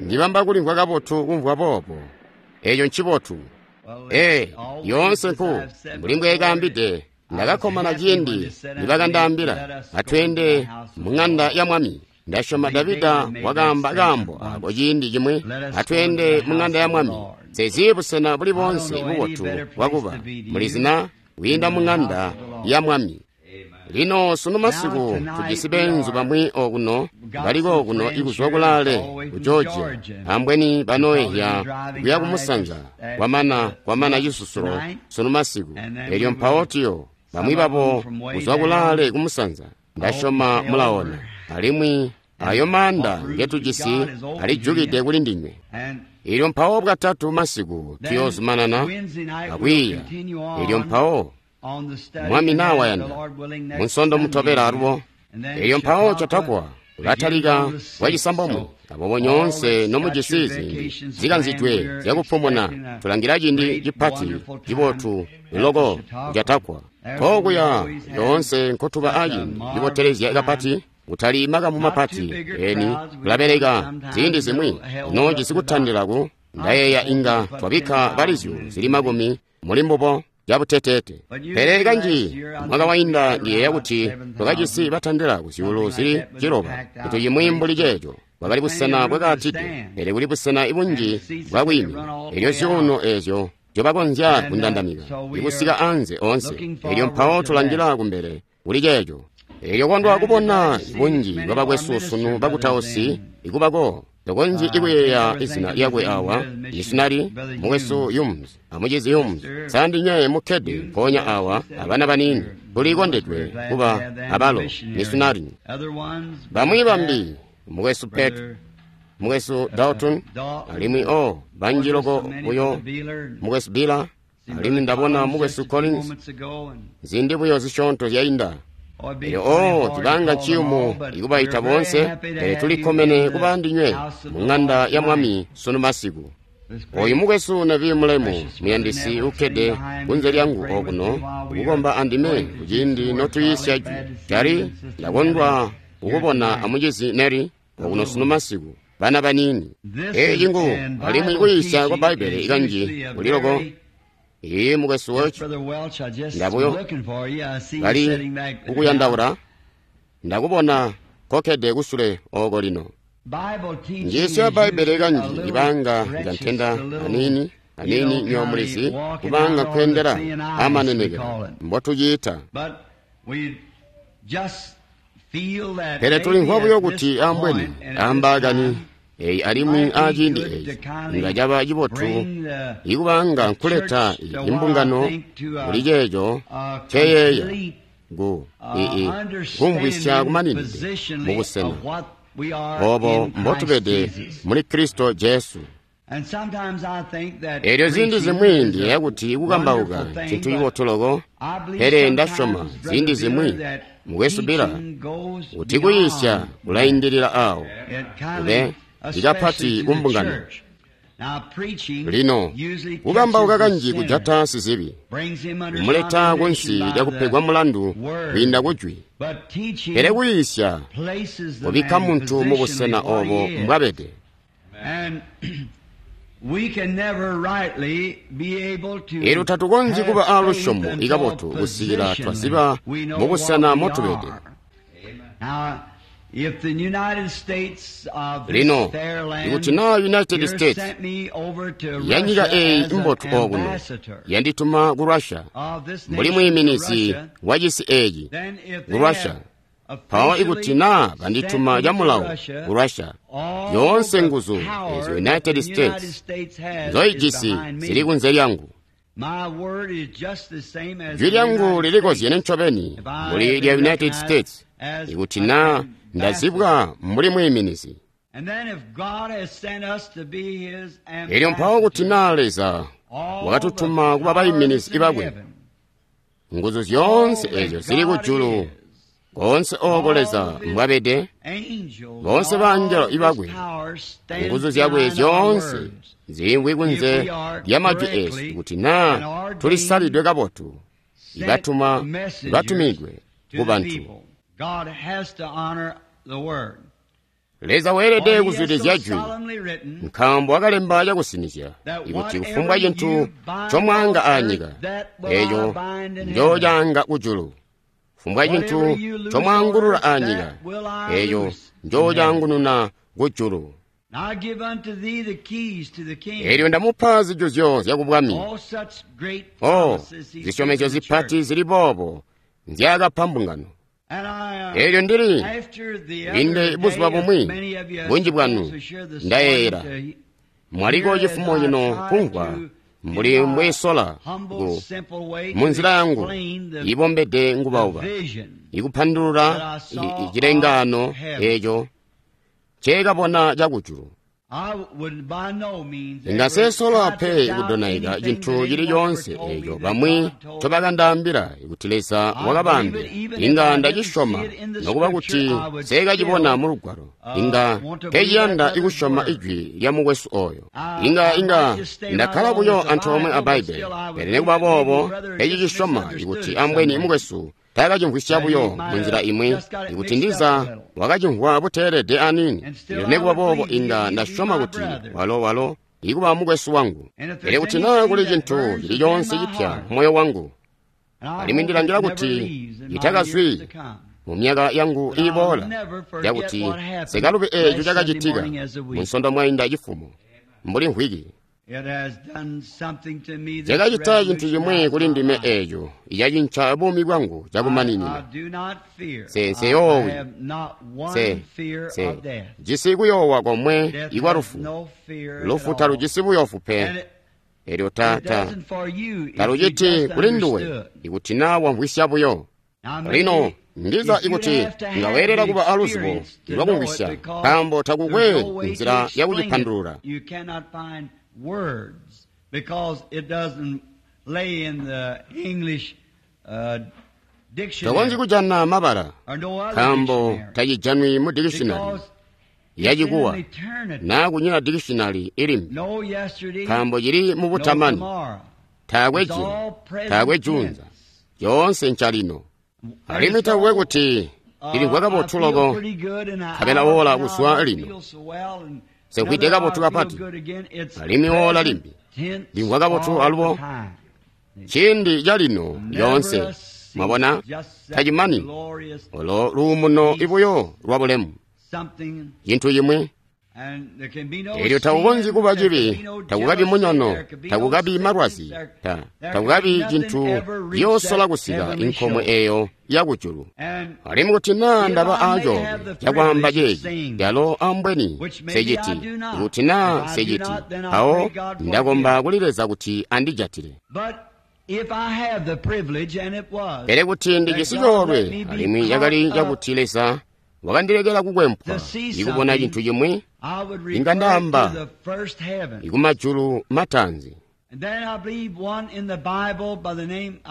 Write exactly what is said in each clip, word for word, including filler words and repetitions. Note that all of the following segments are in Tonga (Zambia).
Ndibamba kulimvwa kabotu kumvwa boobo. Eeco ncibotu. Ee, yoonse nku mbuli mbweekaambide, ndakakkomana ciindi nibakandaambila atweende mu ŋanda ya Mwami. Ndasyoma Davida wakaamba kaambo ako ciindi cimwi, atweende mu ŋanda ya Mwami. Nsizi busena buli boonse bubotu bwakuba mulizina kwiinda mu ŋanda ya Mwami. Lino sunu masiku tujisi beenzu bamwi okuno baliko okuno ikuzwa kulaale ku Georgia, ambweni banoehya kuya kumusanza kwamana kwamana cisusulo sunu masiku. Elyo mpawo tuyo bamwi babo kuzwa kulaale kumusanza, ndasyoma mulaona, alimwi ayo maanda ngetujisi alijukide kuli ndinywe. Elyo mpawo bwatatu masiku tuyoozumanana akwiiya. Elyo mpawo Mwami naa wayanda, munsondo mutobela alubo. Elyo mpawo Chautauqua ulatalika bwacisambomwe. Aboobo nyoonse nomujisi ziindi zikanzidwe zyakupumuna, tulangila ciindi cipati cibotu loko Chautauqua. Nkookuya lyoonse nkotuba aciindi cibotelezya kapati, kutali makamu mapati eni tulabeleka ziindi zimwi noojisi kutandila ku ndayeeya inga twabikka balizyo zili makumi muli mbubo cabuteteete. Pele kanji mwaka wainda ndiyeeya kuti twakajisi batandila ku zyuulu zili ciloba, cintu cimwi mbuli ceeco. Bwakali busena bwakaatide, pele kuli busena bunji bwakwiimina, elyo zyuuno eezyo nzyobakonzya kundandamika ikusika anze oonse. Elyo mpawo tulangila kumbele kuli ceeco. Elyo kondwa kubona bunji bwabakwesu sunu bakutausi ikubako. Tokonzyi ikuyeeya izina lyakwe awa, misionari mukwesu Humes amucizi Humes. Sandinye mukkede mpoonya awa abana baniini, tulikondedwe kuba abalo misionari. Bamwi bambi mukwesu Pet, mukwesu Dalton, alimwi o banji loko buyo mukwesu Bila, alimwi ndabona mukwesu Collins ziindi buyo zisyoonto zyainda. Elyo o cibanga nciyumu ikubaita boonse, pele tulikkomene kuba ndinywe mu ŋanda ya Mwami sunu masiku. Oyu mukwesu Neville mulemu muyandisi ukkede kunze lyangu okuno kukomba andime kuciindi notuyiisya jwi. Cali ndakondwa kukubona amucizi Neri okuno sunu masiku, bana baniini. Eeci ngu alimwi kuyiisya kwa Bbaibbele kanji kuli loko. Ee, mukwesu Welch, ndabuyo bali kukuyandaula, ndakubona kokkede kusule oko lino. Njiisyo ya Bbaibbele kanji ibanga njantenda aniini aniini nyomulizi kubanga nkweendela amanenekelo mbotuciita. Pele tulimvwa buyo kuti ambweni ambaakani eyi alimwi aciindi eeci inga caba cibotu ikubanga nkuleta imbungano kuli ceeco nceyeeya ku ii kumvwisya kumaninide mubusena obo mbotubede muli Kristo Jesu. Elyo ziindi zimwi ndiyeeya kuti kukambauka ncintu cibotu loko, pele ndasyoma ziindi zimwi mukwesu Bila kuti kuyiisya kulaindilila awo kube ikapati kumbungano. Lino kukambauka kanji kujata sizibi, kumuleta kunsi lyakupegwa mulandu kwiinda kujwi, pele kuyiisya kubikka muntu mubusena obo mbwabede. Elyo tatukonzyi kuba aalusyomo ikabotu kusikila twaziba mubusena motubede. Lino ikuti naa United States yanyika eeyi imbotu okuno yandituma ku Russia mbuli mwiiminizi wacisi eeci ku Russia, mpawo ikuti naa bandituma camulawo ku Russia, yoonse nguzu eezyo United States nzoijisi zili kunze lyangu. Jwi lyangu lilikozyene ncobeni mbuli lya United States ikuti naa ndazibwa mbuli mwiiminizi. Elyo mpawo kuti naa Leza wakatutuma kuba baiminizi bakwe, nguzu zyoonse eezyo zili kujulu koonse ooko Leza mbwabede, boonse baangelo ibakwe, nguzu zyakwe zyoonse ziimvwi kunze lya majwi eesu kuti naa tulisalidwe kabotu, ibatuma batumidwe ku bantu. Leza weelede kuzwidilizya jwi, nkaambo wakalemba cakusinizya ikuti kufumbwa cintu ncomwaanga aanyika, eeco njoocaanga kujulu. Kufumbwa cintu ncomwaangulula aanyika, eeco njoocaangununa kujulu. Eelyo ndamupa zijuzyo zyakubwami. Oh, zisyomezyo zipati zili boobo nzyaakapa mbungano. Eelyo ndili linde buzuba bumwi, bunji bwanu ndayeeyela mwaliko cifumo cino kumvwa mbuli mbwesola ku munzila yangu ibombede ngubauba ikupandulula cilengaano eeco nceekabona cakujulu. Inga nsesola pe kudonaika cintu cili coonse eeco bamwi ncobakandaambila kuti Leza wakabaambila. Inga ndacisyoma nokuba kuti nseekacibona mu Lugwalo. Inga nkeciyanda kusyoma ijwi lya mukwesu ooyo. Inga inga ndakkala buyo antoomwe a Bbaibbele, pele nikuba boobo nkecicisyoma kuti ambweni mukwesu taakacimvwisya buyo munzila imwi, ikuti ndiza wakacimvwa buteelede aniini. Elyo nikuba boobo inga ndasyoma kuti walo walo ikuba mukwesu wangu. Pele kuti naa kuli cintu cili coonse cipya moyo wangu, alimwi ndilangila kuti itakazwi mu myaka yangu iiboola, yakuti sikalubi eeco cakacitika munsondo mwainda cifumo mbuli mvwiki. Cakacita cintu cimwi kuli ndime eeco icacinca buumi bwangu cakumaninina. Se nseyoowi, se se jisi kuyoowa komwe ikwa lufu. Lufu talujisi buyoofu pe. Elyo ta ta taluciti kuli nduwe ikuti naa wamvwisya buyo. Lino ndiza ikuti nga weelela kuba aluzibo lwakumvwisya, nkaambo takukwe nzila yakucipandulula. Words, because it doesn't lay in the English uh, dictionary. Tokonzyi kujana mabala, nkaambo tacijanwi mu dictionary yachikuwa naa kunyina dictionary ilimbi, nkaambo cili mu butamani. Taakwe jilo, taakwe junza, yoonse ncalino. Alimwi takukwe kuti ilimvwa kabotu loko, nkabela wola kuzwa lino. Nsemvwide kabotu kapati, alimwi woola limbi ndimvwa kabotu alubo. Ciindi calino lyoonse, mwabona, tacimani olo luumuno ibuyo lwa bulemu, cintu cimwi. Elyo takukonzyi kuba cibi, takukabi munyono, takukabi malwazi, ta, takukabi cintu ciyoosola kusika inkomwe eeyo yakujulu. Alimwi kuti naa ndaba aacoolwe cakwaamba ceeci, calo ambweni nseciti, kuti naa nseciti, mpawo ndakomba kuli Leza kuti andijatile. Pele kuti ndijisi coolwe, alimwi cakali cakuti Leza wakandilekela kukwempwa ikubona cintu cimwi, inga ndaamba ikumajulu mataanzi.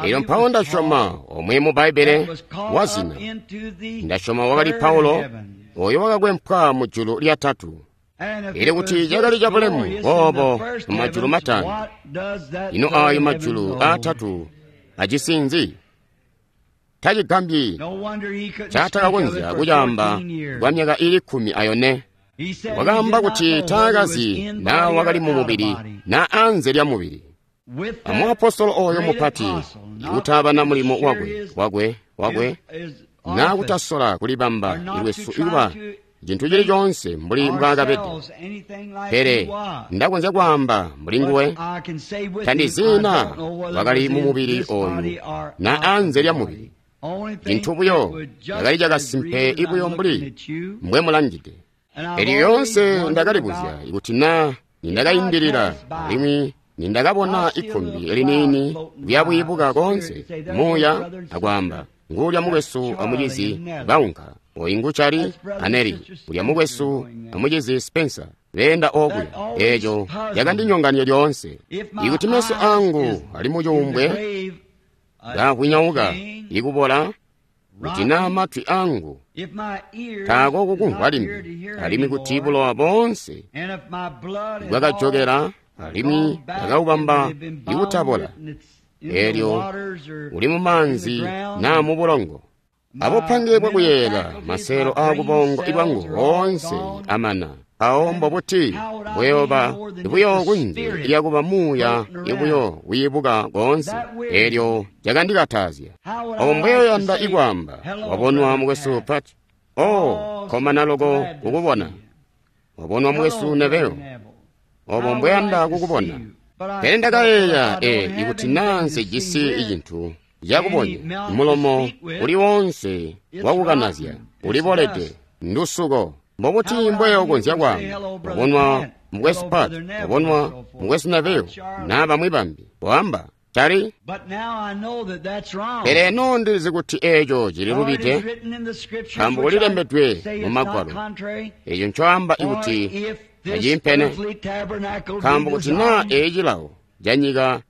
Elyo mpawo ndasyoma omwe mu Bbaibbele wazina, ndasyoma wakali Paulo oyo wakakwempwa mu julu lyatatu. Elyo kuti cakali cabulemu boobo mu majulu mataanzi, ino aayo majulu aatatu ajisi nzi? Tacigambyi ncaatakakonzya kucaamba kwa myaka iili kkumi ayone. Wakaamba kuti taakazi naa wakali mu mubili naa anze lya mubili. Amuapostolo ooyo mupati ikutaabana mulimo wakwe wakwe wakwe naa kutasola kulibamba lwesu ikuba cintu cili coonse mbuli mbwaakabede. Pele ndakonzya kwaamba mbuli nguwe, tandizi naa wakali mu mubili ooyu naa anze lya mubili. Cintu buyo cakali cakasimpe ibuyo mbuli mbwemulangide. Elyo yoonse ndakalibuzya ikuti naa nindakaindilila alimwi nindakabona ikkumbi liniini liyabwiibuka koonse muuya akwaamba, nguulya mukwesu amucizi baunka, oyu ngu Charlie aneli, ulya mukwesu amucizi Spencer beenda okuya. Eeco cakandinyonganya lyoonse. Ikuti meso angu ali mucuumbwe kaavwinyauka ikubola, kuti naa matwi angu taako kukumvwa limbi, alimwi kuti bulowa boonse bwakajokela alimwi bwakaubamba ikutabola, eelyo uli mumaanzi naa mu bulongo. Abupange bwakuyeeyela, maseelo aakubongo ibwangu oonse amana. Awo mbobuti buyoba buyo kunze lyakuba muuya ibuyo wiibuka koonse. Eelyo cakandikatazya. Obo mbweyoyanda ikwaamba, wabonwa mukwesu Pat. Oh, komana loko kukubona. Wabonwa mukwesu Neville. Obo mbweyanda kukubona. Pele ndakayeeya, e, ikuti naa nsejisi cintu cakubonya, mulomo uli wonse wakukanazya ulibolede, ndusuko. Mbobuti mbweyokonzya kwaamba, wabonwa mukwesu Pat, wabonwa mukwesu Neville, naa bamwi bambi, waamba, Cali? Pele eno ndilizi kuti eeco cililubide, nkaambo kulilembedwe mu Magwalo. Eeco ncoamba ikuti taciimpene, nkaambo kuti naa eeci cilawo canyika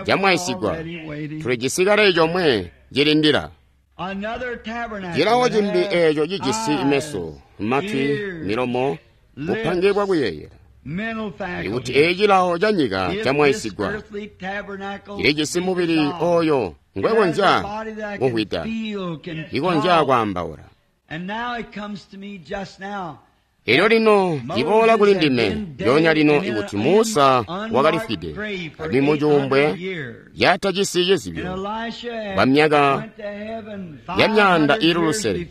camwaisigwa, tulijisi kale comwe cilindila. Cilawo cimbi eeco cijisi meso, matwi, milomo, bupange bwakuyeeyela. Ikuti eeci cilawo canyika camwaisigwa, cilijisi mubili oyo ngwekonzya kumvwida, ikonzya kwaambaula. Elyo lino ciboola kuli ndime lyoonya lino ikuti Musa wakalifwide alimwi mucuumbwe yatajisi cizibyo kwa myaka ya myaanda iili lusele,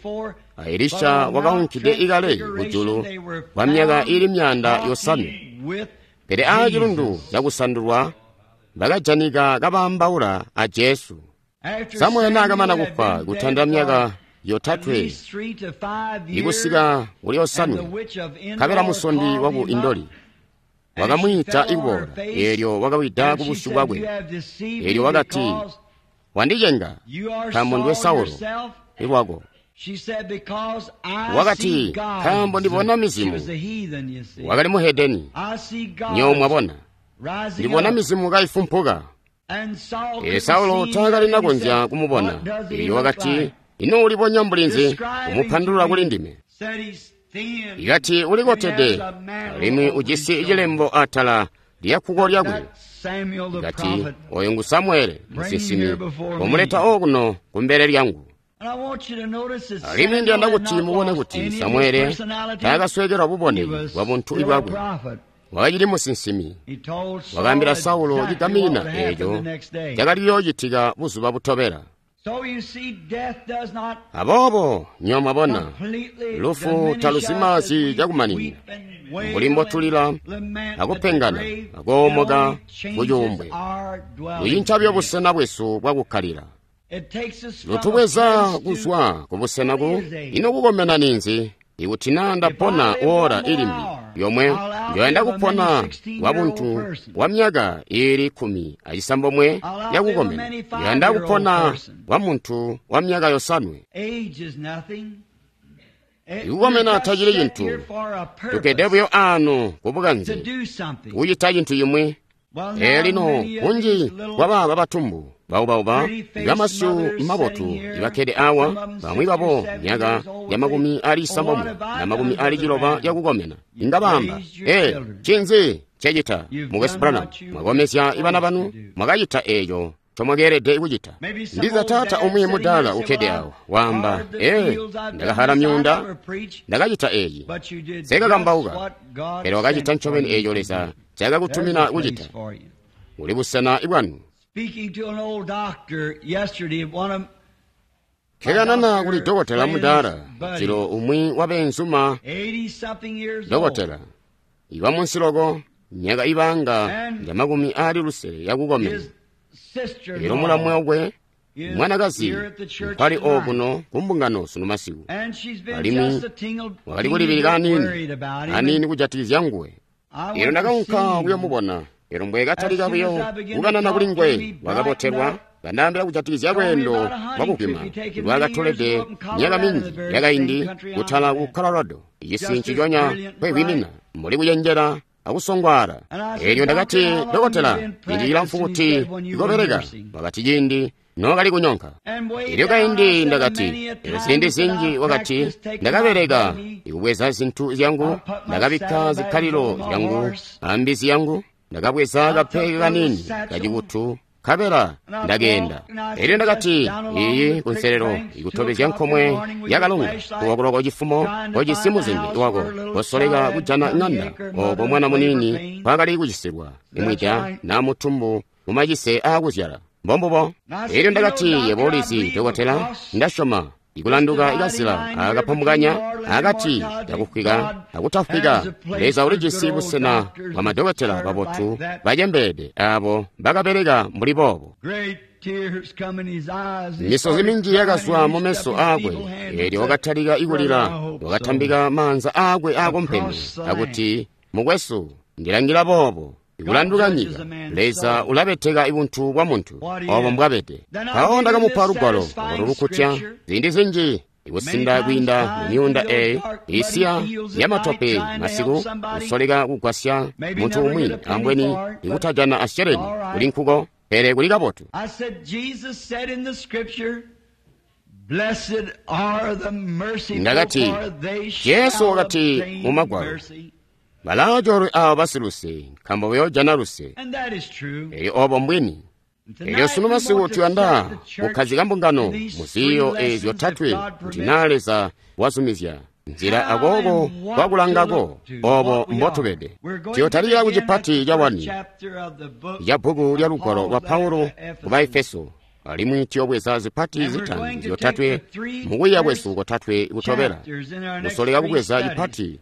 a Elisha wakaunkide ikale kujulu kwa myaka iili myaanda yosanwe. Pele aacilundu cakusandulwa bakajanika kabaambaula a Jesu. Samuele naakamana kufwa kutandila myaka yotatwe ikusika kuli yosanwe, nkabela musondi waku Indoli wakamwiita ikuboola, eelyo wakawida kubusyu bwakwe. Eelyo wakati, wandicenga, nkaambo ndiwe Saulo ilwako. Wakati, nkaambo ndibona mizimu. Wakali muhedeni, nyowe mwabona, ndibona mizimu kaifumpuka. Eelyo Saulo taakali nakonzya kumubona. Eelyo wakati, ino ulibonya mbulinzi umupandulula kuli ndime? Ikati ulikotede alimwi ujisi cilembo atala lyakkuko lyakwe. Ikati oyo ngu Samuele musinsimi, omuleta okuno kumbele lyangu. Alimwi ndiyanda kuti mubone kuti Samuele taakasweekelwa bubone bwa buntu bwakwe. Wakacili musinsimi. Wakaambila Saulo cigaminina eeco cakali kuyoocitika buzuba butobela. Aboobo nyowe mwabona, lufu taluzimazi cakumaninina, mbuli mbotulila akupengana akoomoka kucuumbwe. Lucinca buyo busena bwesu bwakukkalila. Lutubweza kuzwa kubusena ku ino kukomena ninzi? Ikuti naa ndapona woola ilimbi yomwe, njoyanda kupona kwa buntu bwa myaka iili kkumi acisambomwe yakukomena. Njoyanda kupona kwa muntu wa myaka yosanwe. Ikukomena tacili cintu. Tukkede buyo aano kubukanze kucita cintu cimwi. Ee lino kunji kwabaaba batumbu baubauba bamasyu mabotu ibakkede awa, bamwi babo myaka ya makumi ali isambomwe na makumi ali ciloba yakukomena, inga baamba, ee, ncinzi ncecita mukwesu Branham? Mwakomezya ibana banu, mwakacita eeco ncomwakeelede kucita. Ndiza taata umwi mudaala ukkede awo waamba, ee, ndakahala myuunda, ndakacita eeci, nsekakambauka. Pele wakacita ncobeni eeco Leza ncaakakutumina kucita. Uli busena bwanu. Nkekanana kuli dokotela mudaala, jilo umwi wabeenzuma dokotela iba munsi loko, myaka ibanga nja makumi aali lusele yakukomena. Elyo mulamwe wakwe mwanakazi mpali okuno kumbungano sunu masiku, alimwi wakali kulibilika aniini aniini kujatikizya nguwe. Elyo ndakaunka kuyomubona. Elyo mbwekatalika buyo kukanana kuli nguwe, wakabotelwa kandaambila kujatikizya lweendo lwakupima lwakatolede myaka minji yakaindi kutala ku Colorado, icisi nciconya nkwekwiimina mbuli kucenjela akusongwaala. Elyo ndakati, dokotela, ciindi cilamfu kuti ikobeleka. Wakati, ciindi nookali kunyonka. Elyo kaindi ndakati, elyo ziindi zinji wakati, ndakabeleka ikubweza zintu zyangu, ndakabikka zikkalilo zyangu ambizi yangu, ndakabweza kapeke kanini kacikutu Nkabela ndakeenda. Elyo ndakati, iyi kunselelo ikutobezya nkomwe yakalonga kuwakuloko cifumo kojisi muzingi wako kosoleka kujana ng'anda oko mwana muniini kwakali kucisilwa imwida na mutumbu mumacise aakuzyala. Mbombubo. Elyo ndakati, yebo ulizi, dokotela, ndasyoma ikulanduka ikazila akapambukanya akati kakufwika akutafwika. Leza ulijisi busena bwa madokotela babotu bacembeede abo bakabeleka mbuli boobo. Misozi minji yakazwa mu meso aakwe, eelyo wakatalika ikulila, wakatambika maanza aakwe aakompeme akuti, mukwesu, ndilangila boobo. Ikulanduka nyika, Leza ulabeteka ibuntu bwa muntu obo mbwabede. Mpawo ndakamupa lugwalo olo lukutya ziindi zinji ikusinda kwiinda mu myuunda eyi isiya yamatope masiku kusoleka kugwasya muntu umwi ambweni ikutajana asheleni kuli nkuko, pele kuli kabotu. Ndakati, Jesu wakati mu Magwalo, balaacoolwe aabo basiluse, nkaambo bayoojana luse. Elyo obo mbwini. Elyo sunu masiku tuyanda kukkazika mbungano mu ziiyo eezi zyotatwe kuti naa Leza wazumizya nzila akooko kwakulangako obo mbotubede. Tuyotalika ku cipati ca wani ca bbuku lya lugwalo lwa Paulo ku Baefeso, alimwi tuyobweza zipati zitanu zyotatwe mukwiiya kwesu kotatwe kutobela, kusoleka kubweza cipati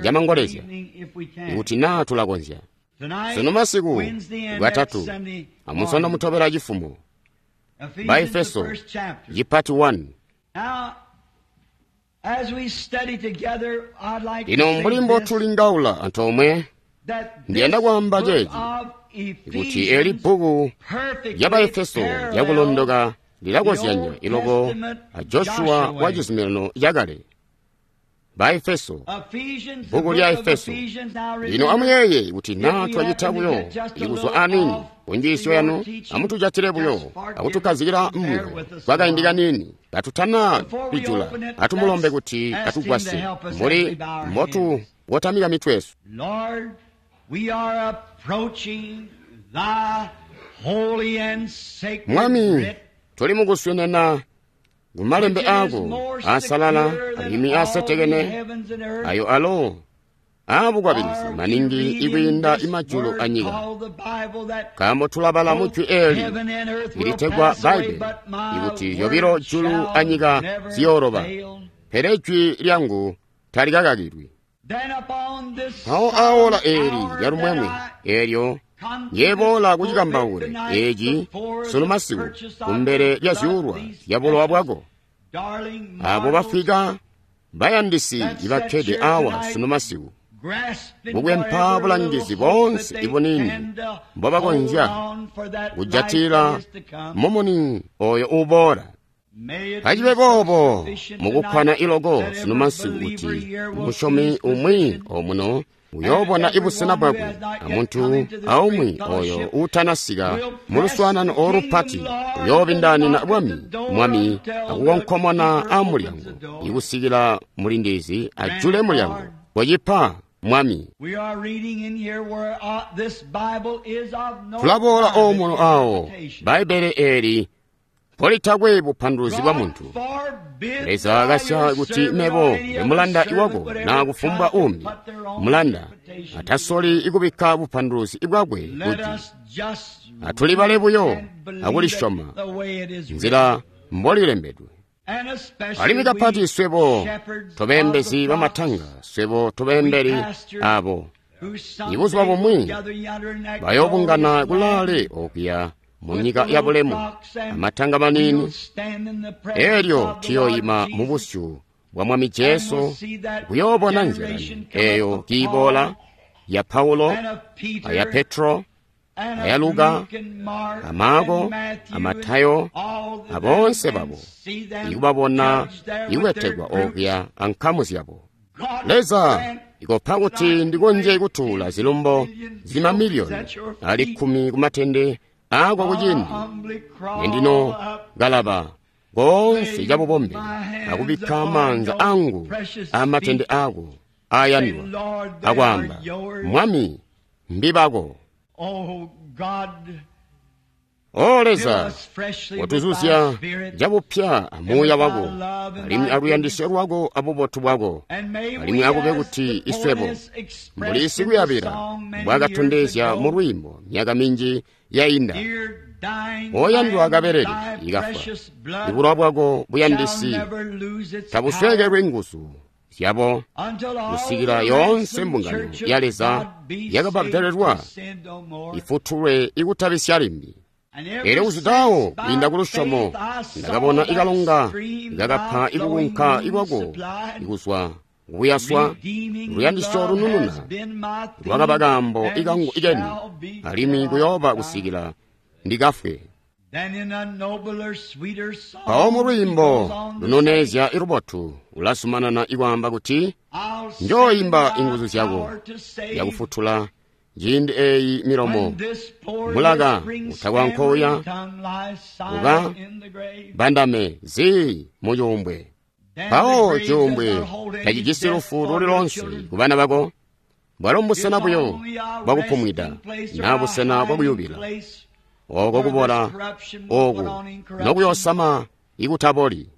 camangolezya ikuti naa tulakonzya. Sunu masiku Lwatatu amusondo mutobela cifumo, Baefeso cipati one. Lino mbuli mbotulingaula antoomwe, ndiyanda kwaamba ceeci kuti eli bbuku lya Baefeso lyakulondoka lilakozyanya iloko a Joshua wa Cizuminano Cakale. Baefeso, bbuku lya Efeso. Lino amuyeeye kuti naa twacita buyo ikuzwa aniini kunjiisyo yanu, amutujatile buyo akutukkazikila mmoyo kwakaindi kaniini katutana kwijula, atumulombe kuti atugwasye mbuli mbotukotamika mitwe yesu. Mwami, tuli mukuswenena kumalembe aako aasalala alimwi aasetekene, ayo alo aabukwabilizi maningi ikwiinda imajulu anyika, nkaambo tulabala mu jwi eeli ilitegwa Bbaibbele ikuti zyobilo julu anyika ziyooloba, pele jwi lyangu talikakakilwi. Mpawo aawola eeli lyalumwemwe eelyo yeboola kucikambaule eeci sunu masiku kumbele lya zyuulwa zya bulowa bwako. Abo bafwika bayandisi ibakkede awa sunu masiku kukwempa bulangizi boonse ibuniini mbobakonzya kujatila mumuni oyo uboola. Acibe boobo mukukkwana iloko sunu masiku kuti musyomi umwi omuno uyoobona ibusena bwakwe, amuntu aumwi oyo uutanasika mu luswaanano olupati uyoobindaanina bwami mwami akukonkomona amulyango ikusikila mulindizi ajule mulyango. Kocipa Mwami. Tulaboola omuno awo Bbaibbele eeli mpolitakwe bupanduluzi bwa muntu. Leza akasya kuti mebo ndemulanda iwako naa kufumbwa umbi mulanda atasoli ikubikka bupanduluzi bwakwe kuti atulibale buyo akulisyoma nzila mbolilembedwe. Alimwi kapati swebo tobeembezi bamatanga, swebo tobeembeli abo ibuzuba bumwi bayoobungana kulaale okuya mu nyika ya bulemu amatanga maniini, elyo tuyoyima mu busyu bwa Mwami Jesu kuyoobona nzila eyo kiiboola ya Paulo aya Petro aya Luka a Marko a Matayo aboonse babo ikubabona ikubetekwa okuya ankamu zyabo. Leza ikopa kuti ndikonzye kutuula zilumbo zimamiliyoni ali kkumi kumatende aako kuciindi nendino kalaba koonse cabubombe akubikka maanza angu amatende aako aayandwa akwaamba, Mwami, mbibako. Oh God, O Leza, watuzuzya cabupya amuuya wako, alimwi aluyandisyo lwako abubotu bwako, alimwi akube kuti iswebo mbuli sikuyabila mbwakatondezya mu lwiimbo myaka minji yainda, oyandwa kabelele ikafwa, ibulowa bwako buyandisi tabusweekelwi nguzu zyabo kusikila yoonse mbungano ya Leza yakababdelelwa ifutulwe ikutabisya limbi. Elyo kuzwidawo kwiinda ku lusyomo ndakabona ikalonga ikakapa ikukunka ikwako ikuzwa kukuyaswa luyandisyo lunununa lwakaba kaambo ikangu ikeni alimwi kuyooba kusikila ndikafwe. Mpawo mu lwiimbo lunoneezya ilubotu ulazumanana ikwaamba kuti, njooimba inguzu zyako yakufutula ciindi eeyi milomo mulaka utakwankoya uka bandame zii mucuumbwe. Mpawo cuumbwe tacijisi lufu luli lonse ku bana bako, bwalo mbusena buyo bwakupumwida naa busena bwakuyubila oko kubola oku nokuyosama ikutaboli.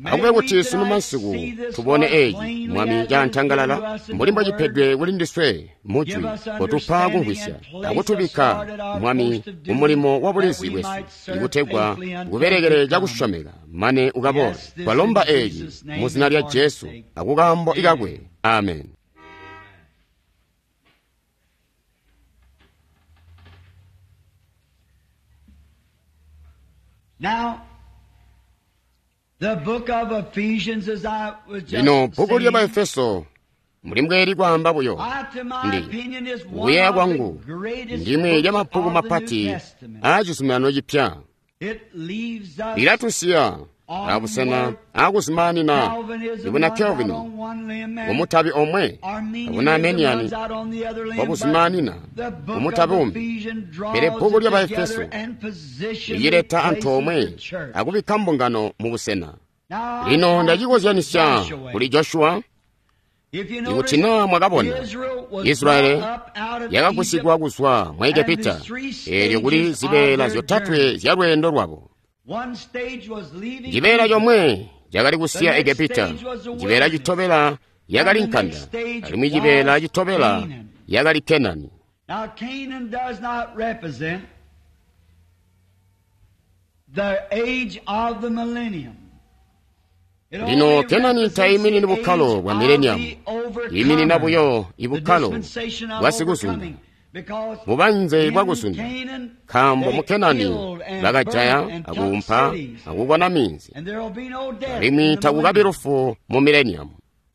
Akube kuti sunu masiku tubone eeci Mwami cantangalala mbuli mbwacipedwe kuli ndiswe mujwi kotupa kumvwisya akutubikka Mwami kumulimo wa bulizi bwesu ikutegwa kubelekele cakusyomeka mane ukabole. Twalomba eeci mu zina lya Jesu akukaambo ikakwe. Amen. Now, the book of Ephesians, as I was just Lino bbuku lya saying, Baefeso mbuli mbweli kwaamba buyo I, to my ndi opinion, is one kuyeeya of kwangu the greatest ndimwe books lya mabbuku of the New mapati Testament. aa cizuminano cipya. It leaves us Lilatusiya abusena akuzimaanina Calvinism ibuna runs out Calvin on one limb and umutabi omwe abuna Arminianism Armenian runs out on the other limb, bwakuzimaanina but the book umutabi of umbi. Ephesians draws Pele bbuku it lya together Baefeso and positions licileta it, antoomwe places the church. akubikka mbungano mu busena. Now, Lino I ndacikozyanisya Joshua. kuli Joshua. If you Ikuti notice, naa mwakabona, Israel was Israeli brought up out of yakagusigwa Egypt. kuzwa mu Egepita, eelyo kuli zibeela zyotatwe zya lweendo lwabo. One stage was leaving Cibeela Egypt. comwe cakali kusiya Egepita, cibeela citobela yakali nkanda, alimwi cibeela citobela yakali Kenani. Now Canaan does not represent the age of the millennium. It Lino only Kenani represents tayiminini the bukkalo age bwa of millennium, the overcomer, yiminina buyo the ibukkalo dispensation of bwa sikuzunda, overcoming, because bubanze in bwa kuzunda. Canaan Nkaambo they mu Kenani killed and bakajaya burned and took akuumpa cities, akukona minzi, and there will be no death in alimwi the takukabi millennium. lufu mu millennium.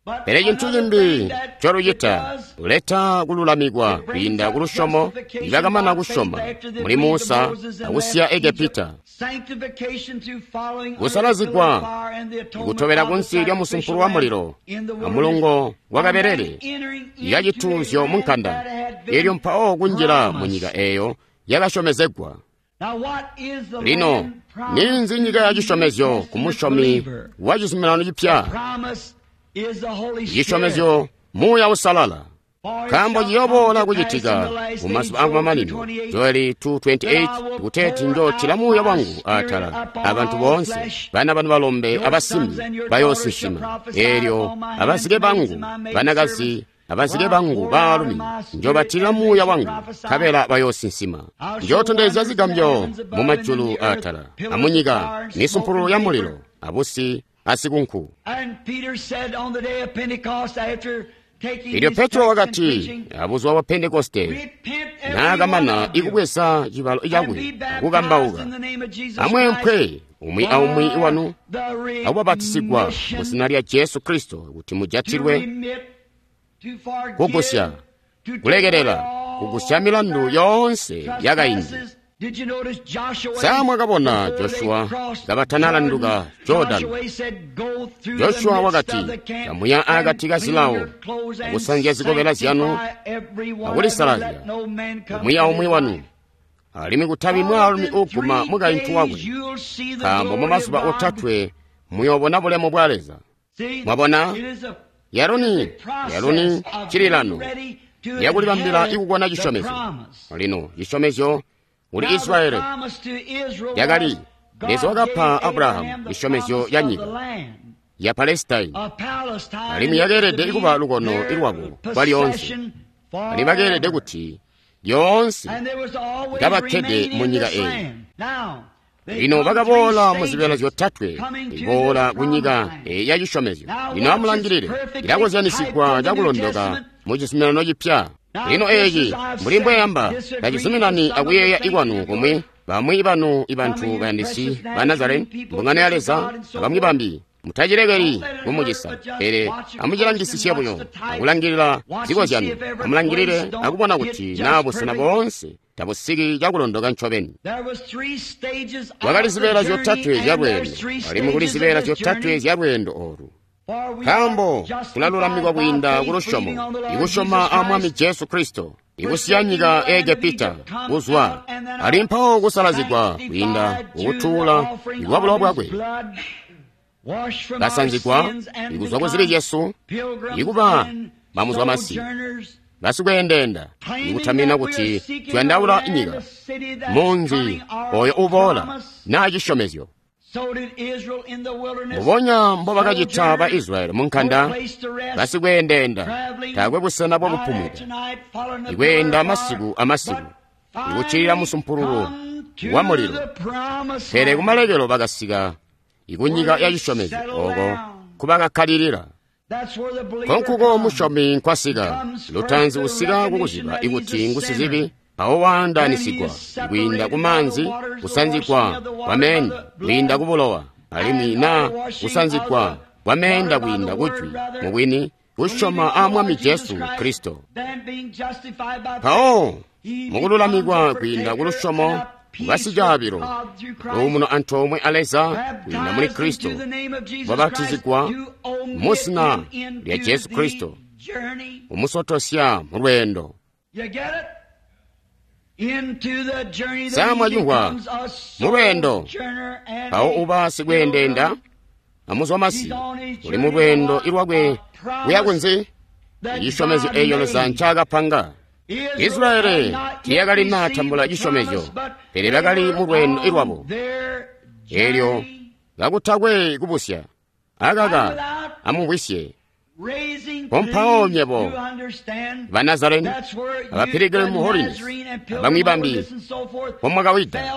But Pele cintu another cimbi thing that it colucita does, kuleta kululamikwa kwiinda ku lusyomo ibakamana kusyoma muli Musa akusiya Egepita, kusalazigwa kutobela kunsi lya musumpulu wa mulilo amulongo wa kabelele ya cituuzyo mu nkanda, elyo mpawo kunjila mu nyika eeyo yakasyomezegwa. Lino ninzi nyika ya cisyomezyo ku musyomi wa cizuminano cipya? Cisyomezyo Muuya Usalala. Nkaambo ciyooboola kucitika mu mazuba akumamanino, Joeli two twenty-eight kuteeti njootila Muuya wangu atala abantu boonse, bana banu balombe abasimbi bayoosinsima, eelyo abazike bangu banakazi abazike bangu baalumi njobatila Muuya wangu, nkabela bayoosinsima. Njootondezya zigambyo mu majulu atala amunyika, misumpulu ya mulilo abusi asikunku. Elyo Petro wakati abuzuba bwa Pentekoste naakamana ikubweza cibalo cakwe akukambauka, amweempwe umwi aumwi wanu akubapatisigwa mu zina lya Jesu Kristo kuti mujatilwe kugusya, kulekelela, kugusya milandu yoonse yakaindi. Sa mwakabona Joshua kabatanalanduka Jordani? Joshua wakati, kamuya akati ka zilawo akusanzya zikobela zyanu akulisalazya umwi aumwi wanu, alimwi kutabi mwaalumi uuguma mukaintu wakwe, nkaambo mu mazuba otatwe muyoobona bulemu bwa Leza. Mwabona, yaroni yaroni cililano yakulibambila ikukona cisyomezyo. Lino cisyomezyo Kuli Israyeli yakali Leza wakapa Abrahamu cisyomezyo ca nyika ya Palestine, alimwi yakeelede kuba lukono lwabo kwalyoonse, alimwi bakeelede kuti lyoonse kabakkede mu nyika eyi. Lino bakaboola mu zibeela zyotatwe iboola ku nyika eyi ya cisyomezyo. Lino amulangilile, ilakozyanisigwa cakulondoka mu cizuminano cipya. Lino eeci mbuli mbweyamba tacizuminani akuyeeya ikwanu kumwi. Bamwi banu ibantu bayandisi ba Nazareni, mbungano ya Leza, abamwi bambi, mutacilekeli kumucisa, pele amucilangisisye buyo akulangilila zikozyano. Amulangilile akubona kuti naa busena boonse tabusiki cakulondoka ncobeni. Kwakali zibeela zyotatwe zyalweendo, alimwi kuli zibeela zyotatwe zyalweendo oolu. Nkaambo kulalulamikwa kwiinda kulusyomo, ikusyoma a Mwami Jesu Kristo, ikusiya nyika ya Egepita kuzwa, ali mpawo kusalazigwa kwiinda kukutuula ikwa bulowa bwakwe, kasanzigwa ikuzwa ku zibi zyesu, ikuba bamuzwamasi, basikweendeenda, ikutamina kuti tuyandaula nyika, munzi oyo uboola naa cisyomezyo. Mbubonya mbobakacita ba Israyeli mu nkanda, basikweendeenda, taakwe busena bwakupumwida, ikweenda masiku amasiku, ikuccilila musumpululu wa mulilo. Pele kumalekelo bakasika ikunyika ya cisyomezyo ooko nkubakakkalilila. Konkuko musyomi nkwasika, lutanzi usika kukuziba ikuti ngusizibi, mpawo waandaanisigwa kwiinda ku maanzi, kusanzigwa kwa meenda kwiinda ku bulowa, alimwi naa kusanzigwa kwa meenda kwiinda kujwi, mubwini kusyoma a Mwami Jesu Kristo. Mpawo mukululamikwa kwiinda ku lusyomo basicaabilo luumuno antoomwe a Leza kwiinda muli Kristo, babatizigwa mu zina lya Jesu Kristo, umusotosya mu lweendo. Sa mwacimvwa? Mu lweendo. Mpawo uba sikweendeenda amuzwamasi, uli mu lweendo ilwakwe kuya kunzi? Cisyomezyo eeco Leza ncaakapanga. Israyeli tiyakali natambula cisyomezyo, pele bakali mu lweendo ilwabo. Eelyo kakutakwe kubusya, akaka amumvwisye. Pompawo nywebo ba Nazareni, aba Pilgrim Holiness, abamwi bambi pomwakawida,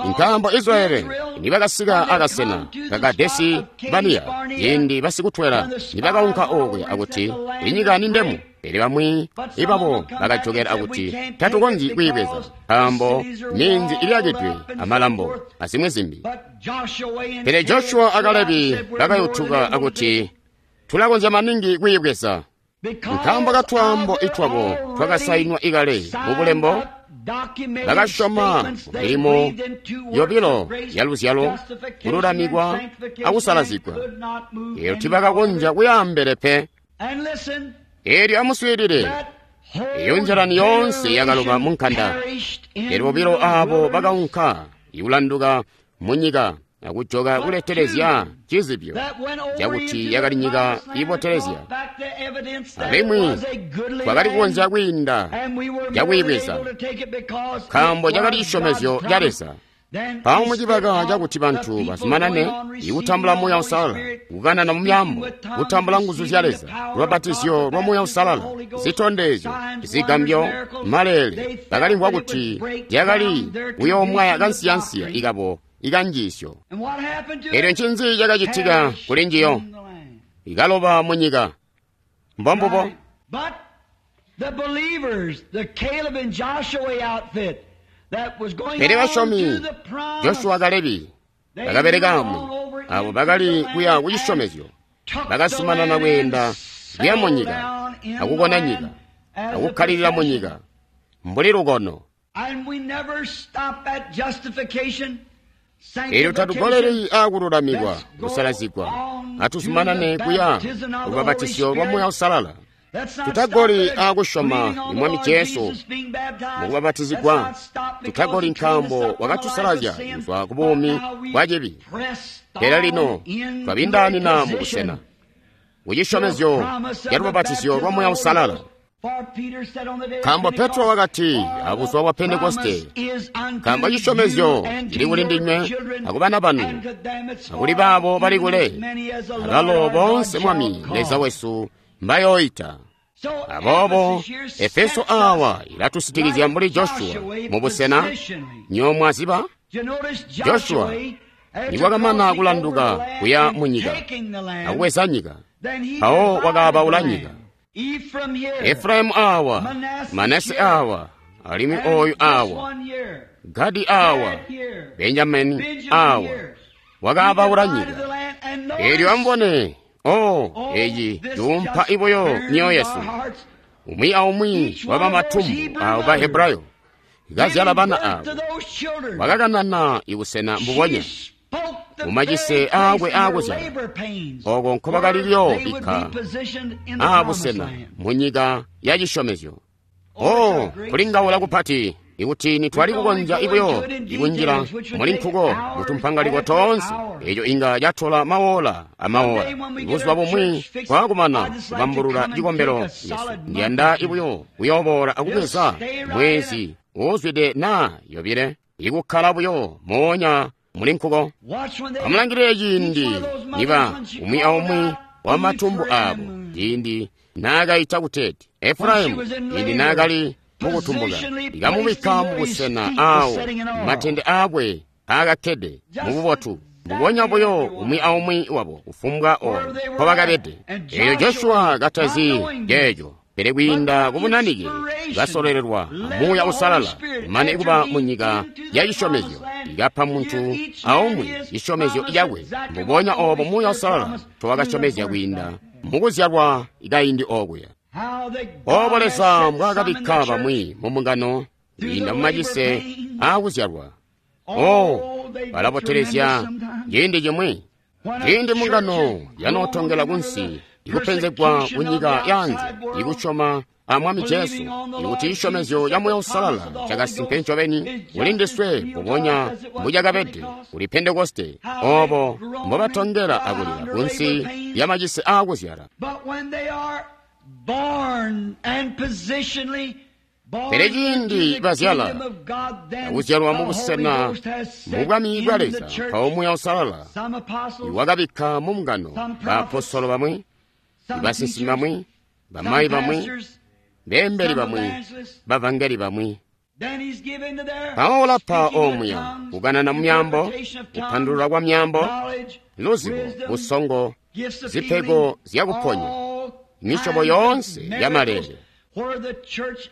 nkaambo Israyeli nibakasika akasena ka Kadesi Baniya, ciindi basikutwela nibakaunka okuya akuti inyika ni ndemu, pele bamwi ibabo bakajokela akuti tatukonzyi kwiibweza nkaambo minzi iliyakidwe amalambo azimwi zimbi. Pele Joshua a Kalebi bakayutuka akuti tulakonzya maningi kwiibweza, nkaambo katwaambo itwabo twakasainwa ikale mu bulembo. Bakasyoma milimo yobilo ya luzyalo, kululamikwa akusalazigwa. Eelyo tibakakonzya kuyaambele pe. Eelyo amuswiilile, eyo njalani yoonse yakaloba mu nkanda. Pele bobilo aabo bakaunka ikulanduka mu nyika akujoka kuletelezya cizibyo cakuti yakali nyika ibotelezya, alimwi twakali kukonzya kwiinda cakwiibweza, nkaambo cakali cisyomezyo ca Leza. Mpawo mucibaka cakuti bantu bazumanane ikutambula Muuya Uusalala, kukanana mu myaambo, kutambula nguzu zya Leza, lubabatizyo lwa Muuya Uusalala, zitondezyo, zigambyo, maleele, bakalimvwa kuti yakali kuyoomwaya kansiyansiya ikabo ikanjiisyo. Eelyo ncinzi cakacitika kuli njiyo? Ikaloba mu nyika. Mbombubo. Pele basyomi Joshua Kalebi bakabelekaamwi, abo bakali kuya ku cisyomezyo, bakazumanana kweenda kuya mu nyika akukona nyika akukkalilila mu nyika mbuli lukono. Eelyo tatugoleli aakululamikwa, kusalazigwa, atuzumanane kuya lubabatisyo lwa Muuya Uusalala. Tutagoli aakusyoma ni Mwami Jesu mukubabatizigwa. Tutagoli nkaambo wakatusalazya kuzwa ku buumi bwa cibi. Pele lino twabindaanina mu busena ku cisyomezyo ca lubabatizyo lwa Muuya Uusalala. Nkaambo Petro wakati abuzuba bwa Pentekoste, nkaambo cisyomezyo cili kuli ndinywe akubana banu akuli baabo bali kule, abalo boonse Mwami Leza wesu mbayooita. Aboobo Efeso awa ilatusitikizya mbuli Joshua mubusena nyomwaziba Joshua niwakamana kulanduka kuya munyika akubweza nyika, mpawo wakaabaula nyika. Efraimu awa, Manase awa, alimwi oyu awa, Gadi awa, Benjamini awa, wakaabaula nyika. Eelyo amubone, oh, eci cuumpa ibuyo myoyo yesu. Umwi aumwi wabamatumbu aabo ba Hebrayo kazyala bana aabo wakakanana ibusena mbubonya mumacise aakwe aakuzyala oko nkobakali kuyoobikka aabusena munyika ya cisyomezyo. Oh, kulingaula kupati ikuti nitwali kukonzya ibuyo ikunjila muli nkuko mutumpangaliko toonse, eco inga catola mawola amawola. Buzuba bumwi kwakumana kubambulula cikombelo cesu, ndiyanda ibuyo kuyooboola akubweza mwezi uuzwide naa yobile ikukkala buyo moonya muli nkuko. Amulangilile ciindi niba umwi aumwi wamatumbu aabo, ciindi naakaita kuteeti Efraimu, ciindi naakali mukutumbuka, ikamubikka mubusena aawo matende aakwe aakakkede mububotu mbubonya buyo umwi aumwi wabo kufumbwa oyo nkobakabede. Eelyo Joshua katazi ceeco, pele kwiinda kubunanike basololelwa Muuya Uusalala mane kuba munyika ya cisyomezyo, ikapa muntu aumwi cisyomezyo cakwe mbubonya oobo Muuya Uusalala ncowakasyomezya kwiinda mukuzyalwa kaindi okuya. Oobo Leza mbwaakabikka bamwi mumbungano kwiinda mumacise aakuzyalwa. Oh, balabotelezya ciindi cimwi. Ciindi mbungano yanootongela kunsi ikupenzegwa kunyika yaanze, ikusyoma a Mwami Jesu, ikuti cisyomezyo ca Muuya Uusalala cakasimpe ncobeni kuli ndiswe mbubonya mbucakabede kuli Pentekoste, oobo mbobatongela akulila kunsi lyamacise aakuzyala. Pele ciindi bazyala akuzyalwa mubusena mubwami bwa Leza, mpawo Muuya Uusalala iwakabikka mumbungano baapostolo bamwi, basinsimi bamwi, bamayi bamwi, beembeli bamwi, bavangeli bamwi. Mpawo ulapa omuya kukanana mumyaambo, kupandulula kwa myaambo, luzibo, busongo, zipego zyakuponya, misyobo yoonse yamalele.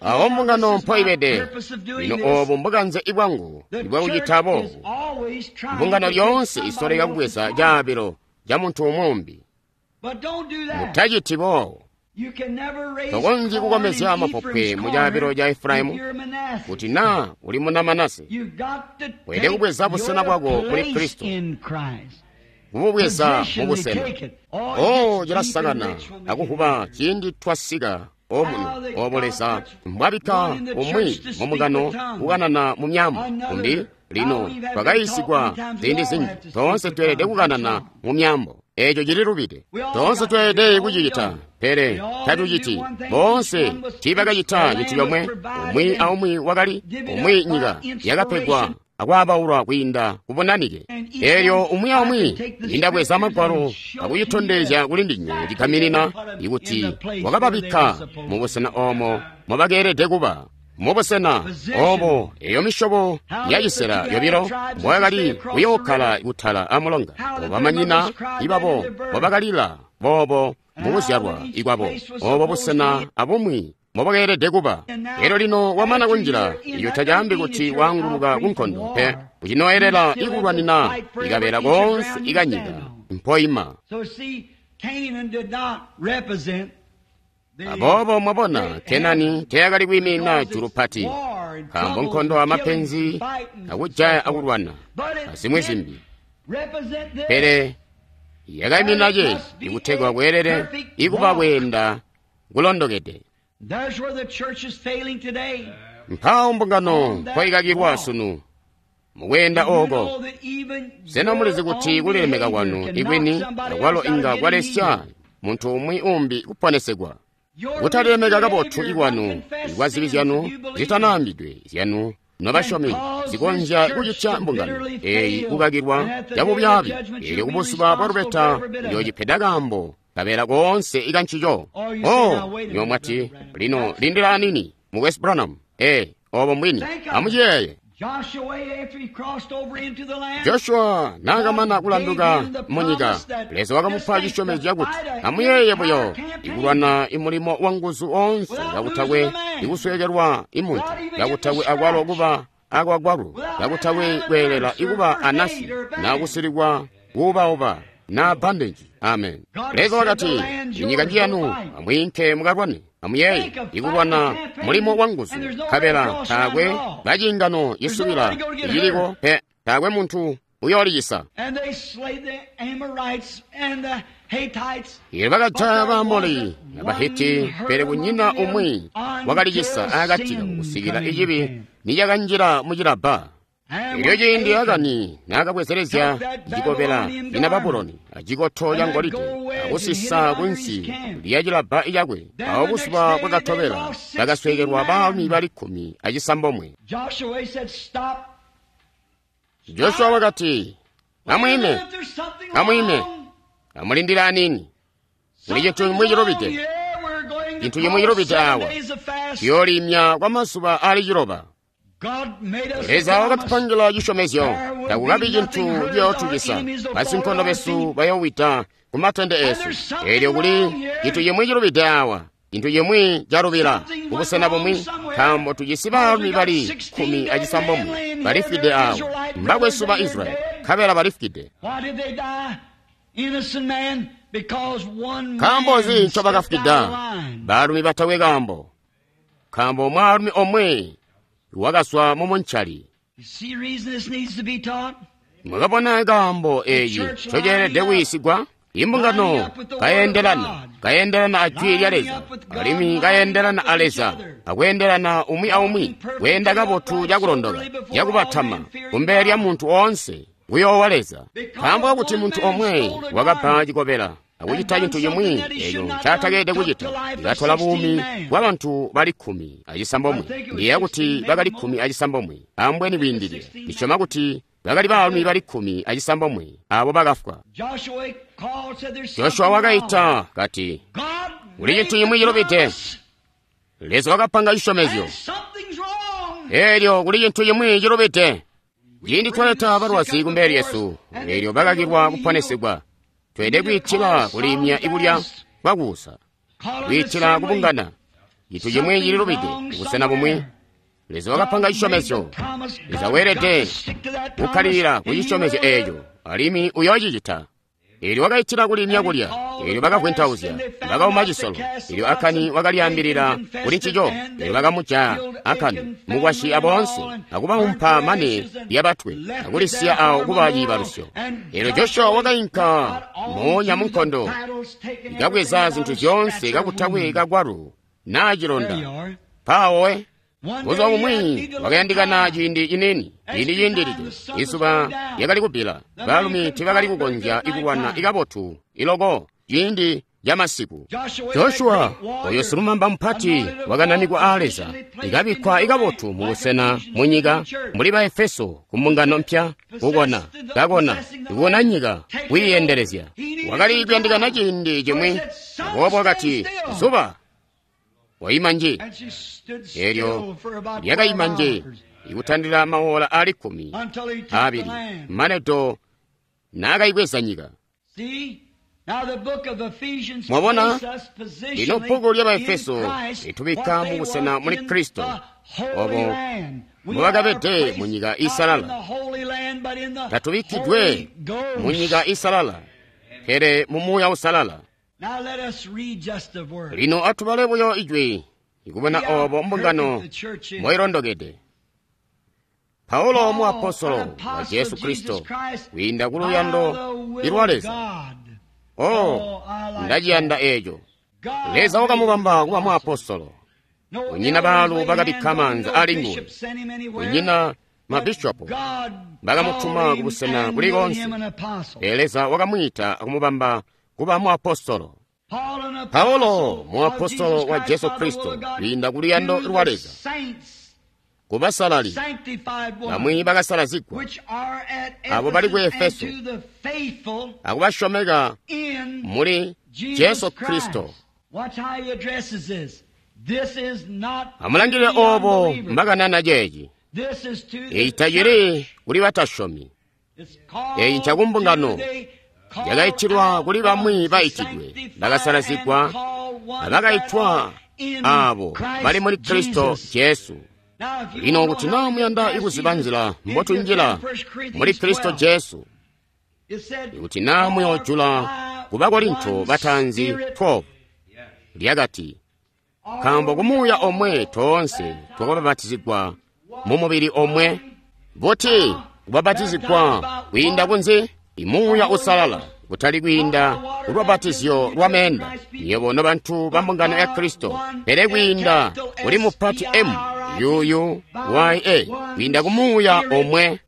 Awo mbungano mpoibede lino, oobu mbukanze bwangu ibwakucita boobu. Mbungano lyoonse isoleka kubweza caabilo ca muntu umwi. Mutaciti boobo. Tokonzyi kukomezya mapopwe mu caabilo ca Efraimu kuti naa uli muna Manase. Weelede kubweza busena bwako muli Kristo, kububweza mubusena. Oh, cilasakana akuvuba ciindi twasika omuno oobo Leza mbwabikka umwi mumbungano kukanana mu myaambo kumbi. Lino twakayiisigwa ziindi zinji, toonse tweelede kukanana mu myaambo. Eeco cililubide. Toonse tweelede kucicita, pele tatuciti. Boonse tiibakacita cintu comwe. Umwi aumwi wakali umwi nyika yakapegwa akwaabaulwa kwiinda kubunanike. Eelyo umwi aumwi indabweza magwalo akuyitondezya kuli ndinywe cigaminina ikuti wakababikka mubusena oomo mobakeelede kuba. Mubusena oobo eyo misyobo yacisela yobilo mboyakali kuyookkala kutala amulonga, bamanyina ibabo mbobakalila boobo mukuzyalwa ikwabo, oobo busena abumwi mbobakeelede kuba. Elyo lino wamana kunjila, eco tacaambi kuti waanguluka kunkondo pe, ucinoelela ikulwanina ikabeela koonse ikanyika mpoima. Aboobo mwabona, Kenani teyakali kwiiminina julu pati, nkaambo nkondo amapenzi akujaya akulwana azimwi zimbi, pele yakaiminina ceeci ikutegwa kweelele ikuba kweenda kulondokede. Mpawo mbungano mpoikakilwa sunu mukweenda ooko. Sena mulizi kuti kulilemeka kwanu ikwini akwalo inga kwalesya muntu umwi umbi kuponesegwa? Kutalilemeka kabotu ikwanu ikwa zibi zyanu zitanaambidwe zyanu nobasyomi zikonzya kucitya mbungano eyi kukakilwa cabubyaabi. Eelyo kubuzuba bwa lubeta uyoocipeda kaambo kabeela koonse ikancico. Oh, nywebo mwati, lino lindila anini, Mukwesu Branham. Ee, obo mbwini. Amuciyeeye. Joshua naakamana kulanduka munyika, Leza wakamupa cisyomezyo cakuti amuyeeye buyo ikulwana imulimo wa nguzu oonse kakutakwe ikusweekelwa imuntu, kakutakwe akwalo kuba akwakwalu, kakutakwe kweelela ikuba anasi naa kusilikwa kuubauba naa bandeji. Amen. Leza wakati, inyika njiyanu, amwiinke mukalwane. Amuyeeye ikulwana mulimo wa nguzu, nkabela taakwe baciingano cisubila iciliko pe, taakwe muntu uyoolicisa. Eelyo bakajaya Baamoli Abahiti, pele kunyina umwi wakalicisa akati kabo kusikila icibi nicakanjila mucilabba. Elyo ciindi Akani naakabwezelezya cikobela cina Babuloni acikoto ca ngolide akusisa kunsi lya cilabba cakwe, awo buzuba bwakatobela bakasweekelwa baalumi bali kkumi acisambomwe. Joshua wakati, amwiime, amwiime, amulindile anini. Kuli cintu cimwi cilubide, cintu cimwi cilubide awa. Tuyoolimya kwa mazuba aali ciloba. Leza wakatupangila cisyomezyo, takukabi cintu ciyootucisa. Basinkondo besu bayoowida ku matende eesu. Eelyo kuli cintu cimwi cilubide awa, cintu cimwi calubila kubusena bumwi, nkaambo tujisi baalumi bali kkumi acisambomwe balifwide awa, mbakwesu ba Israyeli, nkabela balifwide. Nkaambo nzi ncobakafwida? Baalumi batakwe kaambo, nkaambo mwaalumi omwe wakazwa mumuncali. Mwakabona kaambo eeci ncoceelede kuyiisigwa? Imbungano kayendelana, kayendelana a Jwi lya Leza, alimwi kayendelana a Leza, akweendelana umwi aumwi, kweenda kabotu cakulondoka, cakubatama, kumbele lya muntu oonse, kuyoowa Leza. Nkaambo kakuti muntu omwe wakabba cikobela akucita cintu cimwi eeco ncaatakeelede kucita, ikatola buumi bwabantu bali kkumi acisambomwe. Ndiyeeya kuti bakali kkumi acisambomwe, ambweni kwiindilila. Ndisyoma kuti bakali baalumi bali kkumi acisambomwe abo bakafwa. Joshua wakaita kati, kuli cintu cimwi cilubide. Leza wakapanga cisyomezyo. Eelyo kuli cintu cimwi cilubide. Ciindi twaleta balwazi kumbele lyesu, eelyo bakakilwa kuponesegwa, tweelede kwiitila kulimya ikulya kwakuusa, kwiitila kubungana. Cintu cimwi cililubide kubusena bumwi. Leza wakapanga cisyomezyo. Leza weelede kukkalilila ku cisyomezyo eeco, alimwi uyoocicita. Eelyo wakaitila kulimya kulya, eelyo bakavwentauzya, bakauma cisolo. Eelyo Akani wakalyaambilila kuli ncico, eelyo bakamujaya Akani, mukwasyi aboonse, akubaumpa mane lyabatwe, akulisiya awo kuba ciibalusyo. Eelyo Joshua wakainka moonya munkondo, kabweza zintu zyoonse kakutakwe kagwalu naa cilonda. Mpaawo buzuba bumwi wakayandikana ciindi ciniini, ciindi ciindilide. Izuba lyakali kubbila, baalumi tiibakali kukonzya ikulwana ikabotu iloko ciindi camasiku. Joshua oyo silumamba mupati wakananikwa aa Leza, ikabikkwa ikabotu mubusena munyika mbuli ba Efeso ku mbungano mpya, kukona, kakona, ikukona nyika, kwiiyendelezya. Wakali kuyandikana ciindi cimwi, aboobo wakati, zuba waima nji. Eelyo lyakaima nji ikutandila maola aali kkumi aabili mane do naakayibweza nyika. Mwabona, lino bbuku lya Baefeso litubikka mubusena muli Kristo obo mbubakabede mu nyika iisalala. Tatubikkidwe mu nyika iisalala, pele mu Muuya Uusalala. Lino atubale buyo ijwi ikubona obo mbungano mboilondokede. Paulo muapostolo wa Jesu Kristo kwiinda ku luyando lwa Leza. Oh, ndaciyanda eeco. Leza wakamubamba kuba muapostolo. Kunyina baalu bakabikka maanza ali nguwe, kunyina mabishopo bakamutuma kubusena kuli koonse. Pele Leza wakamwiita akumubamba kuba muapostolo. Paulo muapostolo wa Jesu Kristo kwiinda ku luyando lwa Leza kubasalali bamwi bakasalazigwa abo bali ku Efeso akubasyomeka muli Jesu Kristo. Amulangilile obo mbakanana ceeci. Eeci tacili kuli batasyomi, eeci ncakumbungano yakaitilwa kuli bamwi baitidwe bakasalazigwa abakaitwa abo bali muli Kristo Jesu. Lino kuti naa muyanda kuziba nzila mbotunjila muli Kristo Jesu, ikuti naa muyoojula ku Bakorinto bataanzi twelve, lyakati, nkaambo kumuuya omwe toonse twakabapatizigwa mu mubili omwe. Buti kubapatizigwa kwiinda kunzi? Imuuya usalala, kutali kwiinda kulubapatizyo lwa meenda, nywebo nobantu ba mbungano ya Kristo, pele kwiinda kuli mupati M U U Y A, kwiinda kumuuya omwe,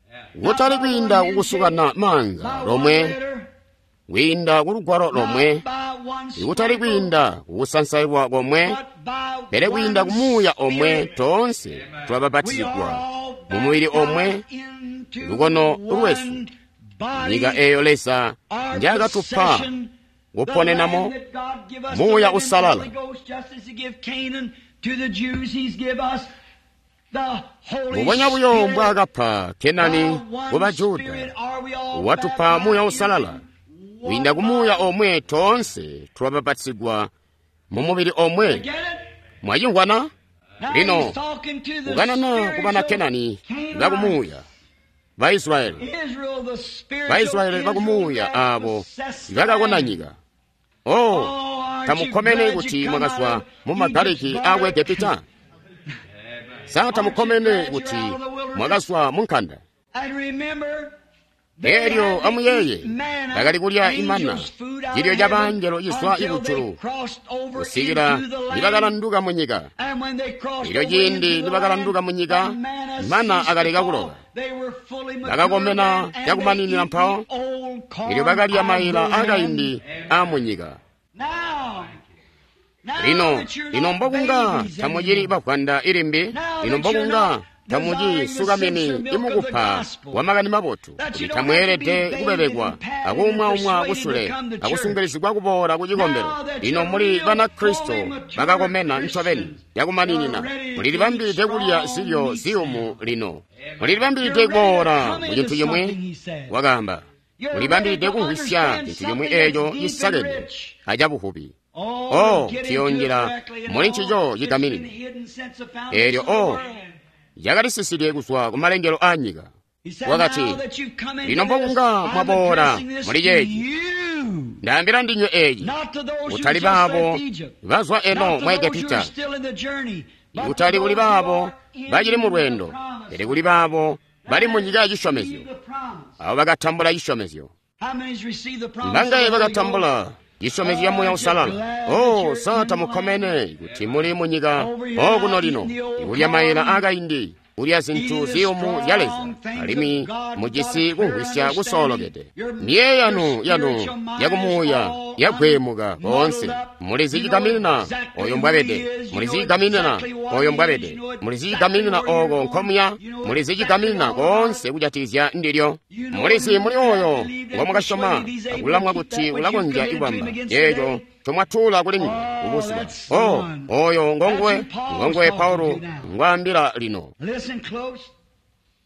kutali kwiinda kukusukana maanza lomwe, kwiinda kulugwalo lomwe, kutali kwiinda kukusansailwa komwe, pele kwiinda kumuuya omwe toonse twabapatizigwa mu mubili omwe, lukono lwesu, nyika eeyo Leza njaakatupa kuponenamo Muuya Usalala. Mbubonya buyo mbwaakapa Kenani ku Bajuda, watupa Muuya Usalala. Kwiinda ku Muuya omwe toonse twabapatizigwa mu mubili omwe. Mwacimvwana? Lino kukanana ku bana Kenani bakumuuya, Baisraeli, Baisraeli bakumuuya abo bakakona nyika. Oh, tamukkomene kuti mwakazwa mu magaliki aaku Egepita? Sa tamukkomene kuti mwakazwa mu nkanda? Elyo amuyeeye, bakali kulya imana, cilyo ca bangelo cizwa kujulu, kusikila nibakalanduka mu nyika. Elyo ciindi nibakalanduka mu nyika, mana akaleka kuloka. Bakakomena cakumaninina mpawo, elyo bakalya maila akaindi aamu nyika. Lino, lino mbokunga tamucili bavwanda ilimbi, lino mbokunga tamuci sukamini imukupa wa makani mabotu, kuti tamweelede kubebekwa akuumwaumwa kusule akusungilizigwa kuboola ku cikombelo. Lino muli Banakristo bakakomena ncobeni yakumaninina, mulilibambilide kulya zilyo ziyumu lino, mulilibambilide kuboola mu cintu cimwi, wakaamba, mulibambilide kumvwisya cintu cimwi eeco cisakene acabuvubi. Oh, tuyonjela muli ncico cigaminina. Eelyo oh, yakalisiside kuzwa kumalengelo aa nyika. Wakati, lino mbokunga mwaboola muli ceeci, ndaambila ndinywe eeci, kutali baabo bazwa eno mu Egepita, kutali kuli baabo bacili mu lweendo, pele kuli baabo bali mu nyika ya cisyomezyo, abo bakatambula cisyomezyo. Mbangaye bakatambula cisyomezyo ca Muuya Usalala? Oh, sa tamukkomene kuti muli mu nyika okuno lino, ikulya maila akaindi, kulya zintu ziyumu zya Leza, alimwi mujisi kumvwisya kusoolokede. Miyeeyo yanu yanu yakumuuya yagweemuka koonse. Mulizi cigaminina oyo mbwabede, mulizi cigaminina oyo mbwabede, mulizi cigaminina oko nkomuya, mulizi cigaminina koonse kujatikizya ndilyo. Mulizi muli oyo ngomwakasyoma akulamwa kuti ulakonzya kubamba eeco ncomwatuula kuli nguwe kubuzuba. Oh, oyo ngonguwe, ngonguwe Paulo ngwaambila lino.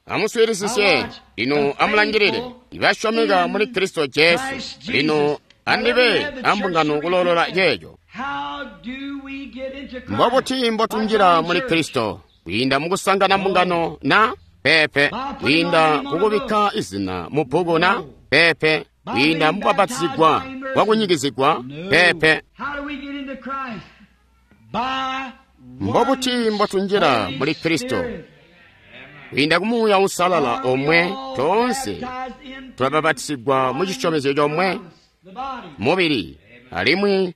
Amuswiilisisye lino, amulangilile ibasyomeka muli Kristo Jesu. Lino andibe ambungano kuloolola ceeco. Mbobuti mbotunjila muli Kristo? Kwiinda mukusangana mbungano na? Peepe. Kwiinda kukubikka izina mu bbuku na? Peepe. Kwiinda mukubapatizigwa kwakunyikizigwa? Peepe. Mbobuti mbotunjila muli Kristo? Kwiinda ku Muuya Usalala omwe toonse tulabapatizigwa mu cisyomezyo comwe, mubili, alimwi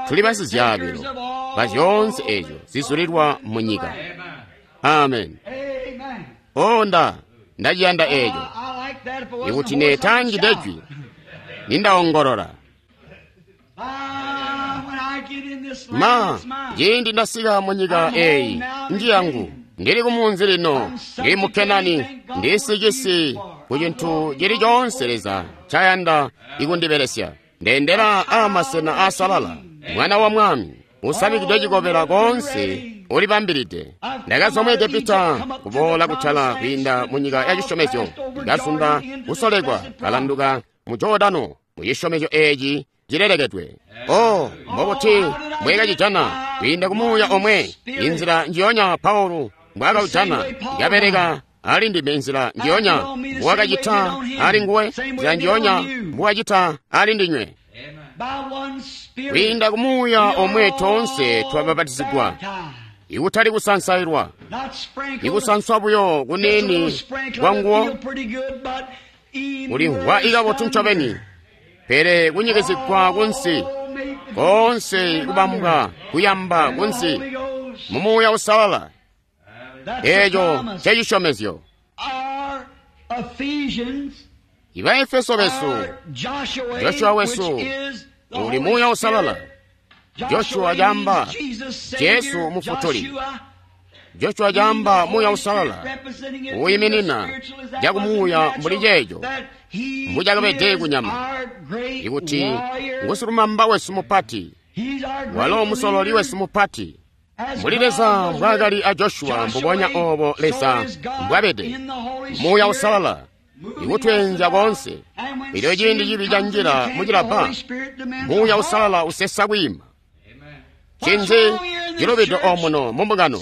tuli basizyaabilo ba zyoonse eezyo zizulilwa mu nyika. Amen. O nda ndaciyanda eeco. Ikuti neetangide jwi, nindaongolola. Ma, ciindi ndasika mu nyika eyi njiyangu, ndili kumunzi lino, ndili mu Kenani, ndisicisi ku cintu cili coonse Leza ncayanda ikundibelesya. Ndendela aamasena aasalala, mwana wa mwami, usamikidwe cikobela koonse ulibambilide. Ndakazwa mu Egepita kuboola kutala kwiinda mu nyika ya cisyomezyo, ndakazunda kusolekwa, kalanduka mu Jordano mu cisyomezyo eeci cilelekedwe. Oh, mbobuti mbwekacijana kwiinda ku Muuya omwe, inzila njiyonya Paulo mbwaakaujana, yabeleka ali ndime nzila njiyonya mbwakacita ali nguwe, nzila njiyonya mbwakacita ali ndinywe. Kwiinda ku Muuya omwe toonse twabapatizigwa, ikutali kusansailwa, ikusanswa buyo kuniini kwanguwo kulimvwa ikabotu ncobeni, pele kunyikizigwa kunsi koonse kubambwa kuyamba kunsi mu Muuya Uusalala. Eeco ncecisyomezyo. Ibaefeso besu, Joshua wesu uli Muuya Uusalala. Joshua caamba Jesu Mufutuli. Joshua caamba Muuya Uusalala uyiminina cakumuuya mbuli ceeco mbucakabede kunyama, ikuti ngusilumamba wesu mupati, walo musololi wesu mupati. Mbuli Leza mbwaakali a Joshua, mbubonya oobo Leza mbwabede Muuya Uusalala ikutweenzya koonse. Elyo ciindi cibi canjila mucilabba, Muuya Uusalala usesa kwiima. Ncinzi cilubide omuno mumbungano?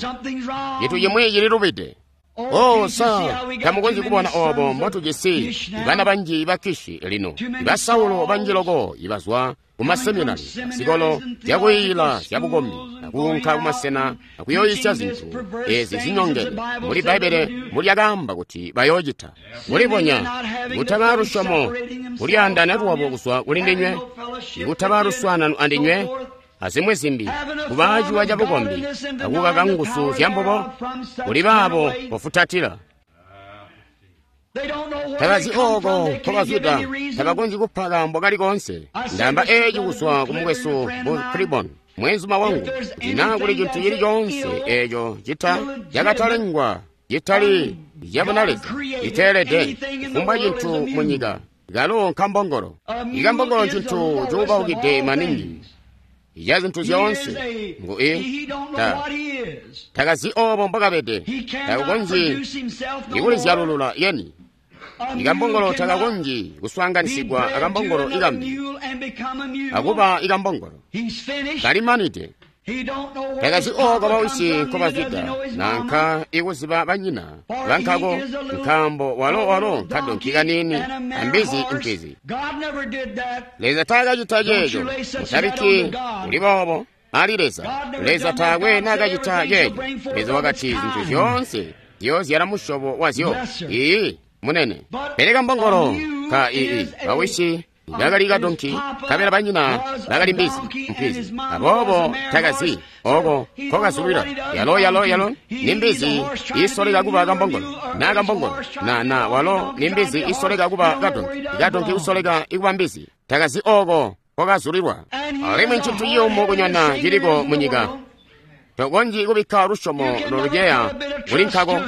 Cintu cimwi cililubide. Oh, sa tamukonzyi kubona oobo mbotujisi bana banji ba Kishi lino, ba Saulo banji loko ibazwa kumaseminari, zikolo zyakuyiila zyabukombi, akuunka kumasena akuyoyisya zintu ezi zinyongene muli Bbaibbele mulyakaamba kuti bayoocita. Kulibonya kutaba lusyomo, kulyaandaana lwabo kuzwa kuli ndinywe, kutaba luswaanano andinywe, azimwi zimbi, kuba ciwa cabukombi, akukaka nguzu zyambubo, kuli baabo bafutatila. Tabazi ooko nkobazwida, tabakonzyi kupa kaambo kali koonse. Ndaamba eeci kuzwa ku mukwesu mu Tribon, mwenzuma wangu, kuti naa kuli cintu cili coonse eeco cita cakatalengwa, citali cabunaleza, citeelede kufumbwa cintu mu nyika, kalo nkambongolo. Ikambongolo ncintu cuubaukide maningi ya zintu zyoonse. Ngu i ta takazi oobo mbwakabede, takakonzyi ikulizyalulula yeni. Ikambongolo takakonzyi kuswaanganisigwa akambongolo ikambi akuba ikambongolo kalimanide. Takazi ooko bawisi nkobazwida nanka ikuziba banyina bankako, nkaambo walo walo nkadonki kaniini ambizi mpizi. Leza taakacita ceeco. Mutabikki kuli boobo ali Leza. Leza taakwe naakacita ceeco. Leza wakati zintu zyoonse ziyoozyala musyobo wazyo. Iiyi, munene. Pele kambongolo ka ii bawisi bakali kadonki, kabela banyina bakali mbizi mpizi. Aboobo takazi oko nkokazulwila. Yalo yalo yalo ni mbizi isoleka kuba kambongolo, na kambongolo na na walo ni mbizi isoleka kuba kadonki, kadonki kusoleka ikuba mbizi. Takazi oko nkokazulilwa. Alimwi ncintu ciyumu kunyona ciliko munyika. Tokonzyi kubikka lusyomo loluceya kuli nkako.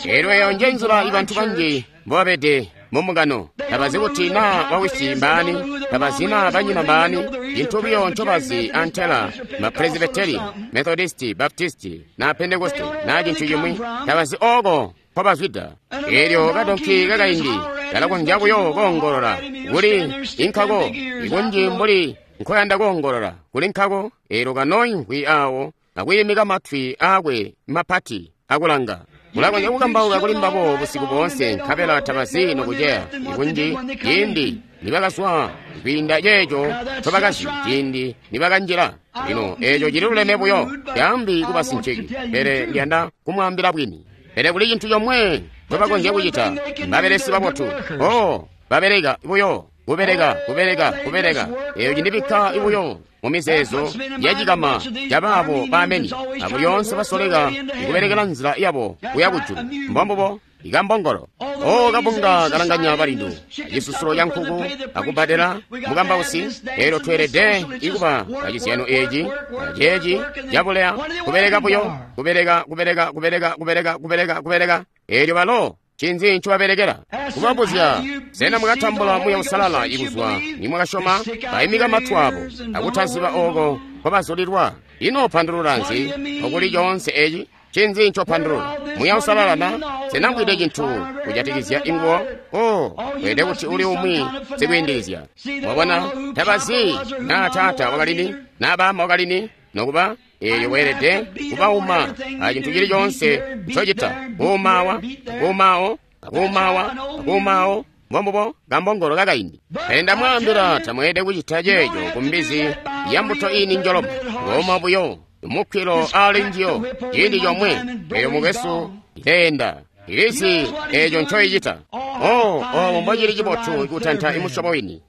Eelyo eyo nje nzila ibantu banji mbobabede mumbungano. Tabazi kuti naa bawisi mbaani, tabazi naa banyina mbaani. Cintu buyo ncobazi antela mapresibiteri, Methodisti, Baptisti na Pentekoste na cintu cimwi, tabazi ooko nkobazwida. Eelyo kadonki kakaindi kalakonzya buyo koongolola kuli inkako, ikunji mbuli nkoyanda koongolola kuli nkako. Eelyo kanooimvwi aawo akwiimika matwi aakwe mapati akulanga. Mulakonzya kukambauka kuli mbabo busiku boonse, nkabela tabazi nokuceya. Ikunji ciindi nibakazwa kwiinda ceeco ncobakazi ciindi nibakanjila. Lino eeco cililuleme buyo, taambi kuba sinciki, pele ndiyanda kumwaambila bwini. Pele kuli cintu comwe ncobakonzya kucita, mbabelesi babotu. Oh, babeleka buyo, kubeleka, kubeleka, kubeleka. Eeyo cindibikka buyo mumizeezo yacikama cabaabo bameni, abo lyoonse basoleka ikubelekela nzila yabo kuya kujulu. Mbombubo, Ikambongolo. O kabunga kalanganya balindu, cisusulo ca nkuku, akubbadela mukambausi. Elyo tweelede ikuba acizyano eeci, aceeci cabuleya, kubeleka buyo, kubeleka, kubeleka, kubeleka, kubeleka, kubeleka, kubeleka. Elyo balo ncinzi ncobabelekela? Kubabuzya, sena mwakatambula Muuya Uusalala ikuzwa nimwakasyoma? Baimika matu abo akutaziba oko kwabazulilwa. Ino pandulula nzi okuli coonse eci? Ncinzi ncopandulula? Muuya Uusalala na? Sena mvwide cintu kujatikizya inguwo? O, weelede kuti uli umwi sikwiindilizya. Mwabona, tabazi naa taata wakalini, naa baama wakalini, nokuba eelyo weelede kubauma a cintu cili coonse ncocita. Kuumawa, kuumawo, akuumawa, akuumawo, mbombubo kambongolo kakaindi. Pele ndamwaambila, tamweelede kucita ceeco ku mbizi ya mbuto ini njoloma. Kuuma buyo mukkilo ali njiyo ciindi comwe, eyo mukwesu ileenda. Ilizi eeco ncoicita. O, obo mbocili cibotu kutanta imusyobo wini.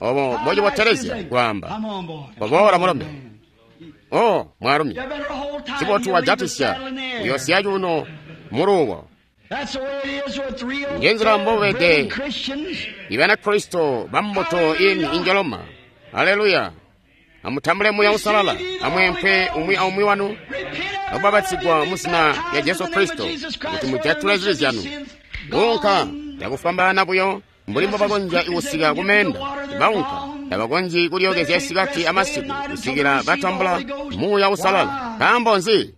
Obo mbocibotelezya kwaamba, koboola mulombe. O, mwaalumi, cibotu wajatisya, uyosiya cuuno muluwo. Njenzila mbobede Ibanakristo bambuto ini injoloma. Aleluya! Amutambule Muuya Uusalala, amweempwe umwi aumwi wanu, akubapatizigwa mu zina lya Jesu Kristo kuti mujatule zibi zyanu. Unka cakufwambaana buyo mbuli mbobakonzya kusika kumeenda, baunka tabakonzyi kulyookezya isikati amasiku kusikila batambula Muuya Uusalala. Nkaambo nzi?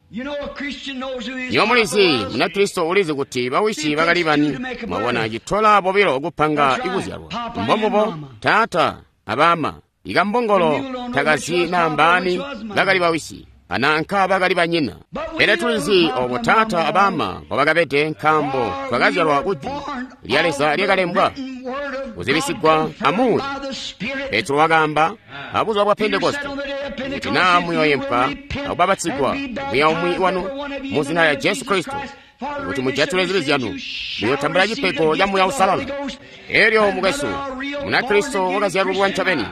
Nywebo mulizi, Munakristo ulizi kuti bawisi bakali bani. Mwabona, citola bobilo kupanga ikuzyalwa. Mbombubo taata abaama. Ikambongolo takazi naa mbaani bakali bawisi ananka bakali banyina. Pele tulizi obo taata abaama mbobakabede, nkaambo twakazyalwa ku Jwi lya Leza lyakalembwa kuzibisigwa amuuya. Petro wakaamba abuzuba bwa Pentekoste kuti naa muyooyempwa akubapatizigwa umwi aumwi wanu mu zina lya Jesu Kristo kuti mujatule zibi zyanu, muyotambula cipego ca Muuya Uusalala. Elyo mukwesu, Munakristo wakazyalulwa ncobeni.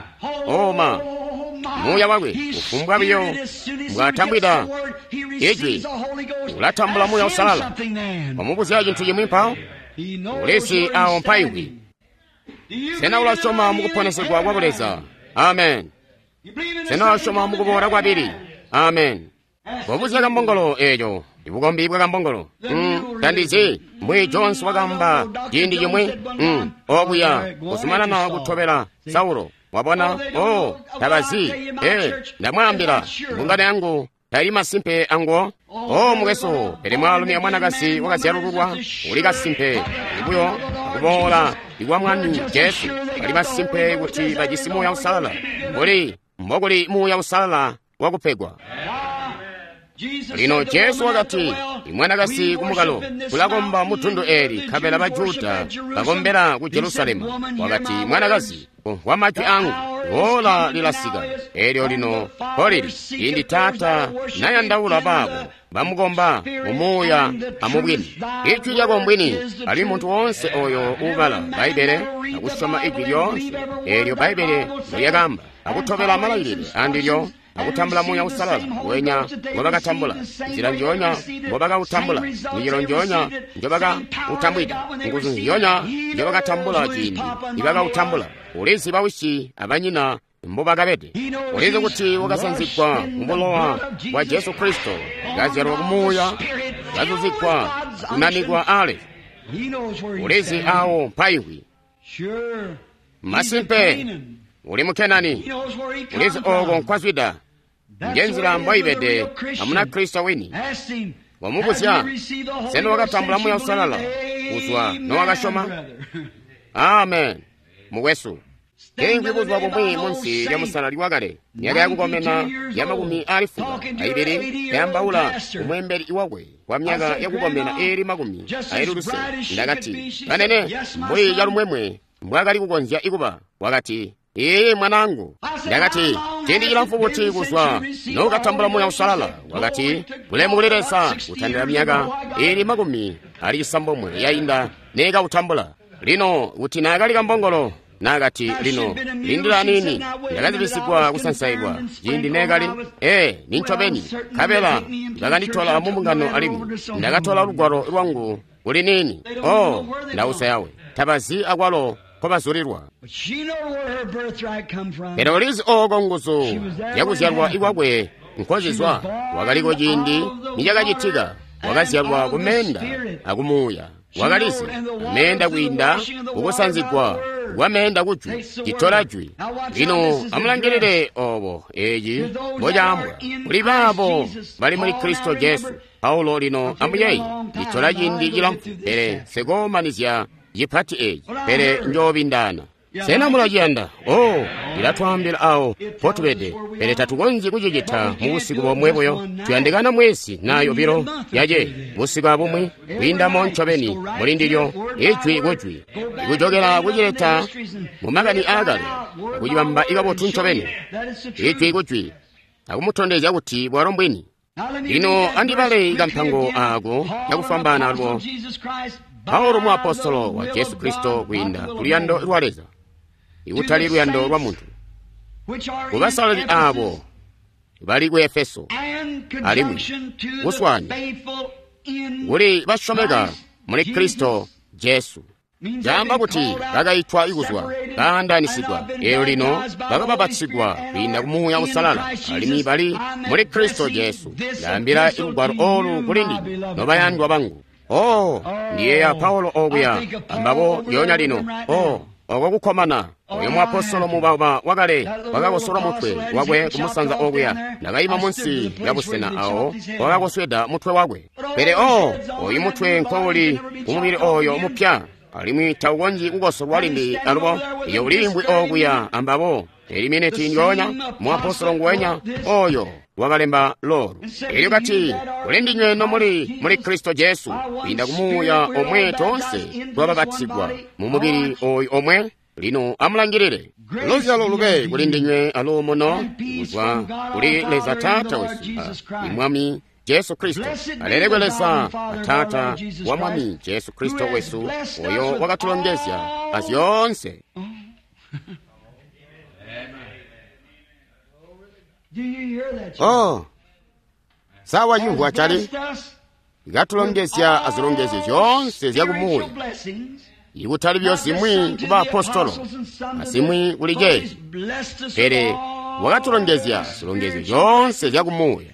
Oma, Muuya wakwe kufumbwa biyo mbwatambwida Ijwi, ulatambula Muuya Uusalala. Wamubuzya cintu cimwi mpawo, ulizi awo mpaimvwi. Sena ulasyoma mukuponesegwa kwa Buleza? Amen. Sena ulasyoma mukuboola kwabili? Amen. Wabuzya kambongolo eeco, ibukombi bwa kambongolo. Mm, tandizi mbwi Jones wakamba ciindi cimwi. Mm, okuya kuzumanana kutobela Saulo. Wabona? Oh, tabazi. Eh, ndamwaambila, mbungano yangu tali masimpe anguwo. Oh, mukwesu, pele mwaalumi amwanakazi wakazyalululwa uli kasimpe ibuyo akuboola ikwa Mwami Jesu. Bali masimpe kuti bajisi Muuya Uusalala mbuli mbokuli Muuya Uusalala wakupegwa. Lino Jesu wakati, imwanakazi kumukalo kulakomba mutundu eli, nkabela Bajuda bakombela ku Jerusalemu. Wakati, mwanakazi, kumvwa majwi angu, ola lilasika. Elyo lino kolili, ciindi Taata nayandaula baabo bamukomba mumuuya amubwini. Ijwi lyako mbwini, ali muntu woonse oyo uubala Bbaibbele akusyoma ijwi lyoonse eelyo Bbaibbele lyakaamba, akutobela malailile andilyo, akutambula Muuya Uusalala wenya ngobakatambula, nzila njoonya mbobakautambula, micelo njoonya njobakautambwida, nguzu nzyoonya njobakatambula ciindi nibakautambula. Ulizi bawisi abanyina mbobakabede. Ulizi kuti wakasanzigwa mubulowa bwa Jesu Kristo, kazyalwa kumuuya, kazuzigwa, kunanikwa ale. Ulizi awo mpaimvwi. Masimpe, uli mu Kenani. Ulizi oko nkwazwida. Njenzila mboibede amuna Kristo wini. Wamubuzya, sena wakatambula Muuya Uusalala kuzwa nowakasyoma? Amen, mukwesu. Teimvwi buzuba bumwi munsi lya musalali wakale, myaka yakukomena ya makumi ali fuka aibili, yambaula umwembeli wakwe kwa myaka yakukomena iili makumi aili lusele. Ndakati, banene, mbuli calumwemwe mbwakali kukonzya ikuba. Wakati, Ee mwanangu. Ndakati, ciindi cilamfu buti kuzwa nokatambula Muuya Uusalala? Wakati, bulemu kuli Leza, kutandila myaka iili makumi ali cisambomwe yainda neekautambula. Lino kuti naakali kambongolo, naakati, lino lindila niini, ndakazibisigwa kusansailwa ciindi neekali. Ee, nincobeni, nkabela bakanditola mumbungano alimwi ndakatola lugwalo lwangu Kuli nini? Oh, ndausa yawe. Tabazi akwalo nkobazulilwa. Pele ulizi ooko nguzu zyakuzyalwa ikwakwe nkozizwa. Wakaliko ciindi nicakacitika. Wakazyalwa kumeenda akumuuya. Wakalizi meenda kwiinda kukusanzigwa kwameenda kujwi, citola jwi. Lino amulangilile obo eci mbocaambwa kuli baabo bali muli Kristo Jesu. Paulo lino amuyeyi, citola ciindi cilamfu, pele nsekoomanizya cipati eci, pele njoobindaana. Sena mulaciyanda? Oh, ilatwaambila awo mpotubede, pele tatukonzyi kucicita mu busiku bomwe buyo. Tuyandikana mwezi na yobilo yace busiku abumwi kwiindamo ncobeni muli ndilyo, ijwi kujwi, ikujokela kucileta mu makani aakale, akucibamba ikabotu ncobeni, ijwi kujwi, akumutondezya kuti bwalo mbwini. Lino andibale kampango aako cakufwambaana alubo. Paulo muapostolo wa Jesu Kristo kwiinda kuluyando lwa Leza, ikutali luyando lwa muntu, kubasalali aabo bali ku Efeso, alimwi kuswaana kuli basyomeka muli Kristo Jesu. Caamba kuti bakaitwa ikuzwa, baandaanisigwa, eelyo lino bakabapatizigwa kwiinda ku Muuya Uusalala, alimwi bali muli Kristo Jesu. Ndaambila ilugwalo oolu kuli ndinywe, nobayandwa bangu. Oh, ndiyeeya Paulo okuya ambabo lyoonya lino. Oh, oko kukkomana. Oyo muapostolo mubaba wakale wakakosolwa mutwe wakwe kumusanza okuya. Ndakayima munsi lya busena awo wakakosweda mutwe wakwe. Pele oh, oyu mutwe nkouli kumubili oyo mupya, alimwi taukonzyi kukosolwa limbi alubo. Iyo uliimvwi okuya ambabo. Eli miniti ndyoonya muapostolo nguwenya oyo wakalemba lolu. Elyo kati, kuli ndinywe nomuli muli Kristo Jesu, kwiinda kumuuya omwe toonse twabapatizigwa mu mubili oyu omwe. Lino amulangilile. Luzyalo lube kuli ndinywe aluumuno kuzwa kuli Leza Taata wesu a Mwami Jesu Kristo. Alelekwe Leza Taata wa Mwami Jesu Kristo wesu, oyo wakatulongezya azyoonse. Oh, sawa cimvwa cali katulongezya azilongezyo zyoonse zyakumuuya, ikutali buyo zimwi ku baapostolo azimwi kuli ceeci, pele wakatulongezya zilongezyo zyoonse zyakumuuya.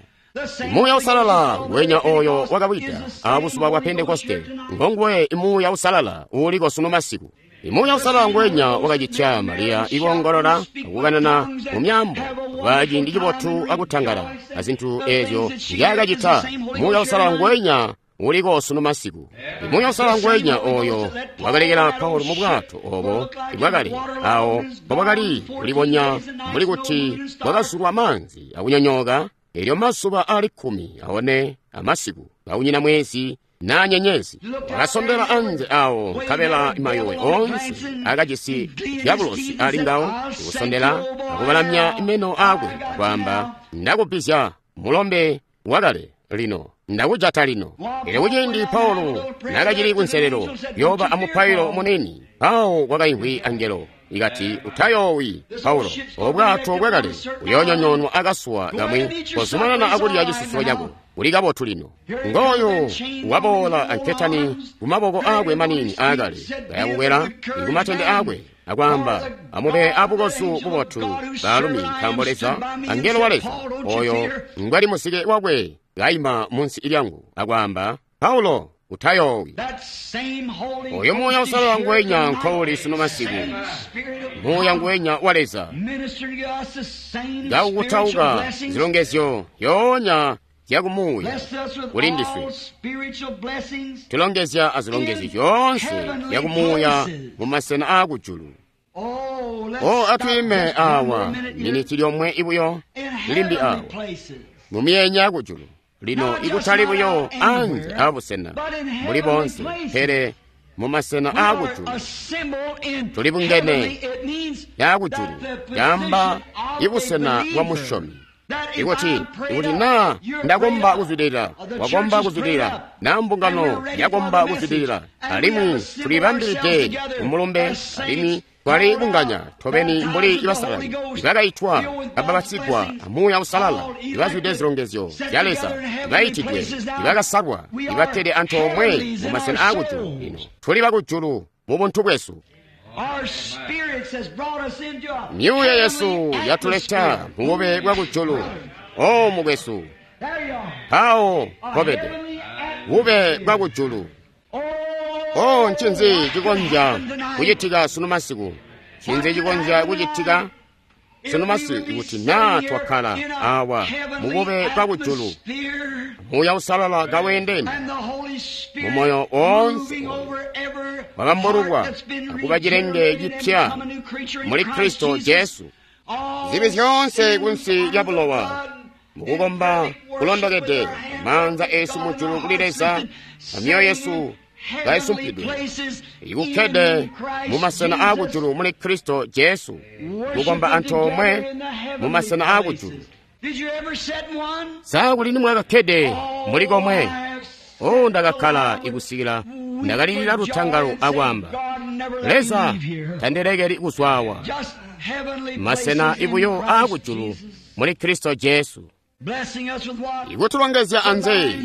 Muuya Uusalala ngwenya oyo wakawida abuzuba bwa Pentekoste ngonguwe Muuya Uusalala uuliko sunu masiku. Muuya Uusalala ngwenya wakacitya Mariya ikoongolola akukanana mu myaambo kwa ciindi cibotu akutangala azintu eezyo nzyaakacita. Muuya Uusalala ngwenya uliko sunu masiku. Muuya Uusalala ngwenya oyo wakalekela Paulo mu bwato obo bwakale awo mbobwakali kulibonya mbuli kuti bwakazulwa maanzi akunyonyooka. Elyo mazuba ali kkumi aone amasiku kaunyina mwezi na nyenyezi, wakasondela anze awo nkabela mayowe onse akajisi dyabulosi ali ngawo, kusondela akubalamya meno akwe akwaamba, ndakubizya mulombe wakale lino, ndakujata lino. Elyo kuciindi Paulo nakacili kunselelo yoba amupailo munini, awo kwakaimvwi angelo ikati, utayoowi Paulo, obwato bwakale buyoonyonyoonwa akasuwa kamwi, kozumanana akulya cisusulo cako, uli kabotu lino. Ngooyo waboola anketani kumaboko akwe manini aakale, kayakukwela kumatende akwe akwaamba, amube abukozu bubotu baalumi, nkaambo Leza, angelo wa Leza oyo ngwali musike wakwe kaima munsi lyangu akwaamba, Paulo, utayoowi. Oyo Muuya Uusalala ngwenya nkouli sunu masiku, Muuya ngwenya wa Leza ngakukutauka zilongezyo yoonya zyakumuuya kuli ndiswe. Tulongezya azilongezyo zyoonse zyakumuuya mu masena aakujulu. O, atwiime awa miniti lyomwe ibuyo limbi awa mu myenya yakujulu. Lino ikutali buyo anze abusena muli bonse, pele mu masena aakujulu tuli bungene yakujulu, yamba ibusena bwa musyomi. Ikuti ikuti naa ndakomba kuzwidilila, wakomba kuzwidilila, naa mbungano yakomba kuzwidilila, alimwi tulibambilide kumulumbe, alimwi Twali bunganya tobeni mbuli basalali ibakaitwa ababatsigwa amuuya usalala ibazwide zilongezyo zya Leza ibaitidwe ibakasalwa ibakkede antoomwe mu masena aakujulu. Lino tuli bakujulu mu buntu bwesu. Myuuya yesu yatuleta mu bube bwa kujulu. O mukwesu, mpawo mpobede bube bwa kujulu. O ncinzi cikonzya kucitika sunu masiku? Ncinzi cikonzya kucitika sunu masiku kuti naa twakkala awa mu bube bwa kujulu, Muuya Usalala kaweendeni mu moyo woonse wabambululwa akuba cilenge cipya muli Kristo Jesu. Zibi zyoonse kunsi lya bulowa, mukukomba kulondokede, maanza esu mujulu kuli Leza, amyoyo yesu kaisumpidwe ikukkede mu masena aakujulu muli Kristo Jesu, kukomba antoomwe mu masena aakujulu. Sa kuli nimwakakkede muli komwe? O ndakakkala ikusikila ndakalilira lutangalo akwaamba, Leza tandilekeli kuzwawa. Masena ibuyo aakujulu muli Kristo Jesu, ikutulongezya anze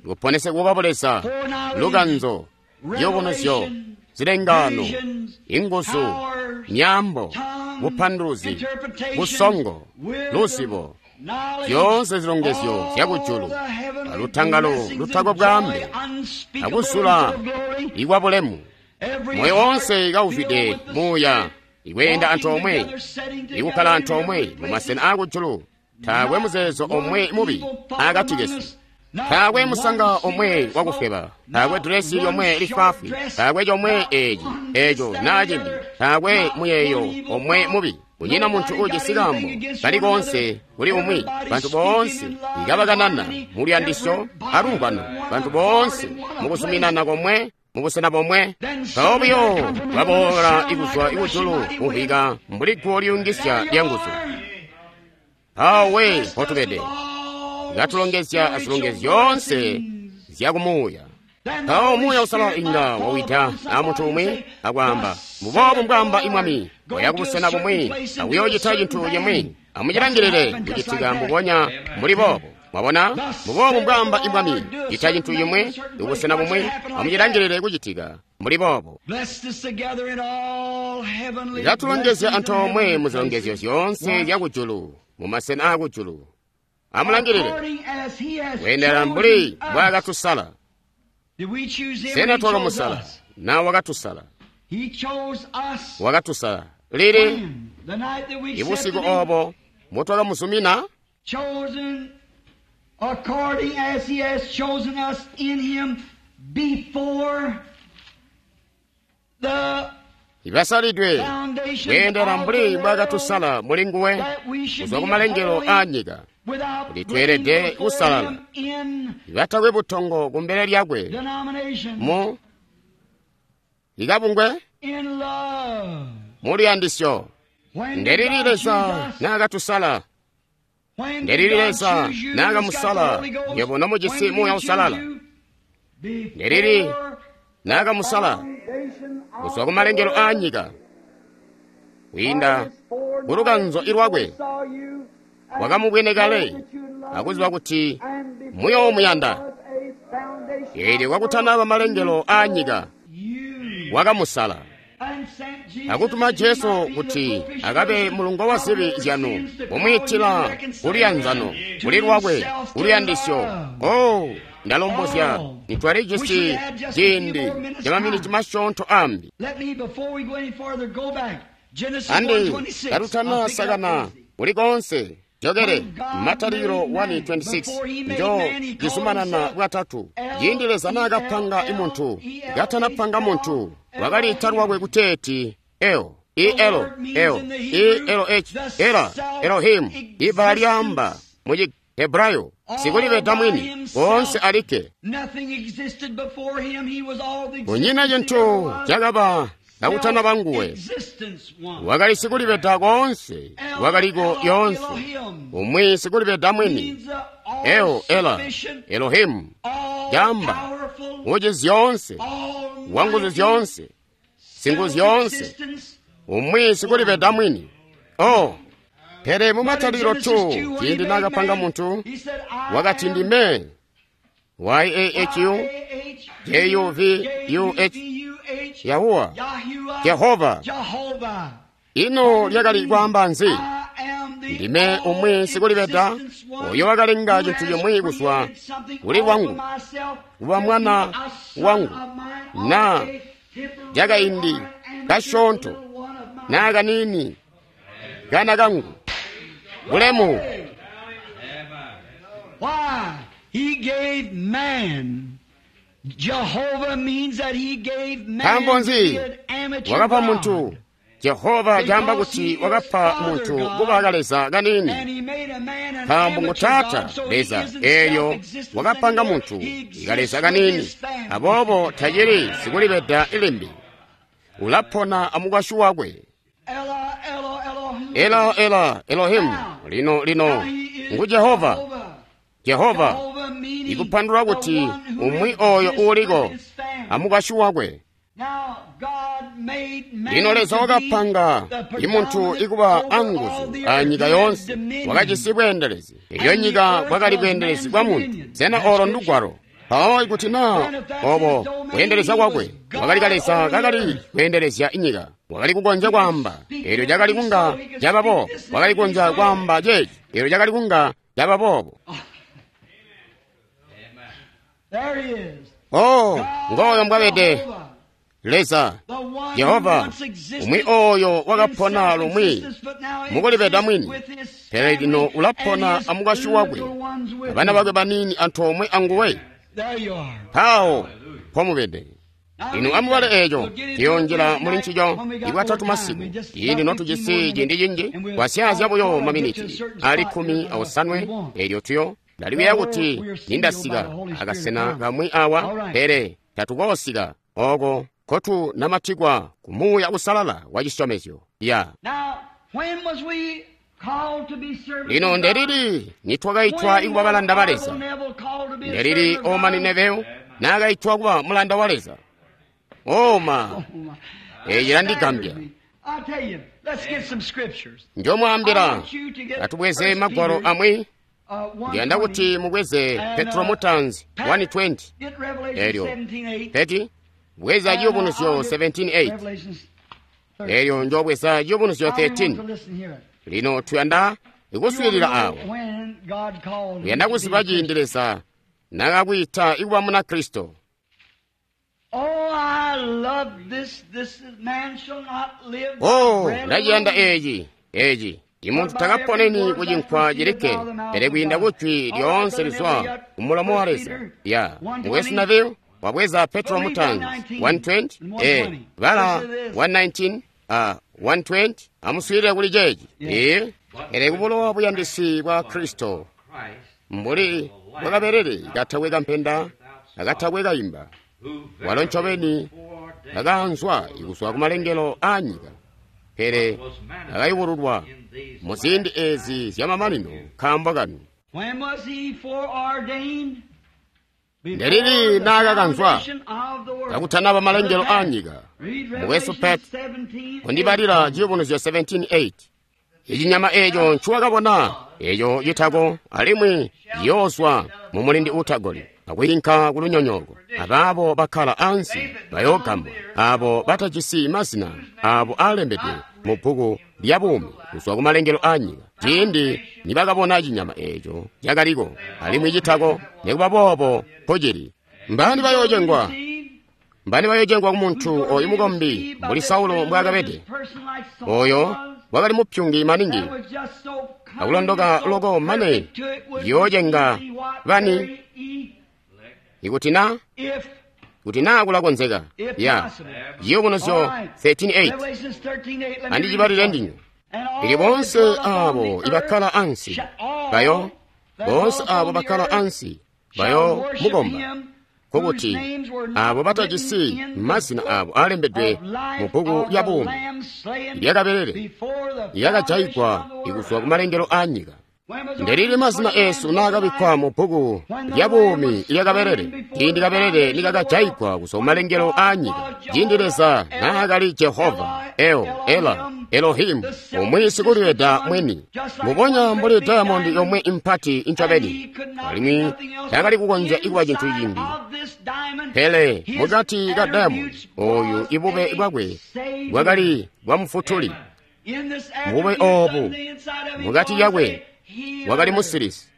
kuponesegwa kwa Buleza, lukanzo, yobonozyo, zilengano, inguzu, myaambo, bupanduluzi, busongo, luzibo, zyoonse zilongezyo zyakujulu, alutangalo lutakwe bwaambe, akuzula ikwa bulemu. Moyo wonse kauzwide muuya, ikweenda antoomwe, ikukkala antoomwe mu masena aakujulu. Taakwe muzeezo omwe mubi akati kesu. Taakwe musanga omwe wakufweba, taakwe dilesi lyomwe lifwaafwi, taakwe comwe eci, eco naa cimbi, taakwe muyeeyo omwe mubi. Kunyina muntu ujisi kaambo kali koonse kuli umwi. Bantu boonse ikabakanana mu luyandisyo alumvwano, bantu boonse mukuzuminana komwe mubusena bomwe. Mpawo buyo baboola ikuzwa ikujulu kumvwika mbuli guwo liyungisya lyanguzu. Mpawo we mpotubede, katulongezya azilongezyo zyoonse zyakumuuya. Mpawo Muuya Usalala inga wawida amuntu umwi akwaamba, mbuboobu mbwaamba imwami, waya kubusena bumwi akuyoocita cintu cimwi. Amucilangilile kucitika mbubonya mbuli boobo. Mwabona, mbuboobu mbwaamba imwami, cita cintu cimwi kubusena bumwi. Amucilangilile kucitika mbuli boobo. Katulongezya antoomwe mu zilongezyo zyoonse zyakujulu mu masena aakujulu. Amulangilile kweendela mbuli mbwaakatusala. Sena twakamusala? Na wakatusala? Wakatusala lili? Ibusiku obo mutwakamuzumina? According as he has chosen us in him before the Ibasalidwe kweendela mbuli mbwaakatusala muli nguwe kuzwa ku malengelo a nyika, kuti tweelede kusalala, ibatakwe butongo kumbele lyakwe mu ikabungwe mu luyandisyo. Ndelili Leza naakatusala? Ndelili Leza naakamusala nywebo nomujisi Muuya Usalala? Ndelili naakamusala kuzwa ku malengelo a nyika, kwiinda ku lukanzo ilwakwe wakamubwene kale akuziba kuti muyoomuyanda. Eelyo kwakutanaba malengelo a nyika wakamusala akutuma Jesu kuti akabe mulungo wa zibi zyanu, kumwiitila kuliyanzano kuli lwakwe kuluyandisyo. Oh, ndalombozya nitwalijisi ciindi ca maminiti masyoonto ambi. Andi katutana sakana kuli konse jokele Matalikilo one twenty-six njo cizumanana bwatatu. Ciindi Leza naakapanga imuntu, katanapanga muntu, wakaliita lwakwe kuteeti El, E L L E L H, Ela, Elohim, ibbala lyaamba mu Chihebrayo sikulibeda mwini koonse alikke. Kunyina cintu cakaba kakutanaba nguwe, wakali sikulibeda koonse, wakaliko yoonse, umwi sikulibeda mwini. El, Ela, Elohimu, jamba uci zyoonse, wanguzu zyoonse, singu zyoonse, Umwi sikulibeda mwini. Oh, pele mu Matalikilo two, ciindi naakapanga muntu, wakati ndime Y A H U J U V U H Yahuwah, Jehova. Ino lyakali kwaamba nzi? Ndime umwi sikulibeda oyo wakalenga cintu cimwi kuzwa kuli lwangu, kuba mwana wangu, na lyakaindi kasyoonto, naa kaniini, kana kangu. Bulemu. Why? He gave man. Jehovah means that he gave man Nkaambo nzi? to be an amateur Wakapa God. muntu. Jehova caamba kuti wakapa muntu kuba kaleza And kaniini. he made a man an Nkaambo ngu amateur Taata God, so he Leza isn't eelyo self-existent wakapanga anymore. muntu He exists kaleza with kaniini. his family. Aboobo tacili sikulibeda limbi. Ulapona amukwasyi wakwe. Ella, Ella, Elohim. Ela ela Elohimu lino lino Now he is ngu Jehova. Jehovah. Jehova Jehovah meaning ikupandulula the kuti one who umwi oyo exists uuliko with his family. amukwasyi wakwe. Now, God made man Lino Leza to be wakapanga the imuntu predominant ikuba over all anguzu the a earth. nyika He had yoonse. dominion. Wakajisi bweendelezi. Iyo And the nyika earth bwakali was bweendelezi man's bwa muntu. dominion. Sena That's olo scripture. ndugwalo. Mpawo ikuti naa Then if that's obo his domain, kweendeleza he kwakwe was God wakali kaleza over the kakali earth. kweendelezya inyika. Wakali kukonzya kwaamba eelyo cakali kunga caba boobo. Wakali kukonzya kwaamba ceeci eelyo cakali kunga caba boobo. There he is. Oh, God, ngooyo mbwabede Jehovah, Leza the one Jehova who once existed umwi oyo wakapona in lumwi self-existence, but now mukulibeda exists mwini with his pele lino family ulapona and his amukwasyi wakwe little ones with abana him. bakwe baniini antoomwe anguwe. There you are. Mpawo pomubede. Now Inu read amubale that. eeco We'll get into tiyonjela it muli tonight ncico when we got ikwatatu more time. masiku We just ciindi about notujisi fifteen more ciindi minutes, cinji and we'll kwasyaazya buyo try to get to a maminiti certain ali spot kkumi here awosanwe we want. eelyo tuyo ndalikuya kuti nindasika akasena kamwi awa pele tatukoosika oko kotunamatikwa ku Muuya Usalala wa cisyomezyo ya Now, when was we called to be servants lino of God? ndelili nitwakaitwa When ikuba was balanda ba Arville Leza Neville called to be a ndelili servant of Omani God? Neville naakaitwa kuba mulanda wa Leza oma Oh, my. eeci landigambya Staggers me. I'll tell you, let's get some scriptures. njomwaambila I want you to get atubweze First magwalo Peter, amwi uh, one ndiyanda kuti twenty, mubweze and, Petro uh, mutanzi Pat, one twenty get Revelation eelyo seventeen eight, peti bweza and, uh, ciyubunuzyo I'll get seventeen eight Revelations thirteen. eelyo njobweza ciyubunuzyo I want to thirteen listen here. lino tuyanda You ikuswiilila wanna awa know when God called you uyanda to be kuziba a ciindi Christian. Leza nakakwiita ikuba Munakristo. Oh, I love this. This is, man shall not live by Oh, bread ndaciyanda alone, eeci eeci imuntu but by every takaponeni word ku that cinkwa proceedeth cilikke out of the mouth pele of kwiinda God. ku jwi All right, lyoonse Brother lizwa Neville, you got ku mulomo wa First Leza. Peter Ya one mukwesu twenty. Neville wabweza Petro But read mutanzi one nineteen one twenty and one e twenty. bala Listen to this. one nineteen a one twenty amuswiilile kuli ceeci Yeah. ee pele kubulowa buyandisi bwa Kristo mbuli bwakaberere katakwe kampenda akatakwe kayimba walo ncobeni akaanzwa ikuzwa ku malengelo a nyika pele akayubululwa mu ziindi ezi zyamamanino nkaambo kanu. When was he foreordained? Before Ndelili the naakakanzwa foundation of the world. kakutanaba malengelo Brother a Pat, nyika. read Mukwesu Revelation Pat, seventeen kundibalila eight. ciyubunuzyo seventeen eight. Ichinyama eeco ncuwakabona eeco citako alimwi ciyoozwa mu mulindi uutagoli akwiinka ku lunyonyooko. Abaabo bakkala ansi bayoogambwa, aabo batajisi mazina aabo aalembedwe mu bbuku lya buumi kuzwa ku malengelo a nyika. Ciindi nibakabona cinyama eeco cakaliko alimwi citako, nikuba boobo mpocili. Mbani bayoocengwa? Mbani bayoocengwa ku muntu oyu mukombi mbuli Saulo mbwaakabede? Oyo wakali mupyungi maningi akulondoka loko mane yoocenga bani ikuti na kuti naa kulakonzeka ya ciyubunuzyo thirteen eight andicibalile ndinywe. Ili bonse abo ibakkala ansi bayo bonse abo bakkala ansi bayo mukomba nkokuti abo batajisi mazina abo alembedwe mu bbuku lya buumi lyakabelele lyakajayigwa ikuzwa ku malengelo a nyika. Ndelili mazina esu naakabikkwa mu bbuku lya buumi ilya kabelele, ciindi kabelele nikakajayigwa kuzwa kumalengelo aa nyika, ciindi Leza naakali Jehova, El, Ela, Elohimu, umwi sikuliyeda mwini, mubonya mbuli dayamondi yomwe impati incobeni, alimwi takali kukonzya ikuba cintu cimbi. Pele mukati ka dayamondi oyu ibube bwakwe bwakali bwa mufutuli. Mubube oobu mukati yakwe wakali musilisi.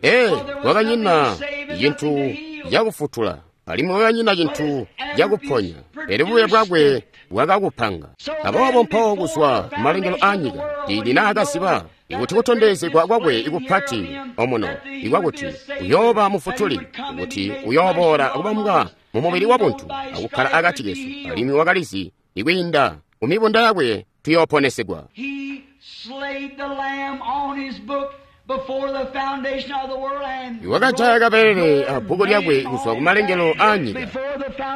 Ee, wakanyina cintu cakufutula, alimwi wakanyina cintu cakuponya, pele bube bwakwe bwakakupanga. Aboobo mpawo kuzwa kumalengelo aa nyika, ciindi naakaziba ikuti kutondezegwa kwakwe ikupati omuno ikwakuti uyooba mufutuli, kuti uyooboola akubambwa mu mubili wabuntu akukkala akati kesu, alimwi wakalizi ikwiinda kumibunda yakwe tuyooponesegwa. Wakajaya kabelele a bbuku lyakwe kuzwa kumalengelo aa nyika,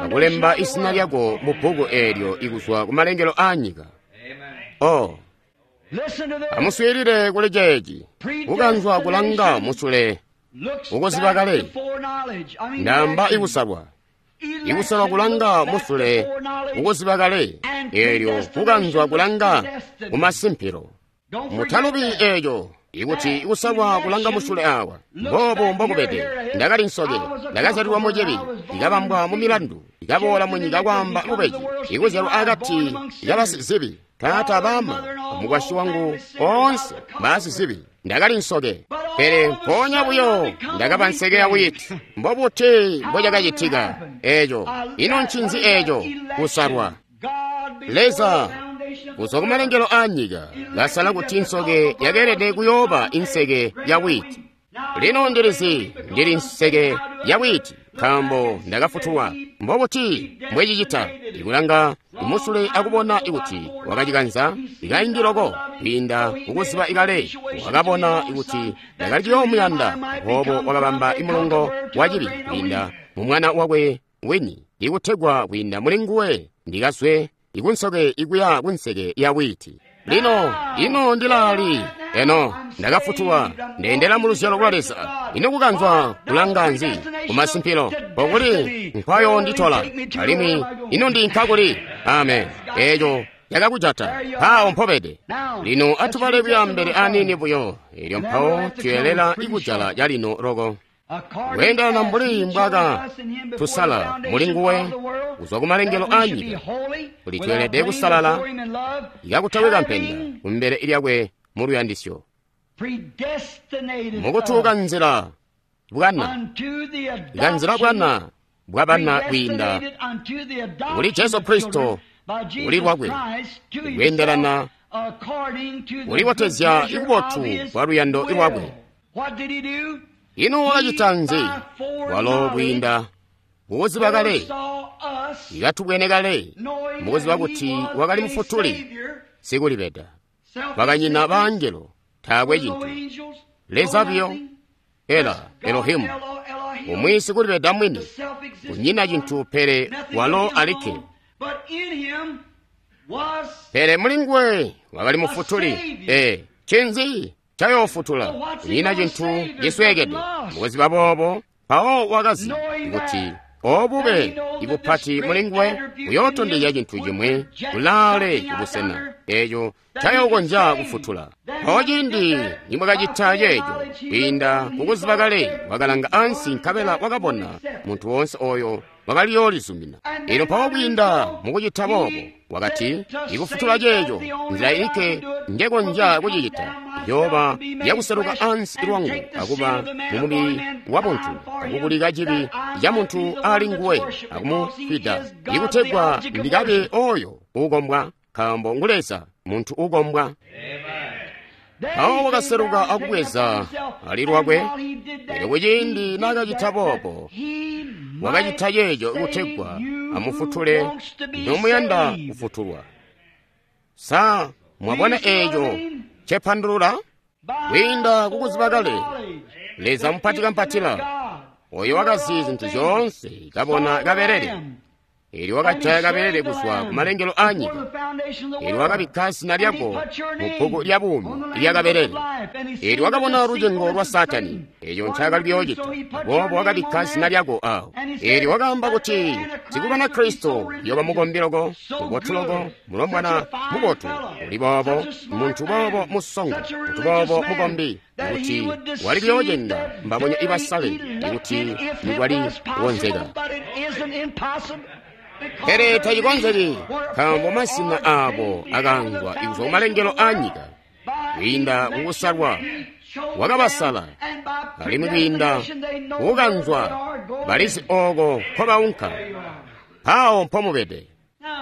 akulemba izina lyako mu bbuku eelyo ikuzwa kumalengelo aa nyika. Oh, amuswiilile kuli ceeci, kukanzwa kulanga musule ukuziba kale. Ndamba ikusalwa, ikusalwa kulanga musule ukuziba kale, eelyo kukanzwa kulanga kumasimpilo. Mutalubi eeco, ikuti ikusalwa kulanga musule awa. Mboobo mbokubede. Ndakali nsoke, ndakazyalilwa mucibi, ndikabambwa mu milandu, ndikaboola mu nyika kwaamba bubeji, ikuzyalwa akati kabasizibi. Taata, baama, amukwasyi wangu oonse baasizibi. Ndakali nsoke, pele mpoonya buyo ndakaba nseke ya wiiti. Mbobuti mbocakacitika eeco? Ino ncinzi eeco? Kusalwa. Leza kuzwa kumalengelo aa nyika kasala kuti nsoke yakeelede kuyooba inseke ya wiiti. Lino ndilizi ndili nseke ya wiiti nkaambo ndakafutulwa. Mbobuti mbwecicita? Ikulanga imusule akubona ikuti wakacikanza ikaindi loko kwiinda kukuziba ikale, wakabona ikuti ndakali ciyoomuyanda, aboobo wakabamba imulongo wa cibi kwiinda mu mwana wakwe wini, ikutegwa kwiinda muli nguwe ndikazwe ikunsoke ikuya kunseke ya wiiti. Lino ino ndilali eno ndakafutulwa, ndendela mu luzyalo lwa Leza. Ino kukanzwa kulanga nzi kumasimpilo pokuli nkwayonditola, alimwi ino ndinka kuli? Amen. Eeco yakakujata mpawo mpobede. Lino atubale kuya mbele aniini buyo, elyo mpawo tuyelela ikujala calino loko. Kweendana mbuli mbwaka tusala muli nguwe kuzwa kumalengelo aa nyika, kuti tweelede kusalala ikakutakwe kampenda kumbele lyakwe mu luyandisyo, mukutuuka nzila bwana kanzila bwana bwabana kwiinda kuli Jesu Kristo kuli lwakwe, kweendelana kulibotezya ikubotu kwa luyando lwakwe. Ino wakacita nzi? Walo kwiinda mukuziba kale, ikatubwene kale, mukuziba kuti wakali mufutuli sikulibeda. Bakanyina baangelo, taakwe cintu, Leza biyo, Ela, Elohimu, umwi sikulibeda mwini, kunyina cintu pele walo alikke. Pele muli nguwe wakali mufutuli. Ee, ncinzi cayoofutula? Kunyina cintu cisweekede. Mukuziba boobo, mpawo wakazi kuti obube ibupati muli nguwe buyootondezya cintu cimwi kulaale kubusena eeco cayookonzya kufutula. Mpawo ciindi nimwakacita ceeco, kwiinda kukuziba kale, wakalanga ansi nkabela wakabona muntu woonse oyo wakaliyoolizumina. Ino mpawo kwiinda mukucita boobo, wakati, ikufutula ceeco nzila ilikke njekonzya kucicita yooba yakuseluka ansi lwangu akuba mumubili wa buntu, akukulika cibi ca muntu ali nguwe akumufwida, ikutegwa ndikabe oyo uukombwa, nkaambo ngu Leza muntu uukombwa. Mpawo wakaseluka akubweza ali lwakwe. Pele kuciindi naakacita boobo, wakacita ceeco kutegwa amufutule nomuyanda kufutulwa. Sa mwabona eeco cepandulula? Kwiinda kukuziba kale, Leza mupati kampatila, oyo wakazi zintu zyoonse, kabona kabelele, Eelyo wakajaya kabelele kuzwa ku malengelo aa nyika. Eelyo wakabikka zina lyako mu bbuku lya buumi ilya kabelele. Eelyo wakabona lucengo lwa Saatani, eeco ncaakali kuyoocita, aboobo wakabikka zina lyako awo. Eelyo wakaamba kuti sikulwana Kristo uyooba mukombi loko, mubotu loko, mulombwana mubotu, uli boobo, muntu boobo musongo, muntu boobo mukombi, kuti wali kuyoocenga mbabonya ibasale, ikuti nikwali kukonzeka. Pele tacikonzeki, nkaambo mazina aabo akaanzwa kuzwa kumalengelo aa nyika, kwiinda kukusalwa wakabasala, alimwi kwiinda kukukanzwa balizi ooko nkobaunka. Mpawo mpomubede.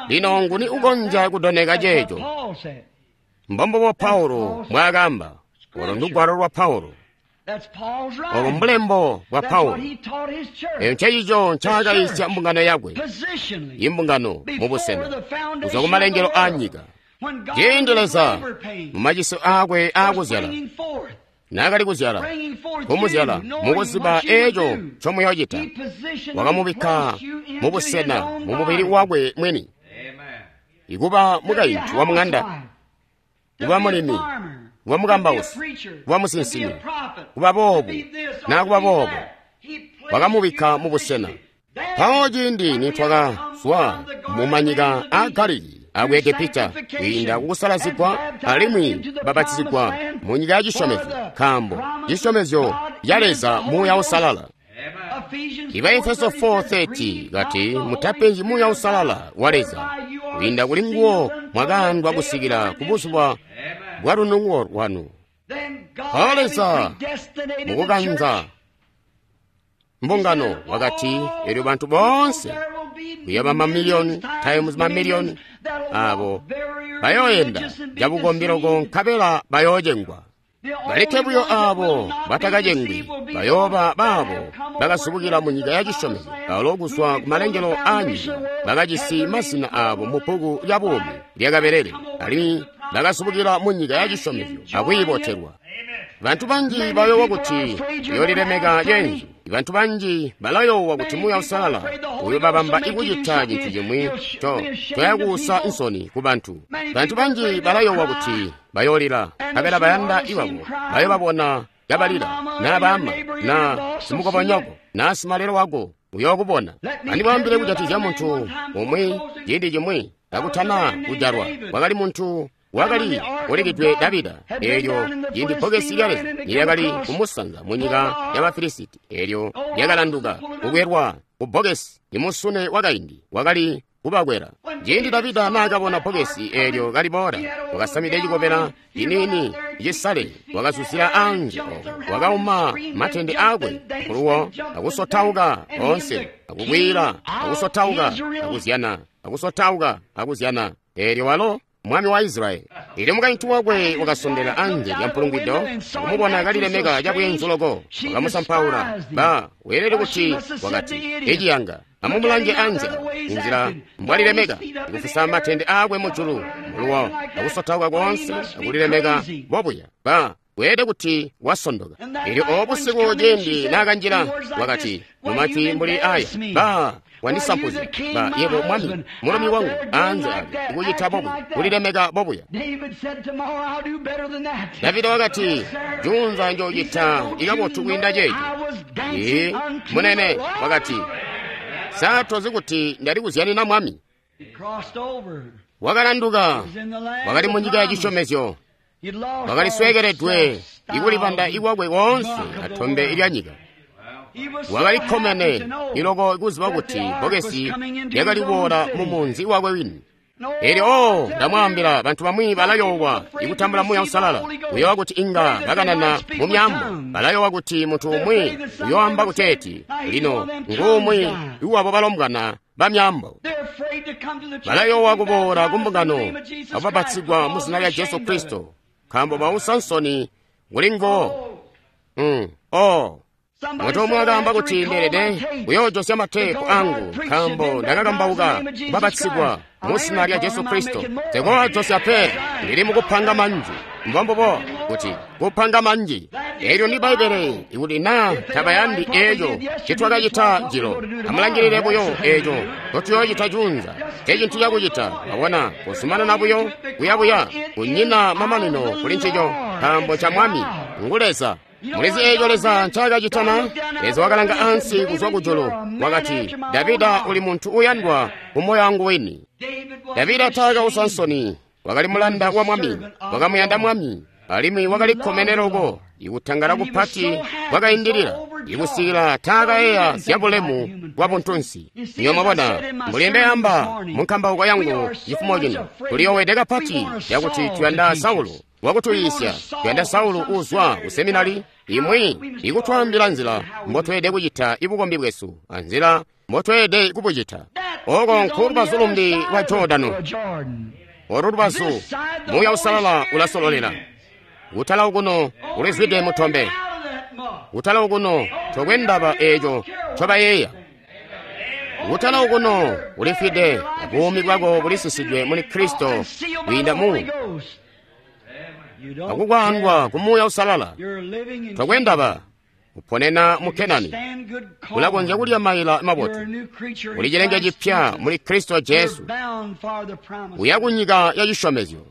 Lino nguni ukonzya kudoneka ceeco? Mbombubo Paulo mbwaakaamba. Olo ndugwalo lwa Paulo. Obo mbulembo bwa Paulo. Eyo ncencico ncaakayisya mbungano yakwe, imbungano mubusena kuzwa kumalengelo aa nyika. Ciindi Leza mumaciso aakwe aakuzyala, naakali kuzyala, kumuzyala mukuziba eeco ncomuyoocita, wakamubikka mubusena mumubili wakwe mwini, ikuba mukaintu wa muŋanda, kuba mulimi, kuba mukambausi, kuba musinsimi, kuba boobu naa kuba boobo, wakamubikka mubusena. Mpawo ciindi nitwakazwa mumanyika aa Galilii aku Egepita kwiinda kukusalazigwa alimwi babatizigwa mu nyika ya cisyomezyo, nkaambo cisyomezyo ca Leza Muuya Uusalala. Iba Efeso four thirty kati mutapenzi Muuya Uusalala wa Leza, kwiinda kuli nguwo mwakaandwa kusikila ku buzuba bwa lunungo lwanu. Mpawo Leza mukukanza mbungano wakati, elyo bantu boonse kuyaba mamiliyoni times mamiliyoni abo bayooyenda cabukombi loko nkabela bayoocengwa. Balikke buyo abo batakacengwi bayooba baabo bakazubukila mu nyika ya cisyomezyo, balo kuzwa ku malengelo aa nyika bakajisi mazina aabo mu bbuku lya buumi lya kabelele, alimwi bakazubukila mu nyika ya cisyomezyo akwiibotelwa. Bantu banji bayoowa kuti uyoolilemeka ceenzu. Bantu banji balayoowa kuti Muuya Uusalala uyobabamba ikucita cintu cimwi to toyakuusa nsoni ku bantu. Bantu banji balayoowa kuti bayoolila, nkabela bayanda iwabo bayobabona kabalila, naa baama, naa simukobonyoko, naa simalelo wako uyookubona. Andimwaambile kujatikizya muntu umwi ciindi cimwi kakutana kujalwa. Kwakali muntu wakali ulikidwe Davida, eelyo ciindi bbokesi lya Leza lyakali kumusanza mu nyika y'Abafilisiti, eelyo lyakalanduka kukwelwa ku bbokesi, imusune wakaindi wakali kubakwela. Ciindi Davida naakabona bbokesi eelyo kaliboola, wakasamide cikobela ciniini cisale, wakazuzila anze ooko, wakauma matende aakwe kuluwo, akusotauka oonse, akukwiila, akusotauka, akuzyana, akusotauka, akuzyana. Eelyo walo mwami wa Israyeli. Eelyo mukaintu wakwe wakasondela anze lya mpulungwido, akumubona kalilemeka cabweenzu loko, wakamusampaula. Ba weelede kuti wakati, eciyanga, amumulange anze inzila mbwalilemeka, akufusa matende aakwe mujulu muluwo, akusotauka koonse, akulilemeka bobuya. Ba weelede kuti wasondoka. Eelyo obo busiku ciindi naakanjila, wakati mumajwi mbuli aya, ba wandisampuzya, ba yebo mwami mulumi wangu anze ali kucita bobuya, kulilemeka bobuya. Davida wakati, junza njoocita ikabotu kwiinda ceeco. Ee, munene wakati, sa tozi kuti ndali kuzyanina mwami? Wakalanduka, wakali mu nyika ya cisyomezyo, wakali sweekeledwe ikulibanda ikwakwe koonse atombe ilya nyika. Wakali kkomene iloko kuziba kuti bbokesi lyakali kuboola mu munzi wakwe wini. Eelyo oh, ndamwaambila, bantu bamwi balayoowa ikutambula Muuya Uusalala, uyoowa kuti inga bakanana mu myaambo, balayoowa kuti muntu umwi uyooamba kuteeti, lino nguumwi iwabo balombwana ba myaambo. Balayoowa kuboola kumbungano akubapatsigwa mu zina lya Jesu Kristo, nkaambo bausa nsoni kuli nguwo. Mm, oh. Muntu umwe wakaamba kuti ndeelede kuyoojosya mateepu angu nkaambo ndakakambauka kubapatizigwa mu zina lya Jesu Kristo. Nsekooajosya pe, ndili mukupanga manji. Mbombubo kuti kupanga manji. Eelyo ndi Bbaibbele ikuti naa tabayandi eeco ncitwakacita jilo. Amulangilile buyo eeco ncotuyoocita juunza. Ncecintu cakucita, mwabona, kuzumanana buyo kuyabuya, kunyina mamanino kuli ncico, nkaambo ca Mwami ngu Leza. Mulizi eeco Leza ncaakacita na? Leza wakalanga ansi kuzwa kujulu, wakati, Davida uli muntu uyandwa kumoyo wangu wini. Davida taakausa nsoni, wakali mulanda wa Mwami, wakamuyanda Mwami, alimwi wakali kkomene loko. Ikutangala kupati kwakaindilila, ikusikila taakayeeya zyabulemu bwa buntunsi. Niyo mwabona, mbuli ndeyamba mu nkambauko yangu cifumo cino, tuliyoowede kapati cakuti tuyanda Saulo wakutuyiisya, tuyanda Saulo uuzwa ku seminari imwi ikutwaambila nzila mbotweelede kucita ibukombi bwesu anzila mbotweelede kubucita. Oko nkulubazu lumbi lwa Jordano. Olu lubazu Muuya Uusalala ulasololela. Kutala okuno ulizwide mutombe. Kutala okuno tokwe ndaba eeco ncobayeeya. Kutala okuno ulifwide, buumi bwako bulisisidwe muli Kristo kwiinda mu akukwaandwa ku Muuya Uusalala. Tokwe ndaba uponena mu Kenani, ulakonzya kulya maila mabotu. Uli cilenge cipya muli Kristo Jesu, uya ku nyika ya cisyomezyo.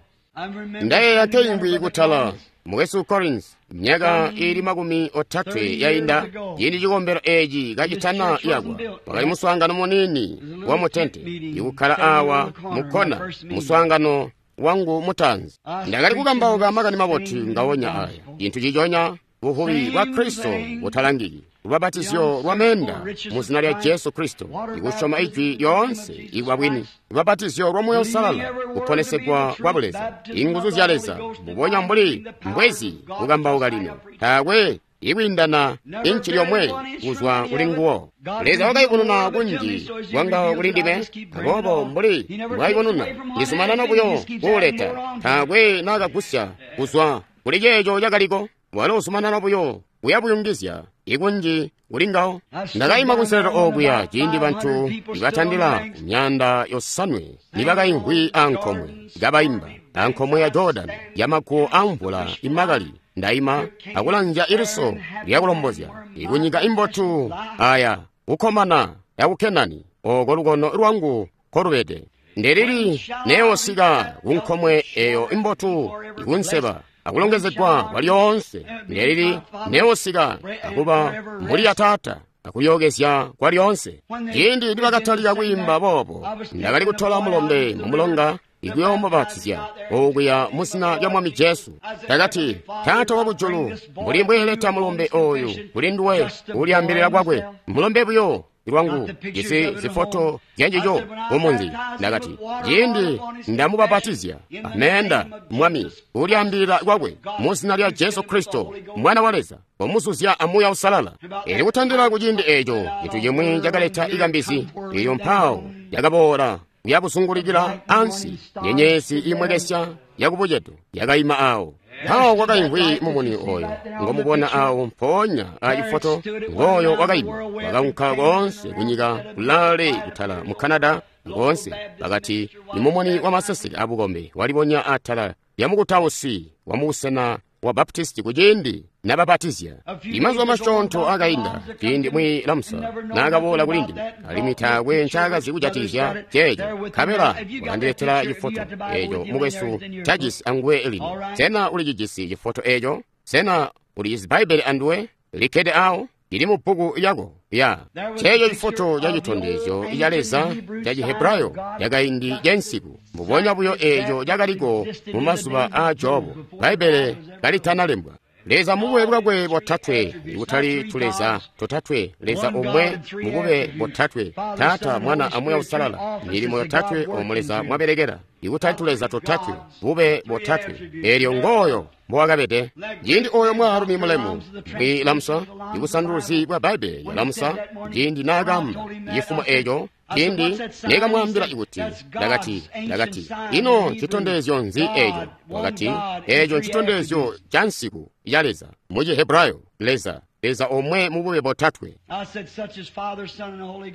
Ndayeeya nkeimbwi kutala mukwesu Collins myaka iili makumi otatwe yainda, ciindi cikombelo eeci kacitana yakwa, wakali muswaangano muniini wa mutente ikukkala awa mukkona, muswaangano wangu mutaanzi. Ndakali kukambauka makani mabotu ngawonya aya, cintu ciconya buvubi bwa Kristo butalangiki, lubabatizyo lwa meenda mu zina lya Jesu Kristo, ikusyoma ijwi lyoonse ibwa bwini, lubabatizyo lwa Muuya Uusalala, kuponesegwa kwa Buleza, inguzu zya Leza, mbubonya mbuli mbwezi kukambauka lino, taakwe ikwiindana inci lyomwe kuzwa kuli nguwo. Leza wakayubununa kunji kwangawo kuli ndime, aboobo mbuli mbwayubununa ndizumanana buyo kuuleta, taakwe naakagusya kuzwa kuli ceeco cakaliko. Walo uzumanana buyo kuyabuyungizya ikunji kuli ngawo. Ndakaima kunselelo okuya ciindi bantu nibatandila myaanda yosanwe nibakaimvwi ankomwe kabaimba ankomwe ya Jordan yamaguwo amvula imakali. Ndaima akulanzya iliso lyakulombozya ikunyika imbotu aya kukkomana yaku Kenani oko lukono lwangu kolubede. Ndelili neosika kunkomwe eyo imbotu ikunseba akulongezegwa kwa lyoonse. Ndelili neosika akuba mbuli ya taata akuyokezya kwa lyoonse. Ciindi nibakatalika kwiimba boobo, ndakali kutola mulombe mumulonga ikuyoomubatiza okuya mu zina lya Mwami Jesu. Ndakati, Taata wakujulu, mbuli mbweeleta mulombe oyu kuli nduwe ulyaambilila kwakwe, mulombe buyo lwangu jisi zifoto zyanjijo kumunzi. Ndakati, ciindi ndamubapatizya ameenda Mwami ulyaambilila kwakwe mu zina lya Jesu Kristo Mwana wa Leza, omuzuzya amuuya Uusalala. Eli kutandila ku ciindi eeco, cintu cimwi cakaleta ikambizi eyo mpawo yakaboola kuyabuzungulikila ansi, nyenyezi imwekesya yakubucedo yakaima awo. Mpawo kwakaimvwi mumuni oyo ngomubona awo mpoonya acifoto, ngooyo wakaima, wakaunka koonse kunyika kulaale kutala mu Canada koonse. Bakati imumuni wa maseseke abukombe walibonya atala lya mukutausi wa mubusena wa Baptisti kuciindi nabapatizya. Imazuba masyoonto akainda ciindi mwi Lamsa naakaboola kuli ndime, alimwi taakwe ncaakazi kujatikizya ceeco. Nkabela wakandiletela cifoto eeco mukwesu cajisi anguwe lino. Sena ulicijisi cifoto eeco? Sena ulijisi Bbaibbele anduwe likkede awo? Lili mu bbuku lyako ya ceeco cifoto ca citondezyo ca Leza ca Cihebrayo cakaindi cansiku, mbubonya buyo eeco cakaliko mu mazuba aa Jobu, Bbaibbele kalitanalembwa. Leza mubube bwakwe botatwe, ikutali tuleza totatwe, Leza omwe mubube botatwe, Taata, Mwana aMuuya Uusalala, milimo yotatwe omo Leza mwabelekela, ikutali tuleza totatwe, bube botatwe. Eelyo ngooyo mbowakabede. Ciindi oyo mwaalumi mulemu mwi Lamsa, ibusanduluzi bwa Bbaibbele lya Lamsa, ciindi naakaamba cifumo eeco, ciindi nekamwaambila kuti, ndakati, ndakati, ino ncitondezyo nzi eeco? Wakati, eeco ncitondezyo ca nsiku ya Leza mu Cihebrayo, Leza Leza omwe mubube botatwe.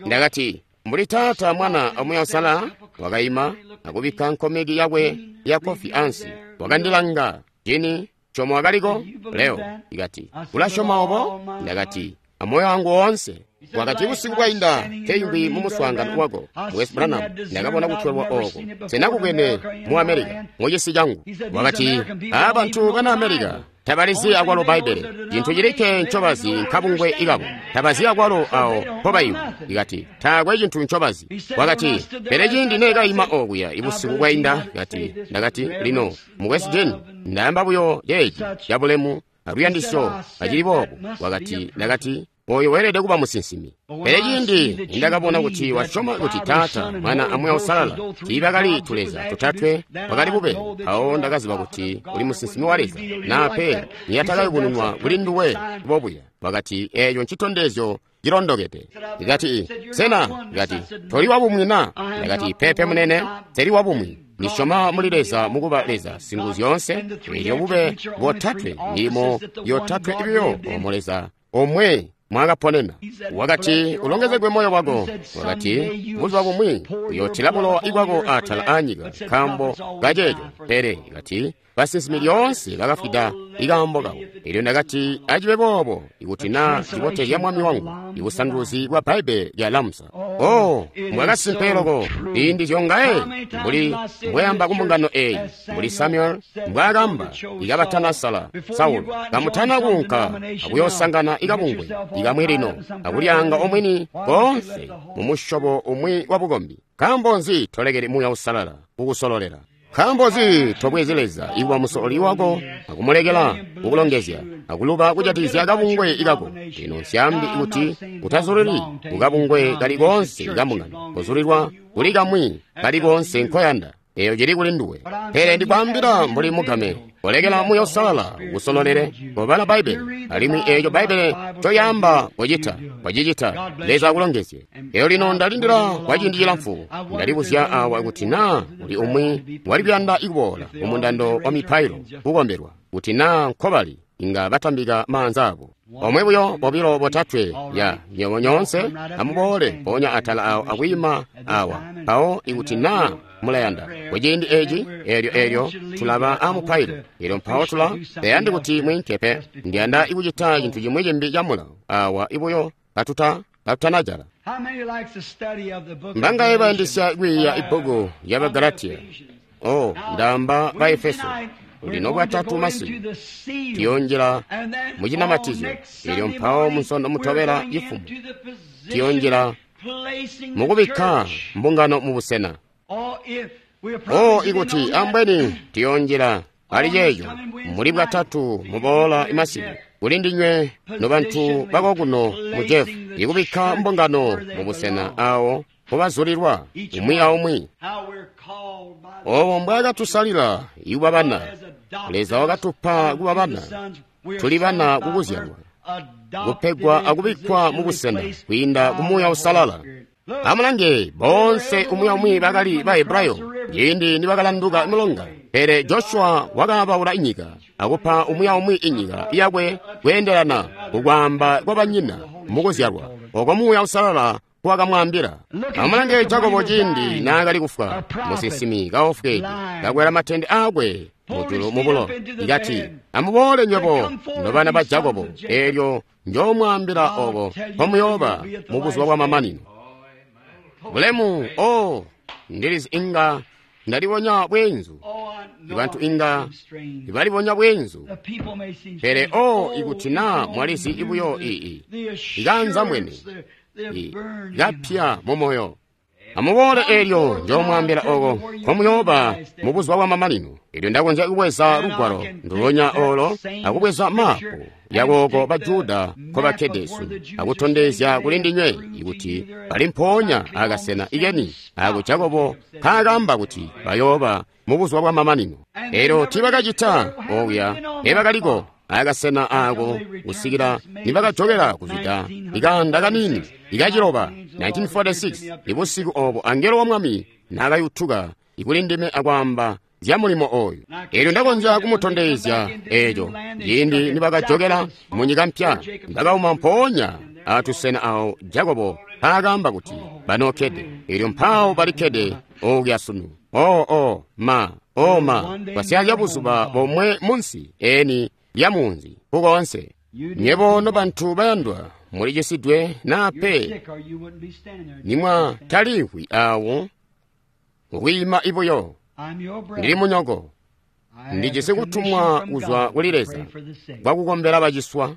Ndakati, mbuli Taata, Mwana a Muuya Uusalala. Wakaima akubikka nkomeki yakwe ya kofi ansi, wakandilanga. Jini chomo wakaliko leo. Ikati, ulasyoma obo? Ndakati, amoyo wangu woonse. Wakati, busiku bwainda nkeyumbi mu muswaangano wako, West Branham, ndakabona kutwelwa oko senakubwene mu America mucisi changu. Wakati, abantu bana America tabalizi akwalo Bbaibbele, cintu cilikke ncobazi nkabungwe ikabo, tabazi akwalo awo mpobayima. Ikati, taakwe cintu ncobazi. Wakati, pele ciindi neekayima okuya ibusiku bwainda, kati, ndakati, lino mukwesu Jeni, ndaamba buyo ceeci cabulemu aluyandisyo acili boobo. Wakati, ndakati, oyo weelede kuba musinsimi. Pele ciindi nindakabona kuti wasyoma kuti Taata, Mwana a Muuya Uusalala tiibakali tuleza totatwe, bwakali bube, mpawo ndakaziba kuti uli musinsimi wa Leza, naa pe niyatakayubununwa kuli nduwe bobuya. Wakati, eeco ncitondezyo cilondokede. Ndikati, sena? Ndikati, toli wabumwi na? Ndakati, pepe munene, teli wabumwi. Ndisyoma muli Leza mukuba Leza Singuzyoonse, eelyo bube botatwe milimo yotatwe ibiyo omo Leza omwe mwakaponena. Wakati, ulongezegwe moyo wako. Wakati, buzuba bumwi uyootila bulowa bwako atala aanyika nkaambo kaceeco. Pele kati, basinsimi lyoonse bakafwida ikaambo kabo. Elyo ndakati, acibe boobo, ikuti naa cibotezya Mwami wangu, ibusanduluzi bwa Bbaibbele lya Lamsa. Oh, mbwakasimpe loko, iindi zyongaye mbuli mbweyamba kumbungano eyi, mbuli Samuel mbwaakamba ikabatanasala Saulo, kamutana kuunka akuyosangana ikabungwe ikamwi lino akulyanga omwini koonse mumusyobo umwi wa bukombi. Nkaambo nzi tolekeli Muuya Uusalala kukusololela? Nkaambo nzi tobwezi Leza ikuba musololi wako akumulekela kukulongezya akuluba kujatikizya kabungwe ikako? Lino nsyaambi kuti utazulili kukabungwe kali koonse kambungano, kuzulilwa kuli kamwi kali koonse nkoyanda, eyo cili kuli nduwe. Pele ndikwaambila mbuli mugame, kolekela Muuya Uusalala kusololele, kobala Bbaibbele, alimwi eeco Bbaibbele ncoyaamba kocita, kocicita. Leza akulongezye. Eyo lino ndalindila kwa ciindi cilamfu, ndalibuzya awa kuti naa kuli umwi wali kuyanda ikuboola mumundando wa mipailo kukombelwa, kuti naa nkobali inga batambika maanza abo. Omwe buyo, bobilo, botatwe, ya nywebo nyoonse amuboole mpoonya atala awo akwiima awa. Mpawo ikuti naa mulayanda kuciindi eci, eelyo eelyo tulaba amupailo, elyo mpawo tula tayandi kuti mwinke pe. Ndiyanda ikucita cintu cimwi cimbi camulawo awa ibuyo katuta katutanajala. Mbangaye bayandisya kwiiya ibbuku lya Bagalatiya? Oh, ndaamba ba Efeso. Lino bwatatu masiku tiyonjela mucinamatizyo, elyo mpawo munsondo mutobela cifumo tiyonjela mukubikka mbungano mubusena. Oh, ikuti ambweni tiyonjela ali ceeco muli bwatatu muboola imasiku kuli ndinywe nobantu bakokuno mu Jefu, ikubikka mbungano mubusena awo mubazulilwa umwi aumwi. Obo mbwaakatusalila ikuba bana, Leza wakatupa kuba bana, tuli bana kukuzyalwa, kupegwa akubikkwa mubusena kwiinda ku Muuya Uusalala. Amulange, boonse umwi aumwi bakali ba Hebrayo ciindi nibakalanduka mulonga, pele Joshua wakaabaula inyika akupa umwi aumwi inyika yakwe kweendelana kukwaamba kwa banyina mukuzyalwa oko Muuya Uusalala wakamwaambila. Amulange Jakobo ciindi naakali kufwa, musinsimi kaofweede, kakwela matende aakwe mujulu mubulo, ikati, amuboole nywebo nobana ba Jakobo, eelyo njoomwaambila oko mpomuyooba mubuzuba bwa mamanino. Bulemu, oh, ndilizi inga ndalibonya bweenzu, ibantu inga ibalibonya bweenzu, pele oh, ikuti naa mwalizi ibuyo ii ikanza mwene kapya mumoyo. Amuboole eelyo njoomwaambila oko nkomuyooba mubuzuba bwa mamanino. Elyo ndakonzya kubweza lugwalo ndulonya olo akubweza mapu yakooko ba Juda nkobakkede sunu, akutondezya kuli ndinywe ikuti bali mpoonya akasena ikeni ako Jakobo nkaakamba kuti bayooba mubuzuba bwa mamanino. Elyo tiibakacita okuya, teebakaliko akasena ako kusikila nibakajokela kuzwida ikanda kanini ikaciloba nineteen forty-six, ibusiku obo angelo wa Mwami naakayutuka ikuli ndime akwaamba zya mulimo oyu. Elyo ndakonzya kumutondezya eco ciindi nibakajokela mu nyika mpya, bakauma mpoonya atusena awo Jakobo mpaakaamba kuti banookkede. Elyo mpaawo balikkede okuya sunu. Oh, oh, ma, oh, ma, basyaazya buzuba bomwe munsi eni lya munzi kukoonse. Nyebo nobantu bayandwa, mulicisidwe naa pe, nimwa talimvwi awo kwiima ibuyo. Ndili munyoko, ndijisi kutumwa kuzwa kuli Leza kwakukombela baciswa.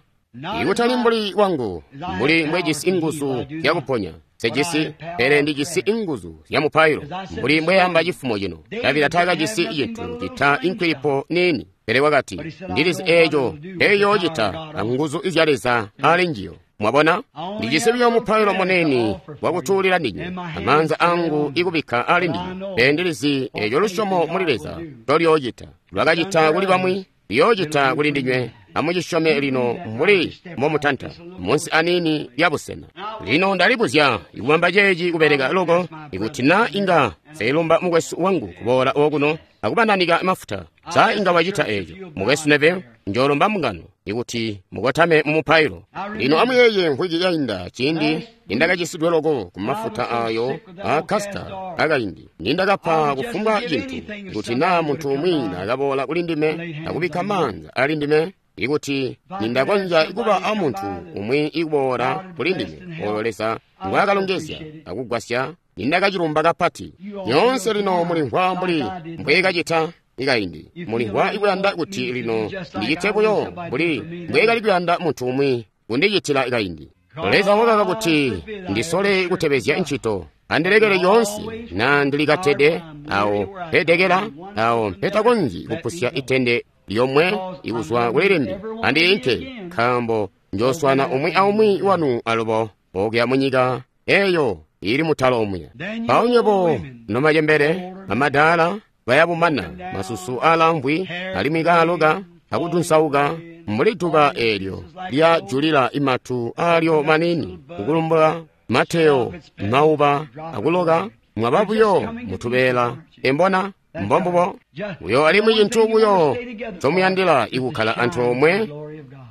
Ikutali mbuli wangu, mbuli mbwejisi inguzu zyakuponya sejisi, pele ndijisi inguzu zya mupailo, mbuli mbweyamba cifumo cino. Davida taakajisi cintu cita inkwilipo niini, pele wakati, ndilizi eeco eyoocita anguzu izya Leza ali njiyo. Mwabona, ndijisi buyo mupailo munene wakutuulila ndinywe, amaanza angu ikubikka ali ndinywe, pele ndilizi eeco lusyomo muli Leza ndolyoocita. Lwakacita kuli bamwi, liyoocita kuli ndinywe. Amucisyome lino mbuli mbomutanta munsi aniini lya busena. Lino ndalibuzya ikubamba ceeci kubeleka loko, ikuti na inga seilumba mukwesu wangu kuboola okuno akubananika mafuta. Sa inga wacita eeco, mukwesu Neville? Njoolomba mbungano ikuti mukotame mu mupailo. Lino amuyeeye mvwiki yainda ciindi nindakacisidwe loko ku mafuta ayo a kasita akaindi, nindakapa kufumbwa cintu ikuti naa muntu umwi nakaboola kuli ndime akubikka maanza ali ndime, ikuti nindakonzya kuba a muntu umwi ikuboola kuli ndime oyo Leza ngwaakalongezya akugwasya, nindakacilumba kapati. Nyoonse lino mulimvwa mbuli mbweekacita ikaindi, mulimvwa ikuyanda kuti lino ndicite buyo mbuli mbweekali kuyanda muntu umwi kundicitila ikaindi. Leza wakaka kuti ndisole kutebezya ncito, andilekele yoonse na ndilikatede awo mpedekela awo mpetakonzyi kupusya itende lyomwe ikuzwa kuli limbi, andiinke, nkaambo njooswana umwi aumwi wanu alubo okuya munyika eyo ili mutalo omuya. Mpawo nywebo nomacembele amadaala bayabumana masusu aalamvwi alimwi kaaloka akudunsauka mbuli duba eelyo lyajulila imatu aalyo maniini kukulumbula mateyo mauba akuloka, mwaba buyo mutubeela embona mbombubo buyo. Alimwi cintu buyo ncomuyandila ikukkala antoomwe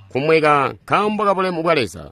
kumweka nkaambo kabulemu bwa Leza.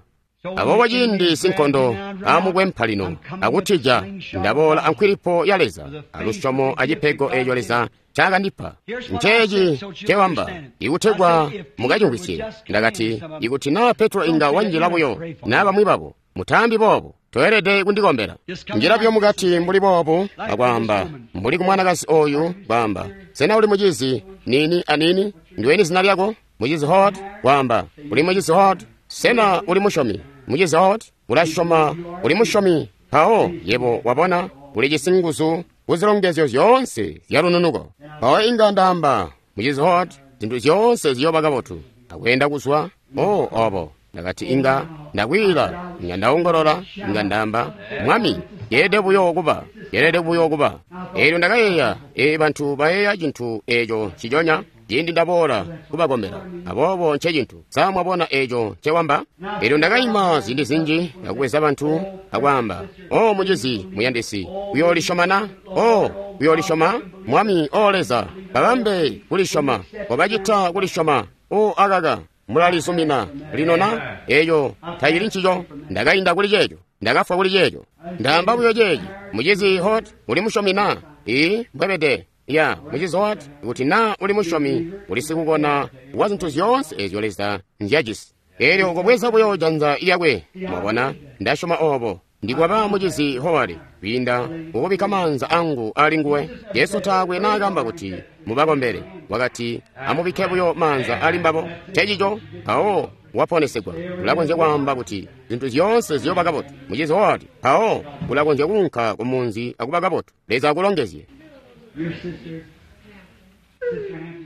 Aboobo ciindi sinkondo amukwempa lino akutija, ndaboola ankwilipo ya Leza alusyomo acipego eeco Leza ncakandipa. Nceeci ncewamba ikutegwa mukacimvwisye. Ndakati, ikuti naa Petro inga wanjila buyo naa bamwi babo, mutaambi boobo, toelede kundikombela. Njila buyo mukati mbuli boobu akwaamba mbuli ku mwanakazi oyu, kwaamba, sena uli mucizi nini anini? Ndiweni zina lyako? Mucizi Hot? Kwaamba, uli mucizi Hot? Sena uli musyomi? Mucizi Hot, ulasyoma uli musyomi? Mpawo yebo wabona ulijisi nguzu kuzilongezyo zyoonse zyalununuko. Mpawo inga ndaamba, mucizi Hot, zintu zyoonse ziyooba kabotu. Akweenda kuzwa, oh, obo. Ndakati inga ndakwiila, inga ndaongolola, inga ndaamba, Mwami, yeelede buyo kuba, yeelede buyo kuba. Eelyo ndakayeeya, ee bantu bayeeya cintu eeco nciconya ciindi ndaboola kubakombela. Aboobo nce cintu. Sa mwabona eeco ncewamba? Eelyo ndakaima ziindi zinji akubweza bantu akwaamba, o mucizi muyandisi, uyoolisyoma na? O uyoolisyoma? Mwami, o Leza, babambe kulisyoma, kobacita kulisyoma. O akaka, mulalizumina lino na? Eeco tacili ncico. Ndakainda kuli ceeco, ndakafwa kuli ceeco. Ndaamba buyo ceeci, mucizi Hot, uli musyomi na? Ii, mbwebede. Ya, mucizi Hot, kuti na uli musyomi, uli sikukona wa zintu zyoonse eezyo Leza nzyajisi. Eelyo kobweza buyo janza lyakwe. Mwabona, ndasyoma obo. Ndikwaba mucizi Howard kwiinda kukubikka maanza angu ali nguwe. Jesu taakwe naakamba kuti mubakombele, wakati amubikke buyo maanza ali mbabo. Ncencico mpawo waponesegwa. Ulakonzya kwaamba kuti zintu zyoonse ziyooba kabotu, mucizi Howard, mpawo ulakonzya kuunka kumunzi akuba kabotu. Leza akulongezye.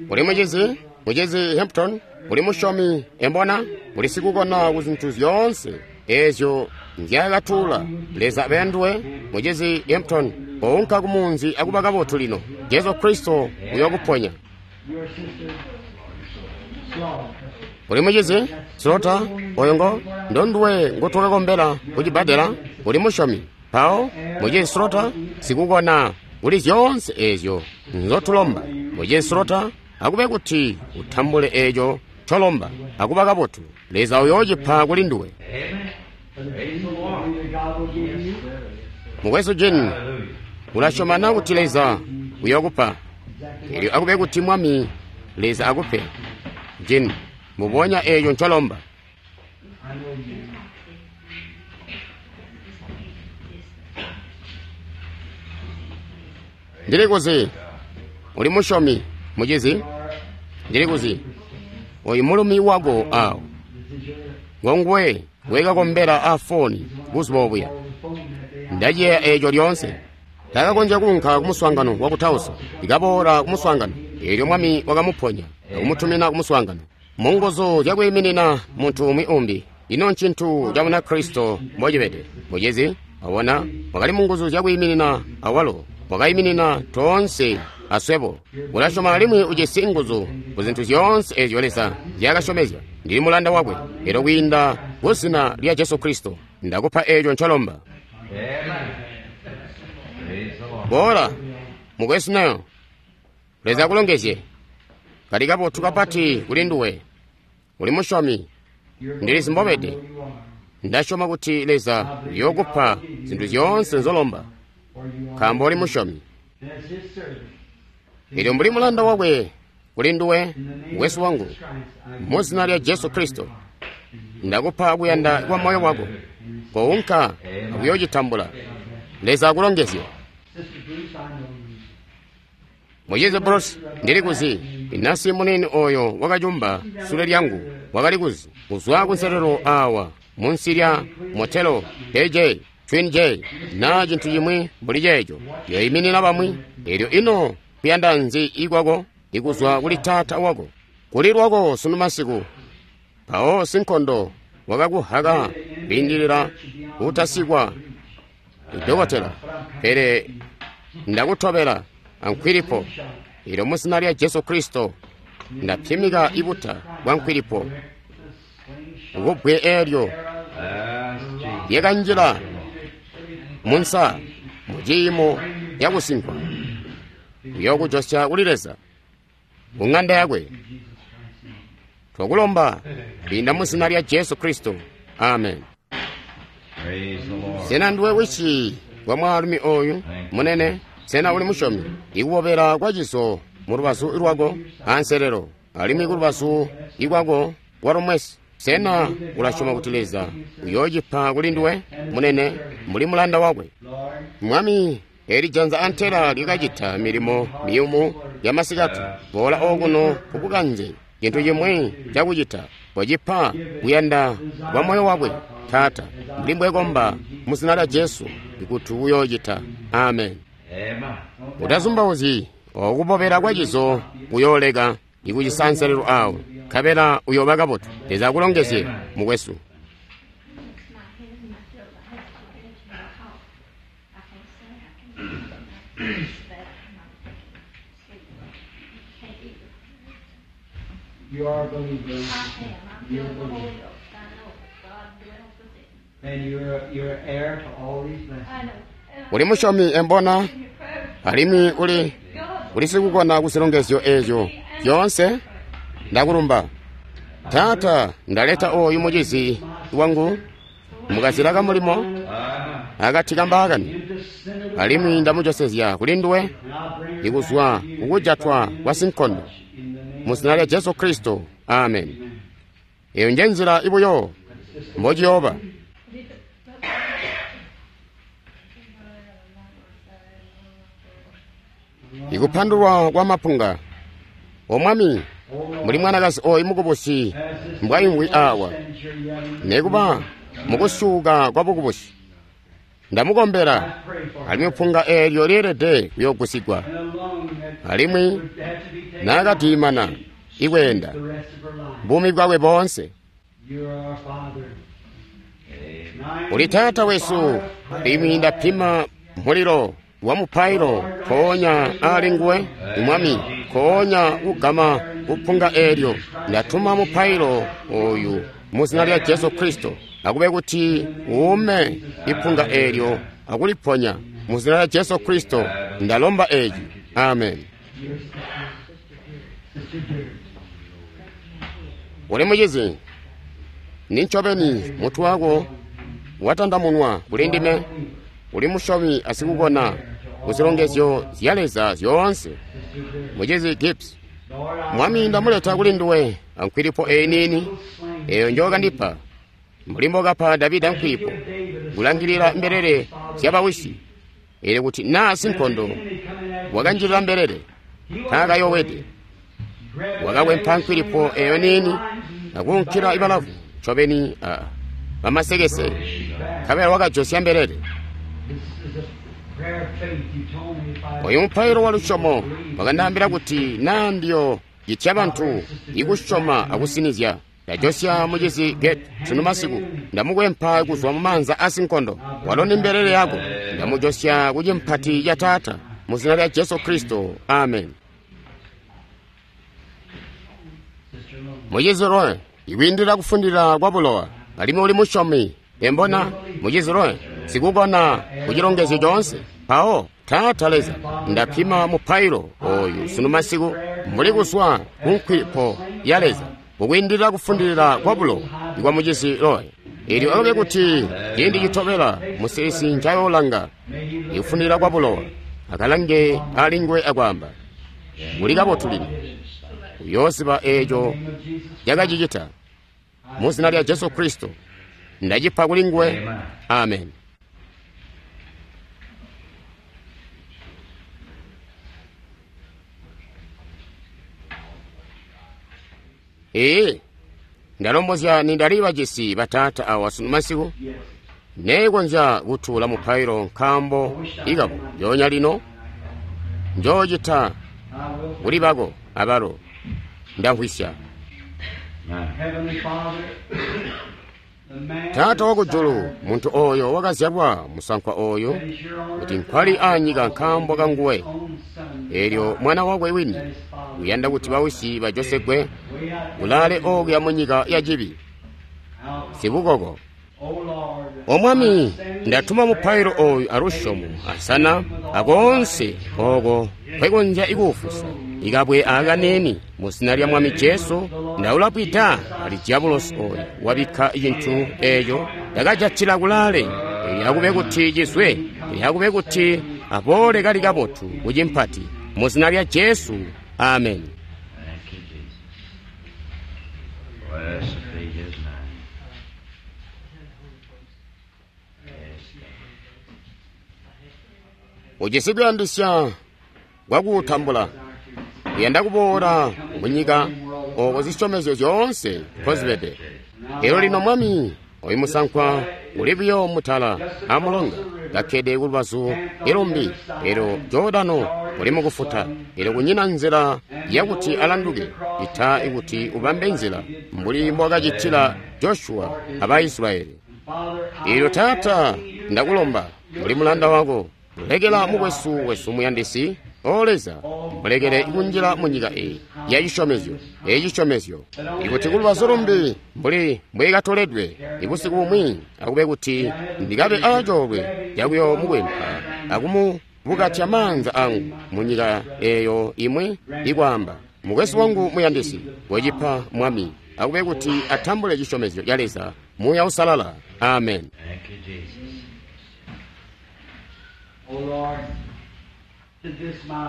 Uli mucizi, mucizi Hampton, uli musyomi embona, uli sikukona ku zintu zyoonse eezyo nzyakatuula Leza abe anduwe. Mucizi Hampton, kounka kumunzi akuba kabotu lino. Jesu Kristo uyokuponya. Uli mucizi Slota, oyo ngo ndonduwe ngotwakakombela kucibbadela. Uli musyomi mpawo, mucizi Slota, sikukona kuli zyoonse eezyo nzotulomba. Mucizi Slaughter, akube kuti utambule eco ncolomba, akuba kabotu. Leza uyoocipa kuli nduwe. Mukwesu Jin, ulasyoma na kuti Leza uyokupa? Elyo akube kuti Mwami Leza akupe. Jin, mubonya eco ncolomba. Ndili kuzi uli musyomi, mucizi. Ndili kuzi oyu mulumi wako awo ngonguwe wekakombela a foni buzuba obuya. Ndaciyeeya eco lyoonse. Takakonzya kuunka kumuswaangano wa kutausa, ikaboola kumuswaangano. Elyo Mwami wakamuponya akumutumina kumuswaangano mu nguzu zyakwiiminina muntu umwi umbi. Ino ncintu ca Bunakristo mbocibede, mucizi. Wabona, wakali mu nguzu zyakwiiminina awalo, wakayiminina toonse aswebo. Ulasyoma alimwi ujisi nguzu ku zintu zyoonse ezyo Leza nzyaakasyomezya. Ndili mulanda wakwe, elyo kwiinda ku zina lya Jesu Kristo ndakupa eco ncolomba. Boola, mukwesu Nayo. Leza akulongezye. Kali kabotu kapati kuli nduwe. Uli musyomi. Ndilizi mbobede. Ndasyoma kuti Leza uyookupa zintu zyoonse nzolomba, nkaambo uli musyomi. Elyo mbuli mulanda wakwe kuli nduwe, mukwesu wangu, mu zina lya Jesu Kristo, ndakupa kuyanda kwa moyo wako. Kounka akuyoocitambula. Leza akulongezye. Mucizi Bruce, ndili kuzi inasi munini oyo wakacumba sule lyangu wakali kuzi kuzwa kunselelo awa munsi lya motelo K J Twin J na cintu cimwi mbuli ceeco yoiminina bamwi. Elyo ino kuyanda nzi ikwako ikuzwa kuli taata wako kuli lwako sunu masiku. Mpawo sinkondo wakakuhaka kwiindilila kutasikwa idokotela, pele ndakutobela ankwilipo. Elyo mu zina lya Jesu Kristo ndapimika ibuta bwa nkwilipo kubbwe elyo lyakanjila munsa mu ciimo cakusinkwa uyokujosya kuli Leza ku ng'anda yakwe. Twakulomba kwiinda mu zina lya Jesu Kristo, amen. Sena nduwe wisi wa mwaalumi oyu munene? Sena uli musyomi? Ikubobela kwa ciso mu lubazu lwako anselelo, alimwi ku lubazu ikwako walumwesi. Sena ulasyoma kuti Leza uyoocipa kuli nduwe munene mbuli mulanda wakwe? Mwami, eli janza antela lyakacita milimo miyumu yamasikati. Boola okuno kubukanze cintu cimwi cakucita. Kocipa kuyanda kwa moyo wakwe, Taata, mbuli mbwekomba mu zina lya Jesu ikuti uyoocita. Amen. Utazumbauzyi okubobela kwa cizo kuyooleka ikucisanselelo awo, nkabela uyooba kabotu. Leza akulongezye, mukwesu. You are a believer. You're a believer. And you're, you're heir to all these blessings. Uli musyomi embona, alimwi uli uli sikukona kuzilongezyo ezyo zyoonse. Ndakulumba Taata, ndaleta oyu mucizi wangu mukazila kamulimo akati kambaakani, alimwi ndamujosezya kuli nduwe ikuzwa kukujatwa kwa sinkondo mu zina lya Jesu Kristo, amen. Eyo nje nzila ibuyo mbociyooba. Ikupandulwa kwa mapunga. O Mwami, muli mwanakazi oyu mukubusi mbwaimvwi awa, nekuba mukusyuka kwa bukubusi, ndamukombela, alimwi punga eelyo lyeelede kuyoogusigwa, alimwi naakadiimana ikweenda buumi bwakwe boonse. Uli Taata wesu, alimwi ndapima mulilo wa mupailo koonya ali nguwe, Mwami, koonya kugama kupunga eelyo. Ndatuma mupailo oyu mu zina lya Jesu Kristo, akube kuti uume ipunga eelyo akuliponya mu zina lya Jesu Kristo. Ndalomba eci, amen. Uli mucizi, nincobeni mutwe wako watandamunwa kuli ndime. Uli musyomi asikukona kuzilongezyo zya Leza zyoonse. Mucizi Gibbs, Mwami ndamuleta kuli nduwe ankwilipo eyi niini eyo njokandipa, mbuli mbokapa Davida nkwilipo kulangilila mbelele zyabawisi, ili kuti naa sinkondo wakanjilila mbelele taakayowede. Wakakwempa nkwilipo eyo niini akuunkila ibalavu ncobeni a bamasekese, nkabela wakajosya mbelele. Oyu mupailo wa lusyomo wakandaambila kuti naa ndiyo citya bantu ikusyoma akusinizya. Ndajosya mucizi Get sunu masiku, ndamukwempa kuzwa mu maanza asinkondo. Walo ni mbelele yako, ndamujosya ku cimpati ca Taata mu zina lya Jesu Kristo, amen. Mucizi Roy, ikwiindila kufundila kwa bulowa, alimwi uli musyomi. Embona, mucizi Roy, sikukona ku cilongezyo coonse. Mpawo Taata Leza, ndapima mupailo oyu sunu masiku mbuli kuzwa ku nkwilipo ya Leza kukwiindilila kufundilila kwa bulowa ikwa mucizi Roy. Elyo alobe kuti ciindi citobela musiisi ncayoolanga ikufundilila kwa bulowa akalange alingwe akwaamba, muli kabotu lino. Uyooziba eeco cakacicita. Mu zina lya Jesu Kristo ndacipa kuli nguwe, amen. Ee, ndalombozya nindali bajisi bataata awa sunu masiku, neekonzya kutuula mupailo nkaambo ikabo njoonya lino njoocita kuli bako abalo ndamvwisya. Taata wakujulu, muntu oyo wakazyalwa musankwa oyo kuti nkwali anyika nkaambo kanguwe. Elyo mwana wakwe wini uyanda kuti bawisi bajosegwe kulaale okuya mu nyika ya cibi sibukoko. O Mwami, ndatuma mupailo oyu alusyomo asana akoonse oko nkwekonzya ikuufusa ikabwe akaneni mu zina lya Mwami Jesu. Ndaulapwida ali diabulosi oyu wabikka cintu eeco ndakajatila kulaale, lyakube kuti cizwe, lyakube kuti aboole kali kabotu ku cimpati mu zina lya Jesu, amen. Thank you, Jesus. Blessed be his name. Yes, Ujisi kuyandisya kwakuutambula, uyanda kuboola mu nyika oko zisyomezyo zyoonse nkozibede. Elyo lino Mwami, oyu musankwa uli buyo mutala amulonga kakkede kulubazu ilumbi, elyo Jordano uli mukufuta, elyo kunyina nzila yakuti alanduke ita ikuti ubambe nzila mbuli mbwakacitila Joshua aba Israyeli. Elyo Taata, ndakulomba mbuli mulanda wako, lekela mukwesu wesu muyandisi, O Leza, mulekele kunjila mu nyika eyi ya cisyomezyo, eyi cisyomezyo, ikuti kulubazu lumbi mbuli mbwekatoledwe ibusiku bumwi, akube kuti ndikabe acoolwe cakuyomukwempa akumubukatya maanza angu mu nyika eyo imwi ikwaamba, mukwesu wangu muyandisi, wecipa Mwami, akube kuti atambule cisyomezyo ca Leza, Muuya Usalala. Amen. Thank you, Jesus.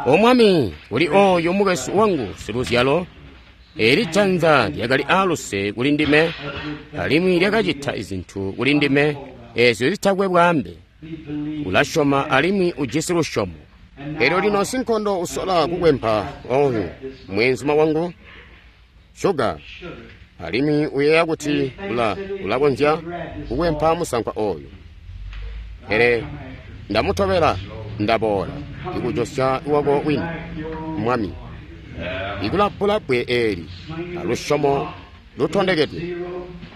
O Mwami, kuli oyo mukwesu wangu siluzyalo, eli janza lyakali aaluse kuli ndime, alimwi lyakacita izintu kuli ndime ezyo zitakwe bwaambe. Ulasyoma alimwi ujisi lusyomo. Elyo lino sinkondo usola kukwempa oyu mweenzuma wangu Sugar, alimwi uyeeya kuti ula ulakonzya kukwempa musankwa oyu. Pele ndamutobela, ndaboola ikujosya wako wini, Mwami, ikulapula bbwe eli alusyomo lutondekedwe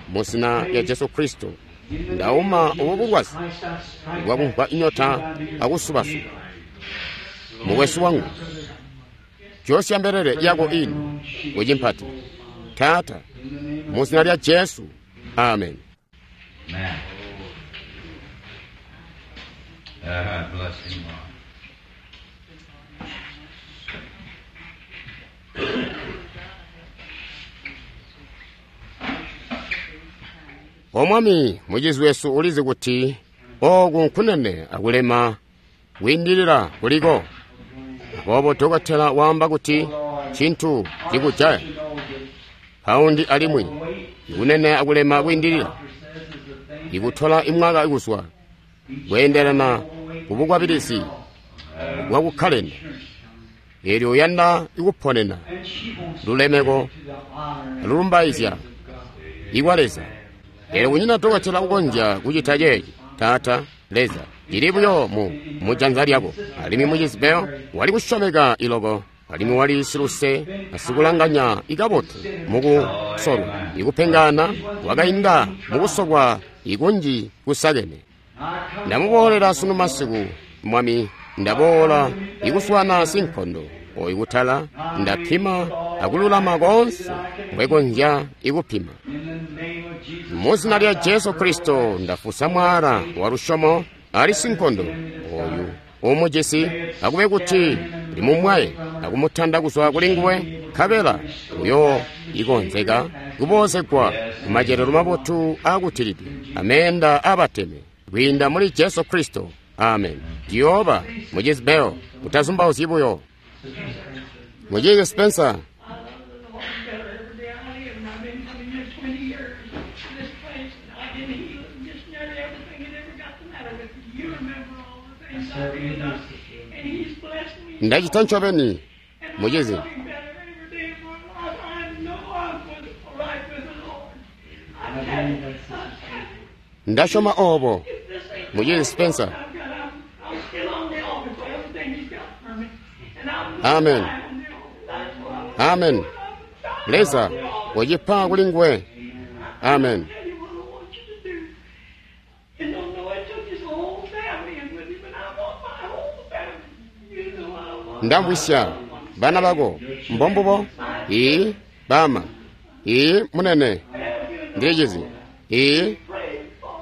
mu zina lya Jesu Kristo. Ndauma ubu bulwazi bwakumva inyota akusubasuba. Mukwesu wangu, josya mbelele yako ini kucimpati, Taata, mu zina lya Jesu, amen. Amen. Uh, bless him, Lord. O Mwami, mucizi wesu ulizi kuti oku nkunene akulema kwiindilila kuliko. Aboobo dokotela waamba kuti cintu cikujaya paundi alimwi ikunene akulema kwiindilila ikutola imwaka ikuswa kweendelana kubukwabilizi bwakukkalenda. Eelyo uyanda ikuponena lulemeko alulumbaizya ikwa Leza. Eelyo kunyina dokotela ukonzya kucita ceeci. Taata Leza, cili buyo mu mujanza lyako. Alimwi mucizi Bell wali kusyomeka iloko, alimwi wali siluse asikulanganya ikabotu mukusolwa ikupengana wakainda mukusolwa ikunji kusakene. Ndamuboolela sunu masiku, Mwami, ndaboola ikuswana sinkondo oyu kutala, ndapima akululama konse mbwekonzya ikupima. Muzina lya Jesu Kristo ndafusa mwala wa lusyomo ali sinkondo oyu umujisi, akube kuti limumwaye akumutanda kuzwa kuli nguwe, nkabela uyo ikonzeka kuboozegwa kumacelelo mabotu akutilidwe ameenda abateme kwiinda muli Jesu Kristo. Amen. Ciyooba mucizi Bell, utazumbauzyi buyo. Mucizi Spencer, ndacita ncobeni mucizi. Ndasyoma obo mucizi Spencer. Amen. Amen. Leza wacipa kuli nguwe. Amen. Ndamvwisya bana bako mbombubo. Ii bama. Ii munene ndilicizi. Ii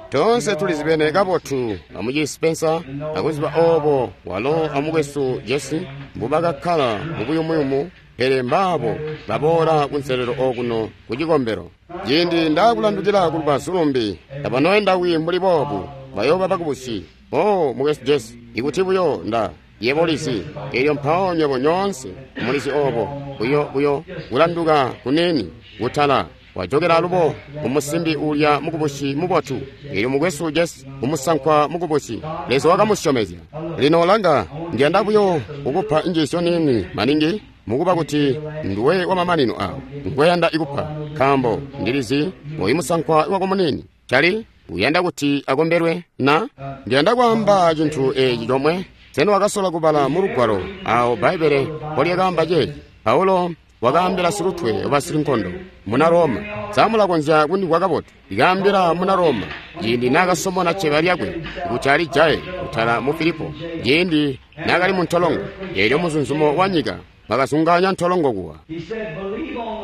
tonse tulizibene kabotu amucizi Spencer akuziba obo walo amukwesu Jesse mbubakakkala mubuyumuyumu, pele mbaabo baboola kunselelo okuno ku cikombelo. Ciindi ndaakulandukila ku lubazu lumbi, tabanoenda wi mbuli boobu, bayooba bakubusi. O mukwesu Jesse, ikuti buyo nda yebo ulizi, eelyo mpawo nywebo nyoonse mulizi obo, buyo buyo kulanduka kunini kutala wajokela alubo umusimbi ulya mukubusi mubotu. Eelyo mukwesu Jesse umusankwa mukubusi, Leza wakamusyomezya. Lino langa, ndiyanda buyo kukupa injiisyo nini maningi, mukuba kuti nduwe wamamanino awo ngweyanda ikupa, nkaambo ndilizi oyu musankwa wako munini cali uyanda kuti akombelwe na ndiyanda kwaamba cintu eci comwe. Sena wakasola kubala mu lugwalo awo Bbaibbele mpolyakaamba ceeci? Paulo wakaambila silutwe wabasilinkondo muna Roma. Samulakonzya kundimvwa kabotu. Ikaambila muna Roma ciindi naakasomona cceba lyakwe kuti alijaye kutala mu Filipo, ciindi naakali mu ntolongo. Eelyo muzunzumo wanyika wakazungaanya ntolongo kuwa.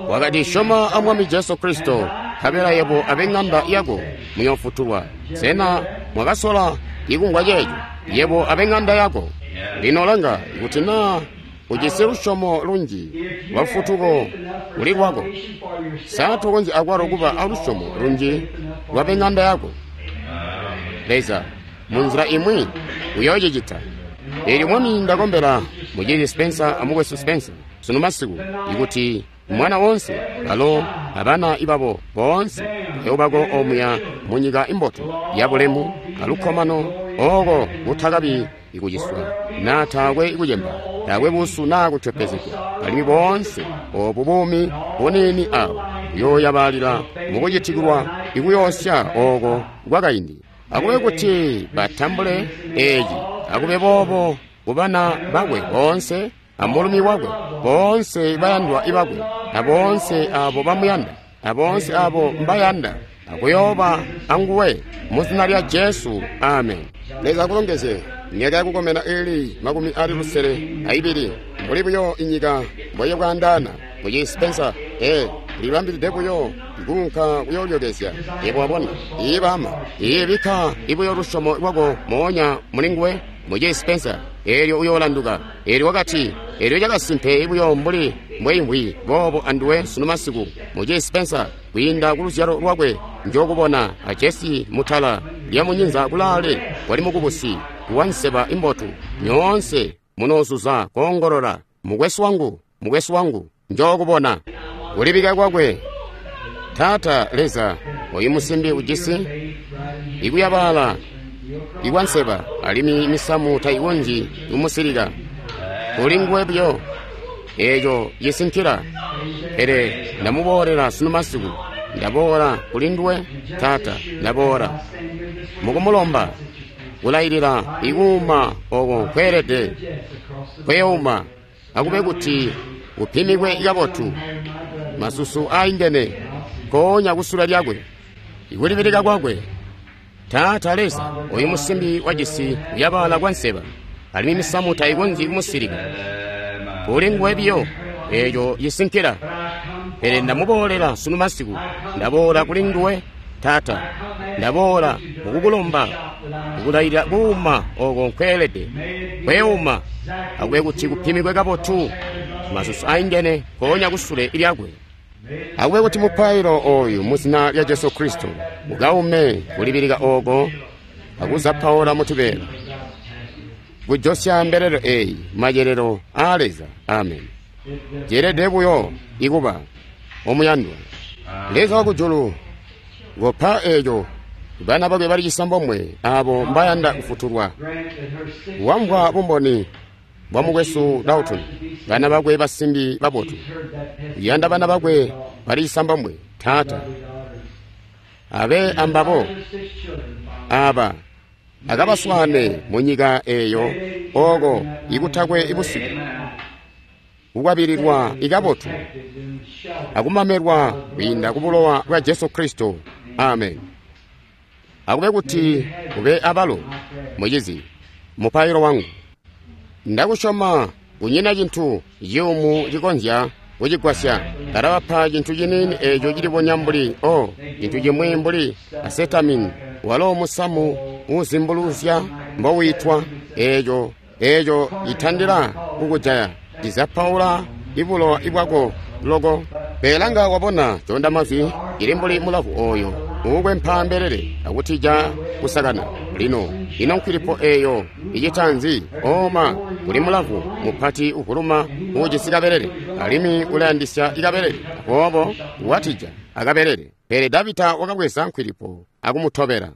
Wakati, syoma a Mwami Jesu Kristo, nkabela yebo ab'eŋanda yako muyoofutulwa. Sena mwakasola ikumvwa ceeco? Yebo ab'eŋanda yako. Lino langa, kuti naa ujisi lusyomo lunji lwa lufutuko kuli lwako, sa tokonzyi akwalo kuba alusyomo lunji lwa b'eŋanda yako? Leza munzila imwi uyoocicita. Eelyo Mwami ndakombela mucizi Spencer amukwesu Spencer sunu masiku, ikuti mwana wonse balo abana ibabo boonse bayoobako omuya munyika imbotu yabulemu alukkomano, oko kutakabi ikuciswa naa taakwe ikucemba, taakwe busu naa kutyopezegwa, alimwi boonse obu buumi buniini awo buyooyabalila mukucitikilwa ikuyoosya oko kwakaindi. Akube kuti batambule eci, akube boobo kubana bakwe boonse amulumi wakwe, boonse bayandwa ibakwe, aboonse abo bamuyanda, aboonse abo mbayanda, akuyooba anguwe muzina lya Jesu. Amen. Leza akulongezye. Myaka yakukomena ili makumi ali lusele aibili, mbuli buyo inyika mboyebwaandaana. Mucizi Spencer, ee, libambilide buyo nkunka kuyoolyokezya. Yebo wabona, iye bama, iye bikka ibuyo lusyomo lwako moonya muli nguwe. Mucizi Spencer, eelyo uyoolanduka. Eelyo wakati, eelyo cakasimpe buyo mbuli mbweimvwi boobo anduwe sunu masiku, Mucizi Spencer, kwiinda ku luzyalo lwakwe njokubona, a Jesse mutala lya munyinza kulaale wali mukubusi wanseba imbotu. Nyoonse munozuza koongolola, mukwesu wangu, mukwesu wangu, njokubona. Kulibika kwakwe. Taata Leza, oyu musimbi ujisi ikuyabala ikwanseba, alimwi misamu tayikonzyi kumusilika. Kuli nguwe buyo eeco cisinkila. Pele ndamuboolela sunu masiku, ndaboola kuli nduwe Taata, ndaboola mukumulomba kulailila ikuuma oko nkweelede kweuma, akube kuti upimikwe kabotu masusu aingene nkoonya kusula lyakwe, ikulibilika kwakwe. Taata Leza, oyu musimbi wajisi kuyabala kwa nseba, alimwi misamu tayikonzyi kumusilika. Kuli nguwe biyo eeco cisinkila. Pele ndamuboolela sunu masiku, ndaboola kuli nduwe Taata, ndaboola mukukulomba kukulailila kuuma oko nkweelede kweuma, akube kuti kupimikwe kabotu masusu aingene nkoonya kusule lyakwe. Akube kuti mupailo oyu muzina lya Jesu Kristo ukaume kulibilika oko akuzapaula mutubeela, kujosya mbelelo eyi macelelo aa Leza. Amen. Ceelede buyo ikuba omuyandwa Leza wakujulu, ngopa eeco bana bakwe bali cisambomwe abo mbayanda kufutulwa. Wamvwa bumboni bwa mukwesu Dalton, bana bakwe basimbi babotu, uyanda bana bakwe bali cisambomwe. Taata, abe ambabo aba akabaswane mu nyika eeyo oko ikutakwe ibusiku, kukwabililwa ikabotu akumamelwa kwiinda ku bulowa bwa Jesu Kristo. Amen. Akube kuti ube abalo, mucizi, mupailo wangu. Ndakusyoma kunyina cintu ciyumu cikonzya kucigwasya. Ndalabapa cintu ciniini eeco cilibonya mbuli o cintu cimwi mbuli asetamini, walo musamu uuzimbuluzya mbowiitwa, eeco eeco citandila kukujaya, cizapaula ibulowa ibwako loko. Pelanga wabona conda mazwi cili mbuli mulavu oyo uukwempa mbelele akutija kusakana. Lino ino nkwilipo eeyo icita nzi? Oma kuli mulavu mupati uvuluma uujisi kabelele, alimwi ulayandisya ikabelele, aboobo watija akabelele. Pele Davida wakabweza nkwilipo akumutobela.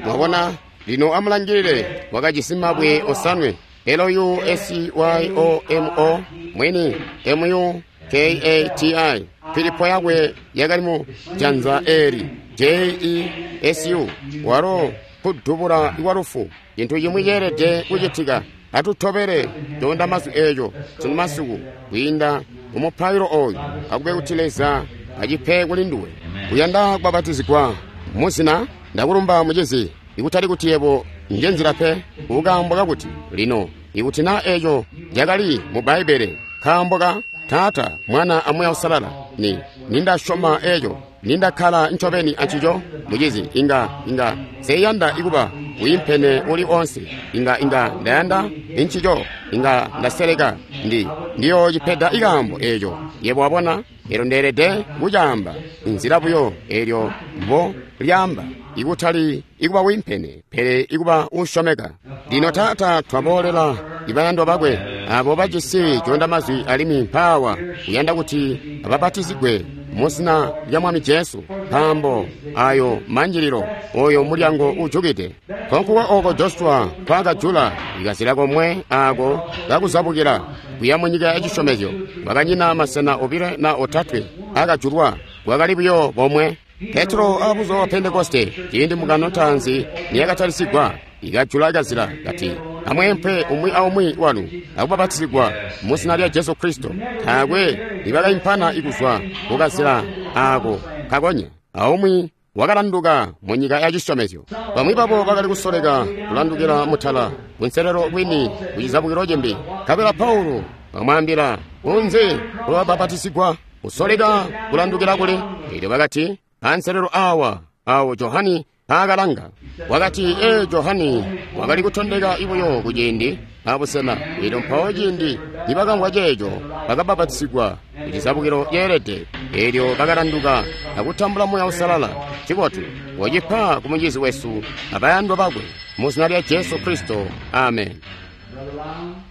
Mwabona, lino amulangilile, wakajisi mabwe osanwe, L U S Y O M O mwini M U K A T I. Filipo yakwe yakali mu janza eli J E S U, walo kudubula kwalufu. Cintu cimwi ceelede kucitika. Atutobele conda mazwi eeco sunu masiku kwiinda mumupailo oyu. Akube kuti Leza acipe kuli nduwe. Uyanda kubabatizigwa muzina? Ndakulumba mucizi, ikutali kuti yebo nje nzila pe, kukaambo kakuti lino ikuti na eeco cakali mu Bbaibbele, nkaambo ka Taata, Mwana a Muuya Uusalala, ni nindasyoma eeco, nindakkala ncobeni ancico, mucizi, inga inga nseyanda ikuba wiimpene uli onse, inga inga ndayanda incico, inga ndaseleka, ndi ndiyoocipeda ikaambo eeco. Yebo wabona, elyo ndeelede kucaamba inzila buyo eelyo mbo lyaamba, ikutali ikuba wiimpene, pele ikuba uusyomeka. Lino Taata, twaboolela ibayandwa bakwe abo bajisi conda mazwi, alimwi mpaawa uyanda kuti ababatizigwe muzina lya Mwami Jesu, nkaambo ayo manjililo, oyo mulyango ujukide. Konkuwa oko Joshua nkwaakajula ikazila komwe ako kakuzabukila kuya mu nyika ya cisyomezyo, kwakanyina masena obile na otatwe akajulwa, kwakali buyo bomwe. Petro abuzuba bwa Pentekoste, ciindi mbungano ntaanzi niyakatalisigwa, ikajula kazila kati, amweempe umwi aumwi wanu akubabatizigwa muzina lya Jesu Kristo. Taakwe nibakaimpana ikuzwa kukazila ako kakonya, aumwi wakalanduka mu nyika ya cisyomezyo. Bamwi babo bakali kusoleka kulandukila mutala kunselelo kwini kucizabukilo cimbi. Nkabela Paulo bamwaambila, unzi kulwabapatisigwa kusoleka kulandukila kuli? Elyo bakati, anselelo awa awo Johani aakalanga. Wakati, ee, Johani wakali kutondeka ibuyo kuciindi abusena. Elyo mpawo ciindi nibakamvwa ceeco bakabapatizigwa kucizabukilo ceelede, eelyo bakalanduka akutambula Muuya Uusalala. Cibotu wocipa ku mucizi wesu abayandwa bakwe mu zina lya Jesu Kristo, amen.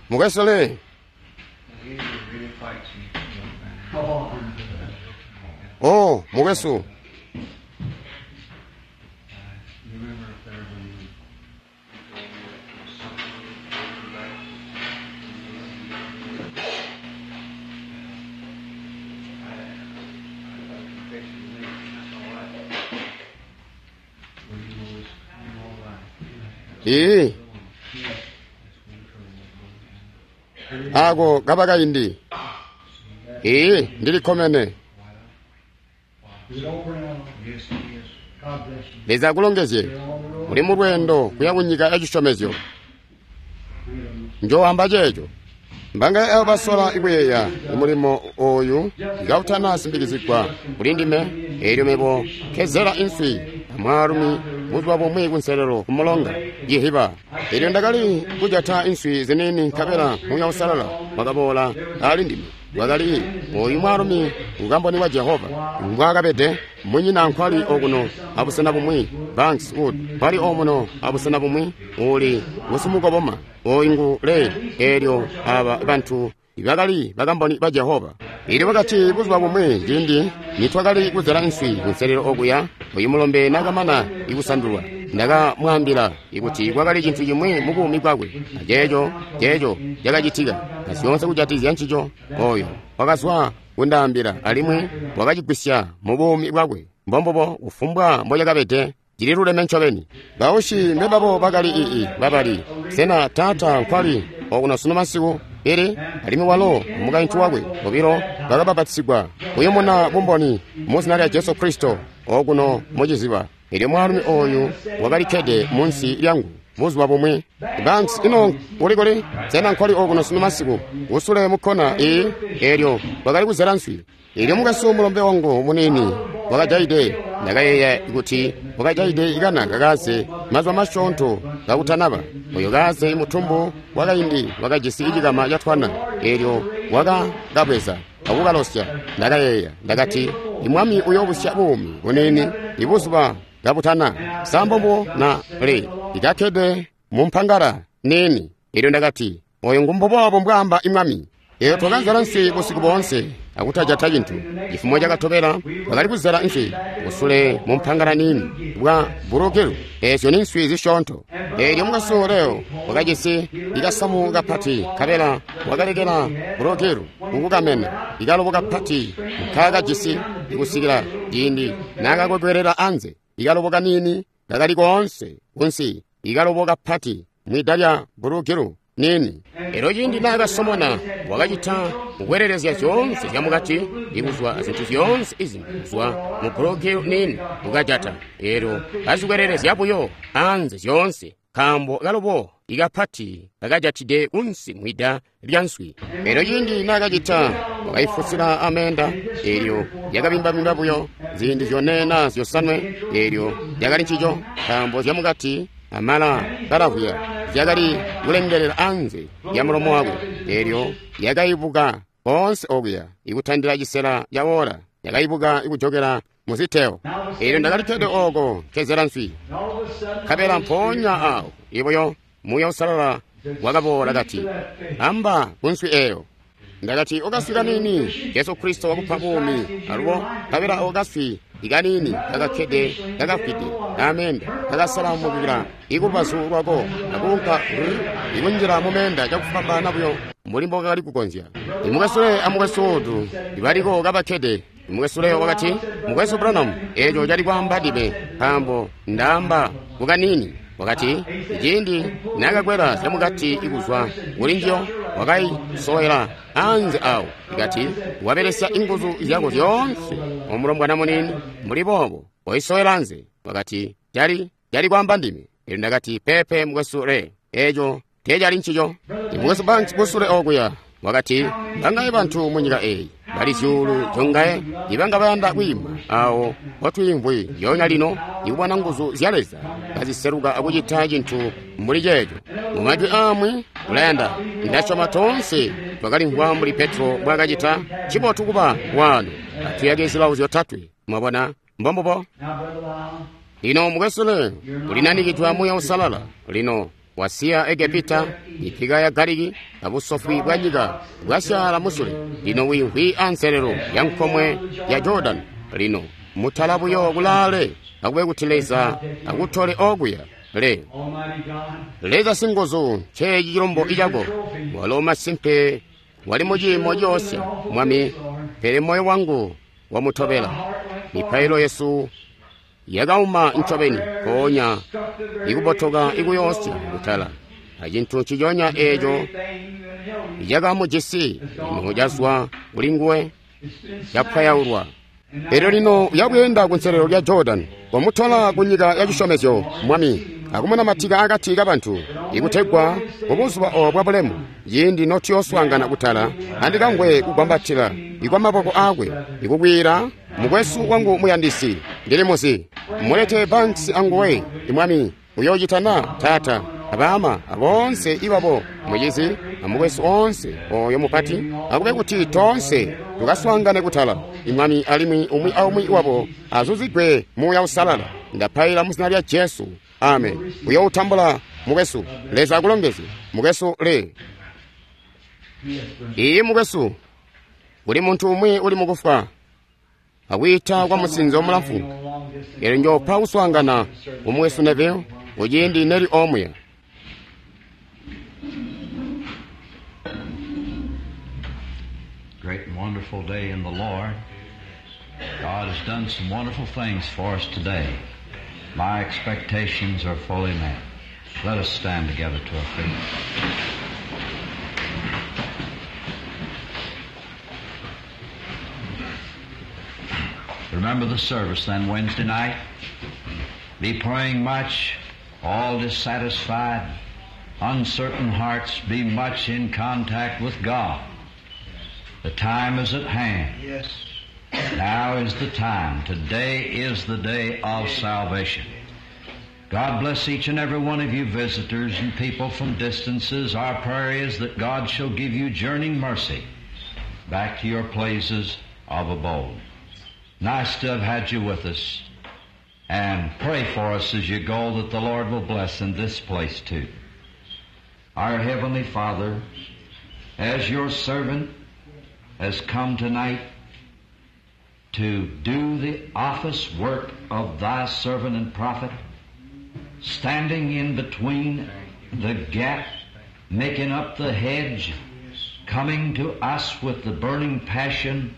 Mukwesu Lee. Oh, mukwesu. Ii. Ako kaba kaindi. Ii, ndilikkomene. Leza akulongezye. Uli mu lweendo kuya ku nyika ya cisyomezyo. Njoamba ceeco. Mbanga abo basola ikuyeeya umulimo oyu kautana simbikizigwa kuli ndime, eelyo mebo nkezela inswi amwaalumi buzuba bumwi kunselelo kumulonga Jihiba. Eelyo ndakali kujata inswi ziniini nkabela Muuya Uusalala wakaboola ali ndime. Wakali oyu mwaalumi ukamboni wa Jehova mbwaakabede, munyina nkwali okuno abusena bumwi, Banks Wood nkwali omuno abusena bumwi, uli ngusimukoboma oyu ngu Lee. Eelyo aba bantu bakali bakamboni ba Jehova. Eelyo bakati buzuba bumwi ciindi nitwakali kuzela inswi kunselelo okuya, oyu mulombe nakamana ikusandulwa, ndakamwaambila ikuti kwakali cintu cimwi mu buumi bwakwe, aceeco ceeco cakacitika, na zyoonse kujatizya ncico. Oyo wakazwa kundaambila alimwi wakacigwisya mu buumi bwakwe. Mbombubo kufumbwa mbocakabede, cililuleme ncobeni. Bausyi mbebabo bakali ii babali. Sena taata nkwali okuno sunu masiku? Pele alimwi walo mukaintu wakwe bobilo bakabapatisigwa kuyumuna bumboni mu zina lya Jesu Kristo okuno muciziba. Eelyo mwaalumi oyu wakalikkede munsi lyangu buzuba bumwi. Banks, ino uli kuli? Sena nkwali okuno sunu masiku? Usule mukkona ii. Eelyo wakali kuzela nswi. Eelyo mukwesu mulombe wangu muniini wakajaide. Ndakayeeya kuti wakajaide ikana kakaze mazuba masyoonto kakutanaba. Oyo kaze mutumbu wakaindi wakajisi icikama catwana. Eelyo wakakabweza akukalosya. Ndakayeeya ndakati, imwami uyoobusya buumi buniini ibuzuba kabutana. Sambombo na le ikakkede mumpangala niini. Eelyo ndakati, oyo ngumbuboobo mbwaamba imwami. Eelyo twakazela nswi busiku boonse akutajata cintu. Cifumo cakatobela twakali kuzela nswi kusule mumpangala niini bwa bulukilo. Eezyo ni nswi zisyoonto. Eelyo mukwesu Leo wakajisi ikasamu kapati, nkabela wakalekela bulukilo kukukamena ikalobo kapati nkaakajisi ikusikila ciindi naakakwekwelela anze. Ikalobo kaniini kakali koonse kunsi, ikalobo kapati mwida lya bulukilo nini. Elyo ciindi naakasomona wakacita kukwelelezya zyoonse zyamukati ikuzwa azintu zyoonse izimbi kuzwa mu bulukilo nini kukajata. Elyo kazikwelelezya buyo anze zyoonse, nkaambo kalobo ikapati kakajatide kunsi mwida lya nswi. Elyo ciindi naakacita wakaifusila amenda. Elyo yakabimbabimba buyo ziindi zyone na zyosanwe. Elyo yakali ncico, nkaambo zyamukati amala kalavwiya zyakali kulengelela anze ya mulomo wakwe. Elyo yakaibuka koonse okuya ikutandila cisela ca wola, yakaibuka ikujokela muziteo. Elyo ndakalikkede oko nkezela nswi, nkabela mpoonya awo ibuyo Muuya Uusalala wakaboola kati, amba kunswi eyo. Ndakati, okaswi kaniini, Jesu Kristo wakupa buumi alubo. Nkabela okaswi ikaniini kakakkede kakafwide amenda kakasalamukila ikulubazu lwako akuunka ikunjila mumenda cakufwambaana buyo mbuli mbokakali kukonzya. Imukwesu Lee amukwesu Wood ibaliko kabakkede. Mukwesu Leo wakati, mukwesu Branham, eeco cali kwaamba ndime, nkaambo ndaamba kukanini. Wakati, ciindi naakakwela zyamukati ikuzwa kuli njiyo, wakaisowela anze awo. Ikati, wabelesya inguzu zyako zyoonse omulombwana muniini mbuli boobo waisowela anze. Wakati, cali cali kwaamba ndime. Elyo ndakati, pepe mukwesu Lee, eeco teecali ncico. Mukwesu Banks kusule okuya wakati, bangaye bantu munyika eyi bali zyuulu zyongaye ibanga bayanda kwiima awo mpotwiimvwi lyoonya lino ikubona nguzu zya Leza kaziseluka akucita cintu mbuli ceeco. Mu majwi amwi, Ulayanda. Ndasyoma toonse twakalimvwa mbuli Petro mbwaakacita. Ncibotu kuba waano. Atuyake zilawo zyotatwe. Mwabona? Mbombubo. Lino mukwesu Leo, ulinanikidwe Muuya Uusalala. Lino wasiya Egepita, mipika ya Galiki, abusofwi bwa nyika bwasyaala musule. Lino wiimvwi anselelo ya nkomwe ya Jordan. Lino mutala buyo kulaale, akube kuti Leza akutole okuya. Leo, Leza singuzu, nceeci cilombo icako. Walo masimpe wali muciimo coosya, Mwami, pele moyo wangu wamutobela. Mipailo yesu yakauma ncobeni mpoonya ikubotoka ikuyoosya kutala acintu nciconya eeco icakamujisi lino cazwa kuli nguwe capwayaulwa. Elyo lino uyabweenda kunselelo lya Jordan, wamutola ku nyika ya cisyomezyo, Mwami, akumunamatika akati kabantu, ikutegwa mubuzuba obo bwabulemu, ciindi notuyooswaangana kutala, andikamvwe kugwambatila ikwa maboko aakwe, ikukwiila, mukwesu wangu muyandisi, ndili muzi. Mulete Banks anguwe, Mwami, uyoocita na, Taata, abaama, aboonse ibabo, mucizi, amukwesu oonse oyo mupati, akube kuti toonse tukaswaangane kutala, Mwami, alimwi umwi aumwi wabo azuzigwe Muuya Uusalala. Ndapaila mu zina lya Jesu. Amen. Uyoutambula mukwesu. Leza akulongezye mukwesu le. Iyi mukwesu, kuli muntu umwi uli mukufwa akwiita kwa musinzo mulamfu. Elyo njopa kuswaangana umukwesu Neville kuciindi neli omuya. Great and wonderful day in the Lord. God has done some wonderful things for us today. My expectations are fully met. Let us stand together to our feet. Remember the service then Wednesday night. Be praying much, all dissatisfied, uncertain hearts, be much in contact with God. The time is at hand. Yes. Now is the time. Today is the day of salvation. God bless each and every one of you visitors and people from distances. Our prayer is that God shall give you journeying mercy back to your places of abode. Nice to have had you with us. And pray for us as you go that the Lord will bless in this place too. Our Heavenly Father, as your servant has come tonight to do the office work of thy servant and prophet, standing in between the gap, making up the hedge, coming to us with the burning passion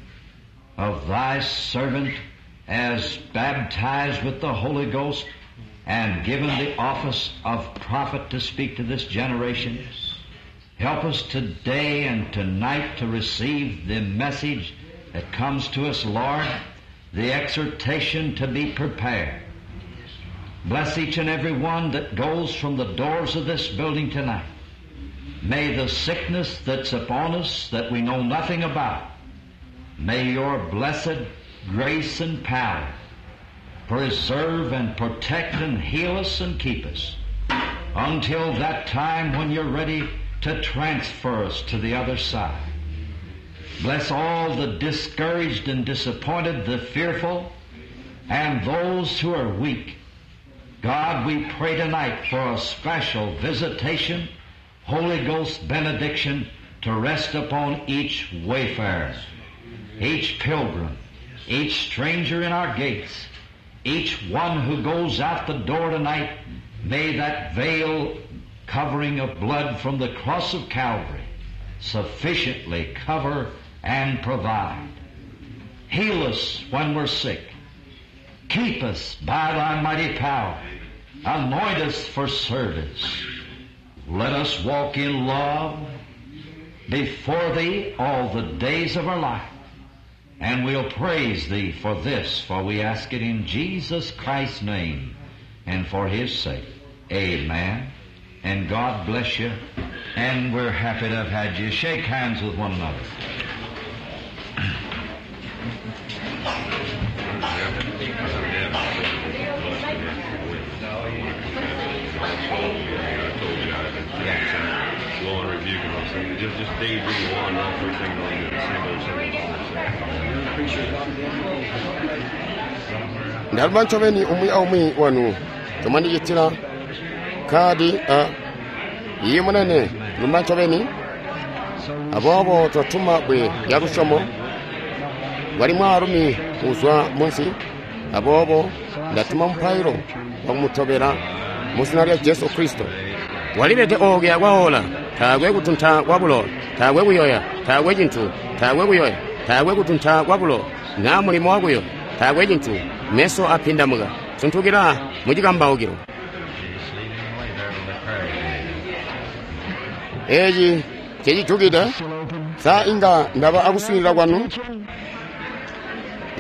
of thy servant as baptized with the Holy Ghost and given the office of prophet to speak to this generation. Help us today and tonight to receive the message that comes to us, Lord, the exhortation to be prepared. Bless each and every one that goes from the doors of this building tonight. May the sickness that's upon us that we know nothing about, may your blessed grace and power preserve and protect and heal us and keep us until that time when you're ready to transfer us to the other side. Bless all the discouraged and disappointed, the fearful, and those who are weak. God, we pray tonight for a special visitation, Holy Ghost benediction to rest upon each wayfarer, each pilgrim, each stranger in our gates, each one who goes out the door tonight. May that veil covering of blood from the cross of Calvary sufficiently cover and provide. Heal us when we're sick. Keep us by thy mighty power. Anoint us for service. Let us walk in love before thee all the days of our life. And we'll praise thee for this, for we ask it in Jesus Christ's name and for his sake. Amen. And God bless you. And we're happy to have had you. Shake hands with one another. go and rebuke and those things. Just, just daydream one, all three things on the single, single, single. Ndalumba ncobeni umwi aumwi wanu chomandicitira khadi a iye munene lumba ncobeni aboobo twatuma bwe lya lusyomo wali mwaalumi uzwa munsi aboobo ndatuma mupailo wakumutobela mu zina lya Jesu Kristo. Walilete okuya kwaola taakwe kutunta kwa bulowa taakwe kuyoya taakwe cintu taakwe kuyoya taakwe kutunta kwa bulowa naa mulimo wakuyoya taakwe cintu meso apindamuka suntukila mu cikambaukilo. Eeci cecijukide sa inga ndaba akuswiilila kwanu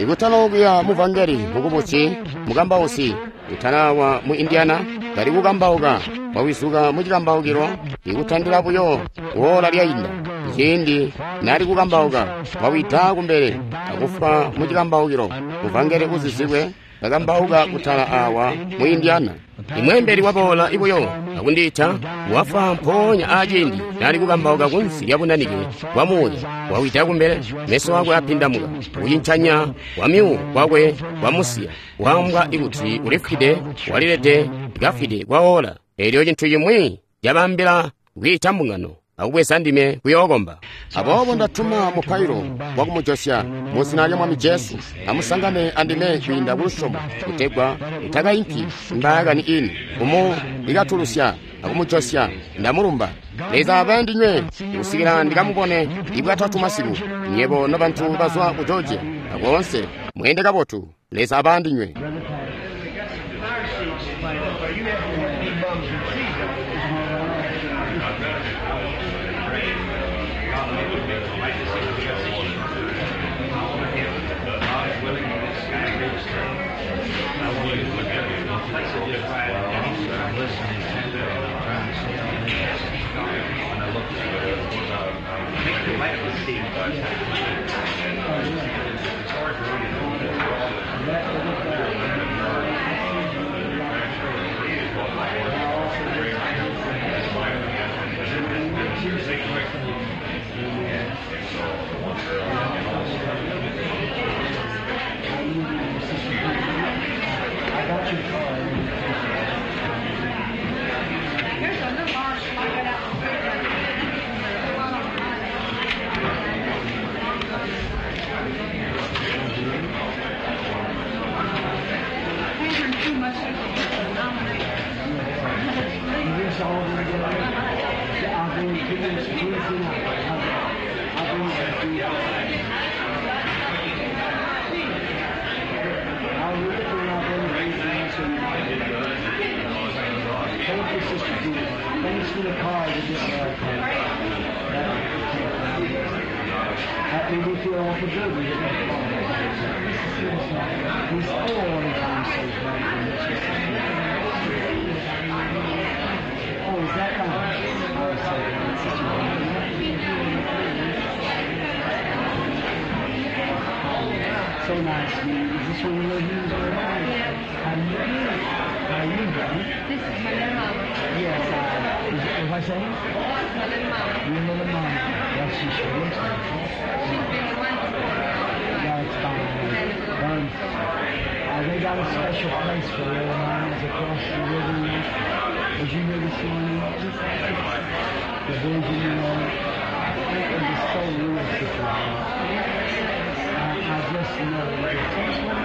ikutala okuya muvangeli mukubusi mukambausi utalawa mu Indiana kali kukambauka wawizuka mu cikambaukilo ikutandila buyo woola lyainda ciindi nali kukambauka wawida kumbele akufa mu cikambaukilo muvangeli uzizibwe kakambauka kutala awa mu Indiana. Imwembeli waboola ibuyo akundiita wafa mpoonya aciindi nali kukambauka kunsi lya bunanike bwa muuya wawida kumbele meso akwe apindamuka kucincanya kwamyuwo kwakwe kwamusiya waambwa ikuti ulifwide walilede kafwide kwaola. Elyo cintu cimwi cabambila kwiita mbungano akubweza ndime kuyookomba. Aboobo ndatuma mupailo wakumujosya mu zina lya Mwami Jesu amusangane andime kwiinda kulusyomo kutegwa mutakainki mbaakani ini umu ikatulusya akumujosya. Ndamulumba Leza abe ndinywe kusikila ndikamubone ibwatatu masiku nyebo nobantu bazwa ku Georgia akoonse mweende kabotu. Leza abe andinywe. So nice. Is this one of your How you doing? How you doing? This is my little mama. Yes, I, is it, what I saying? My little mama. Your little mama. Yes, she sure looks like it. She's been the one before me all the time. That's fine. Um, uh, they got a special place for little mamas across the river. Was you here this morning? The vision, you know. It was so real, Sister. I, I just know. Thank you.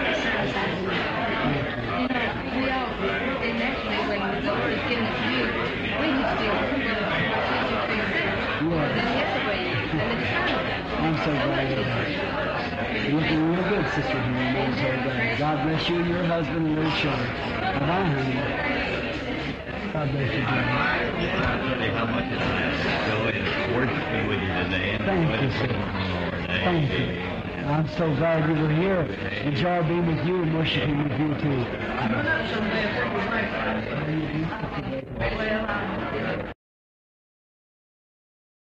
You know, we all, and naturally, when the Lord has given it to you, we just do one, two, three, six. Yes. Then the other way, and the discernment. I'm so glad you're here. You're looking real good, Sister Henry. I'm so glad. God bless you and your husband and your children. Bye-bye, honey. God bless you, Jimmy. I tell you how much it's joy worshiping with you today. And Thank you, sir. Thank you. I'm so glad you were here. Enjoy being with you and worshiping with you, too.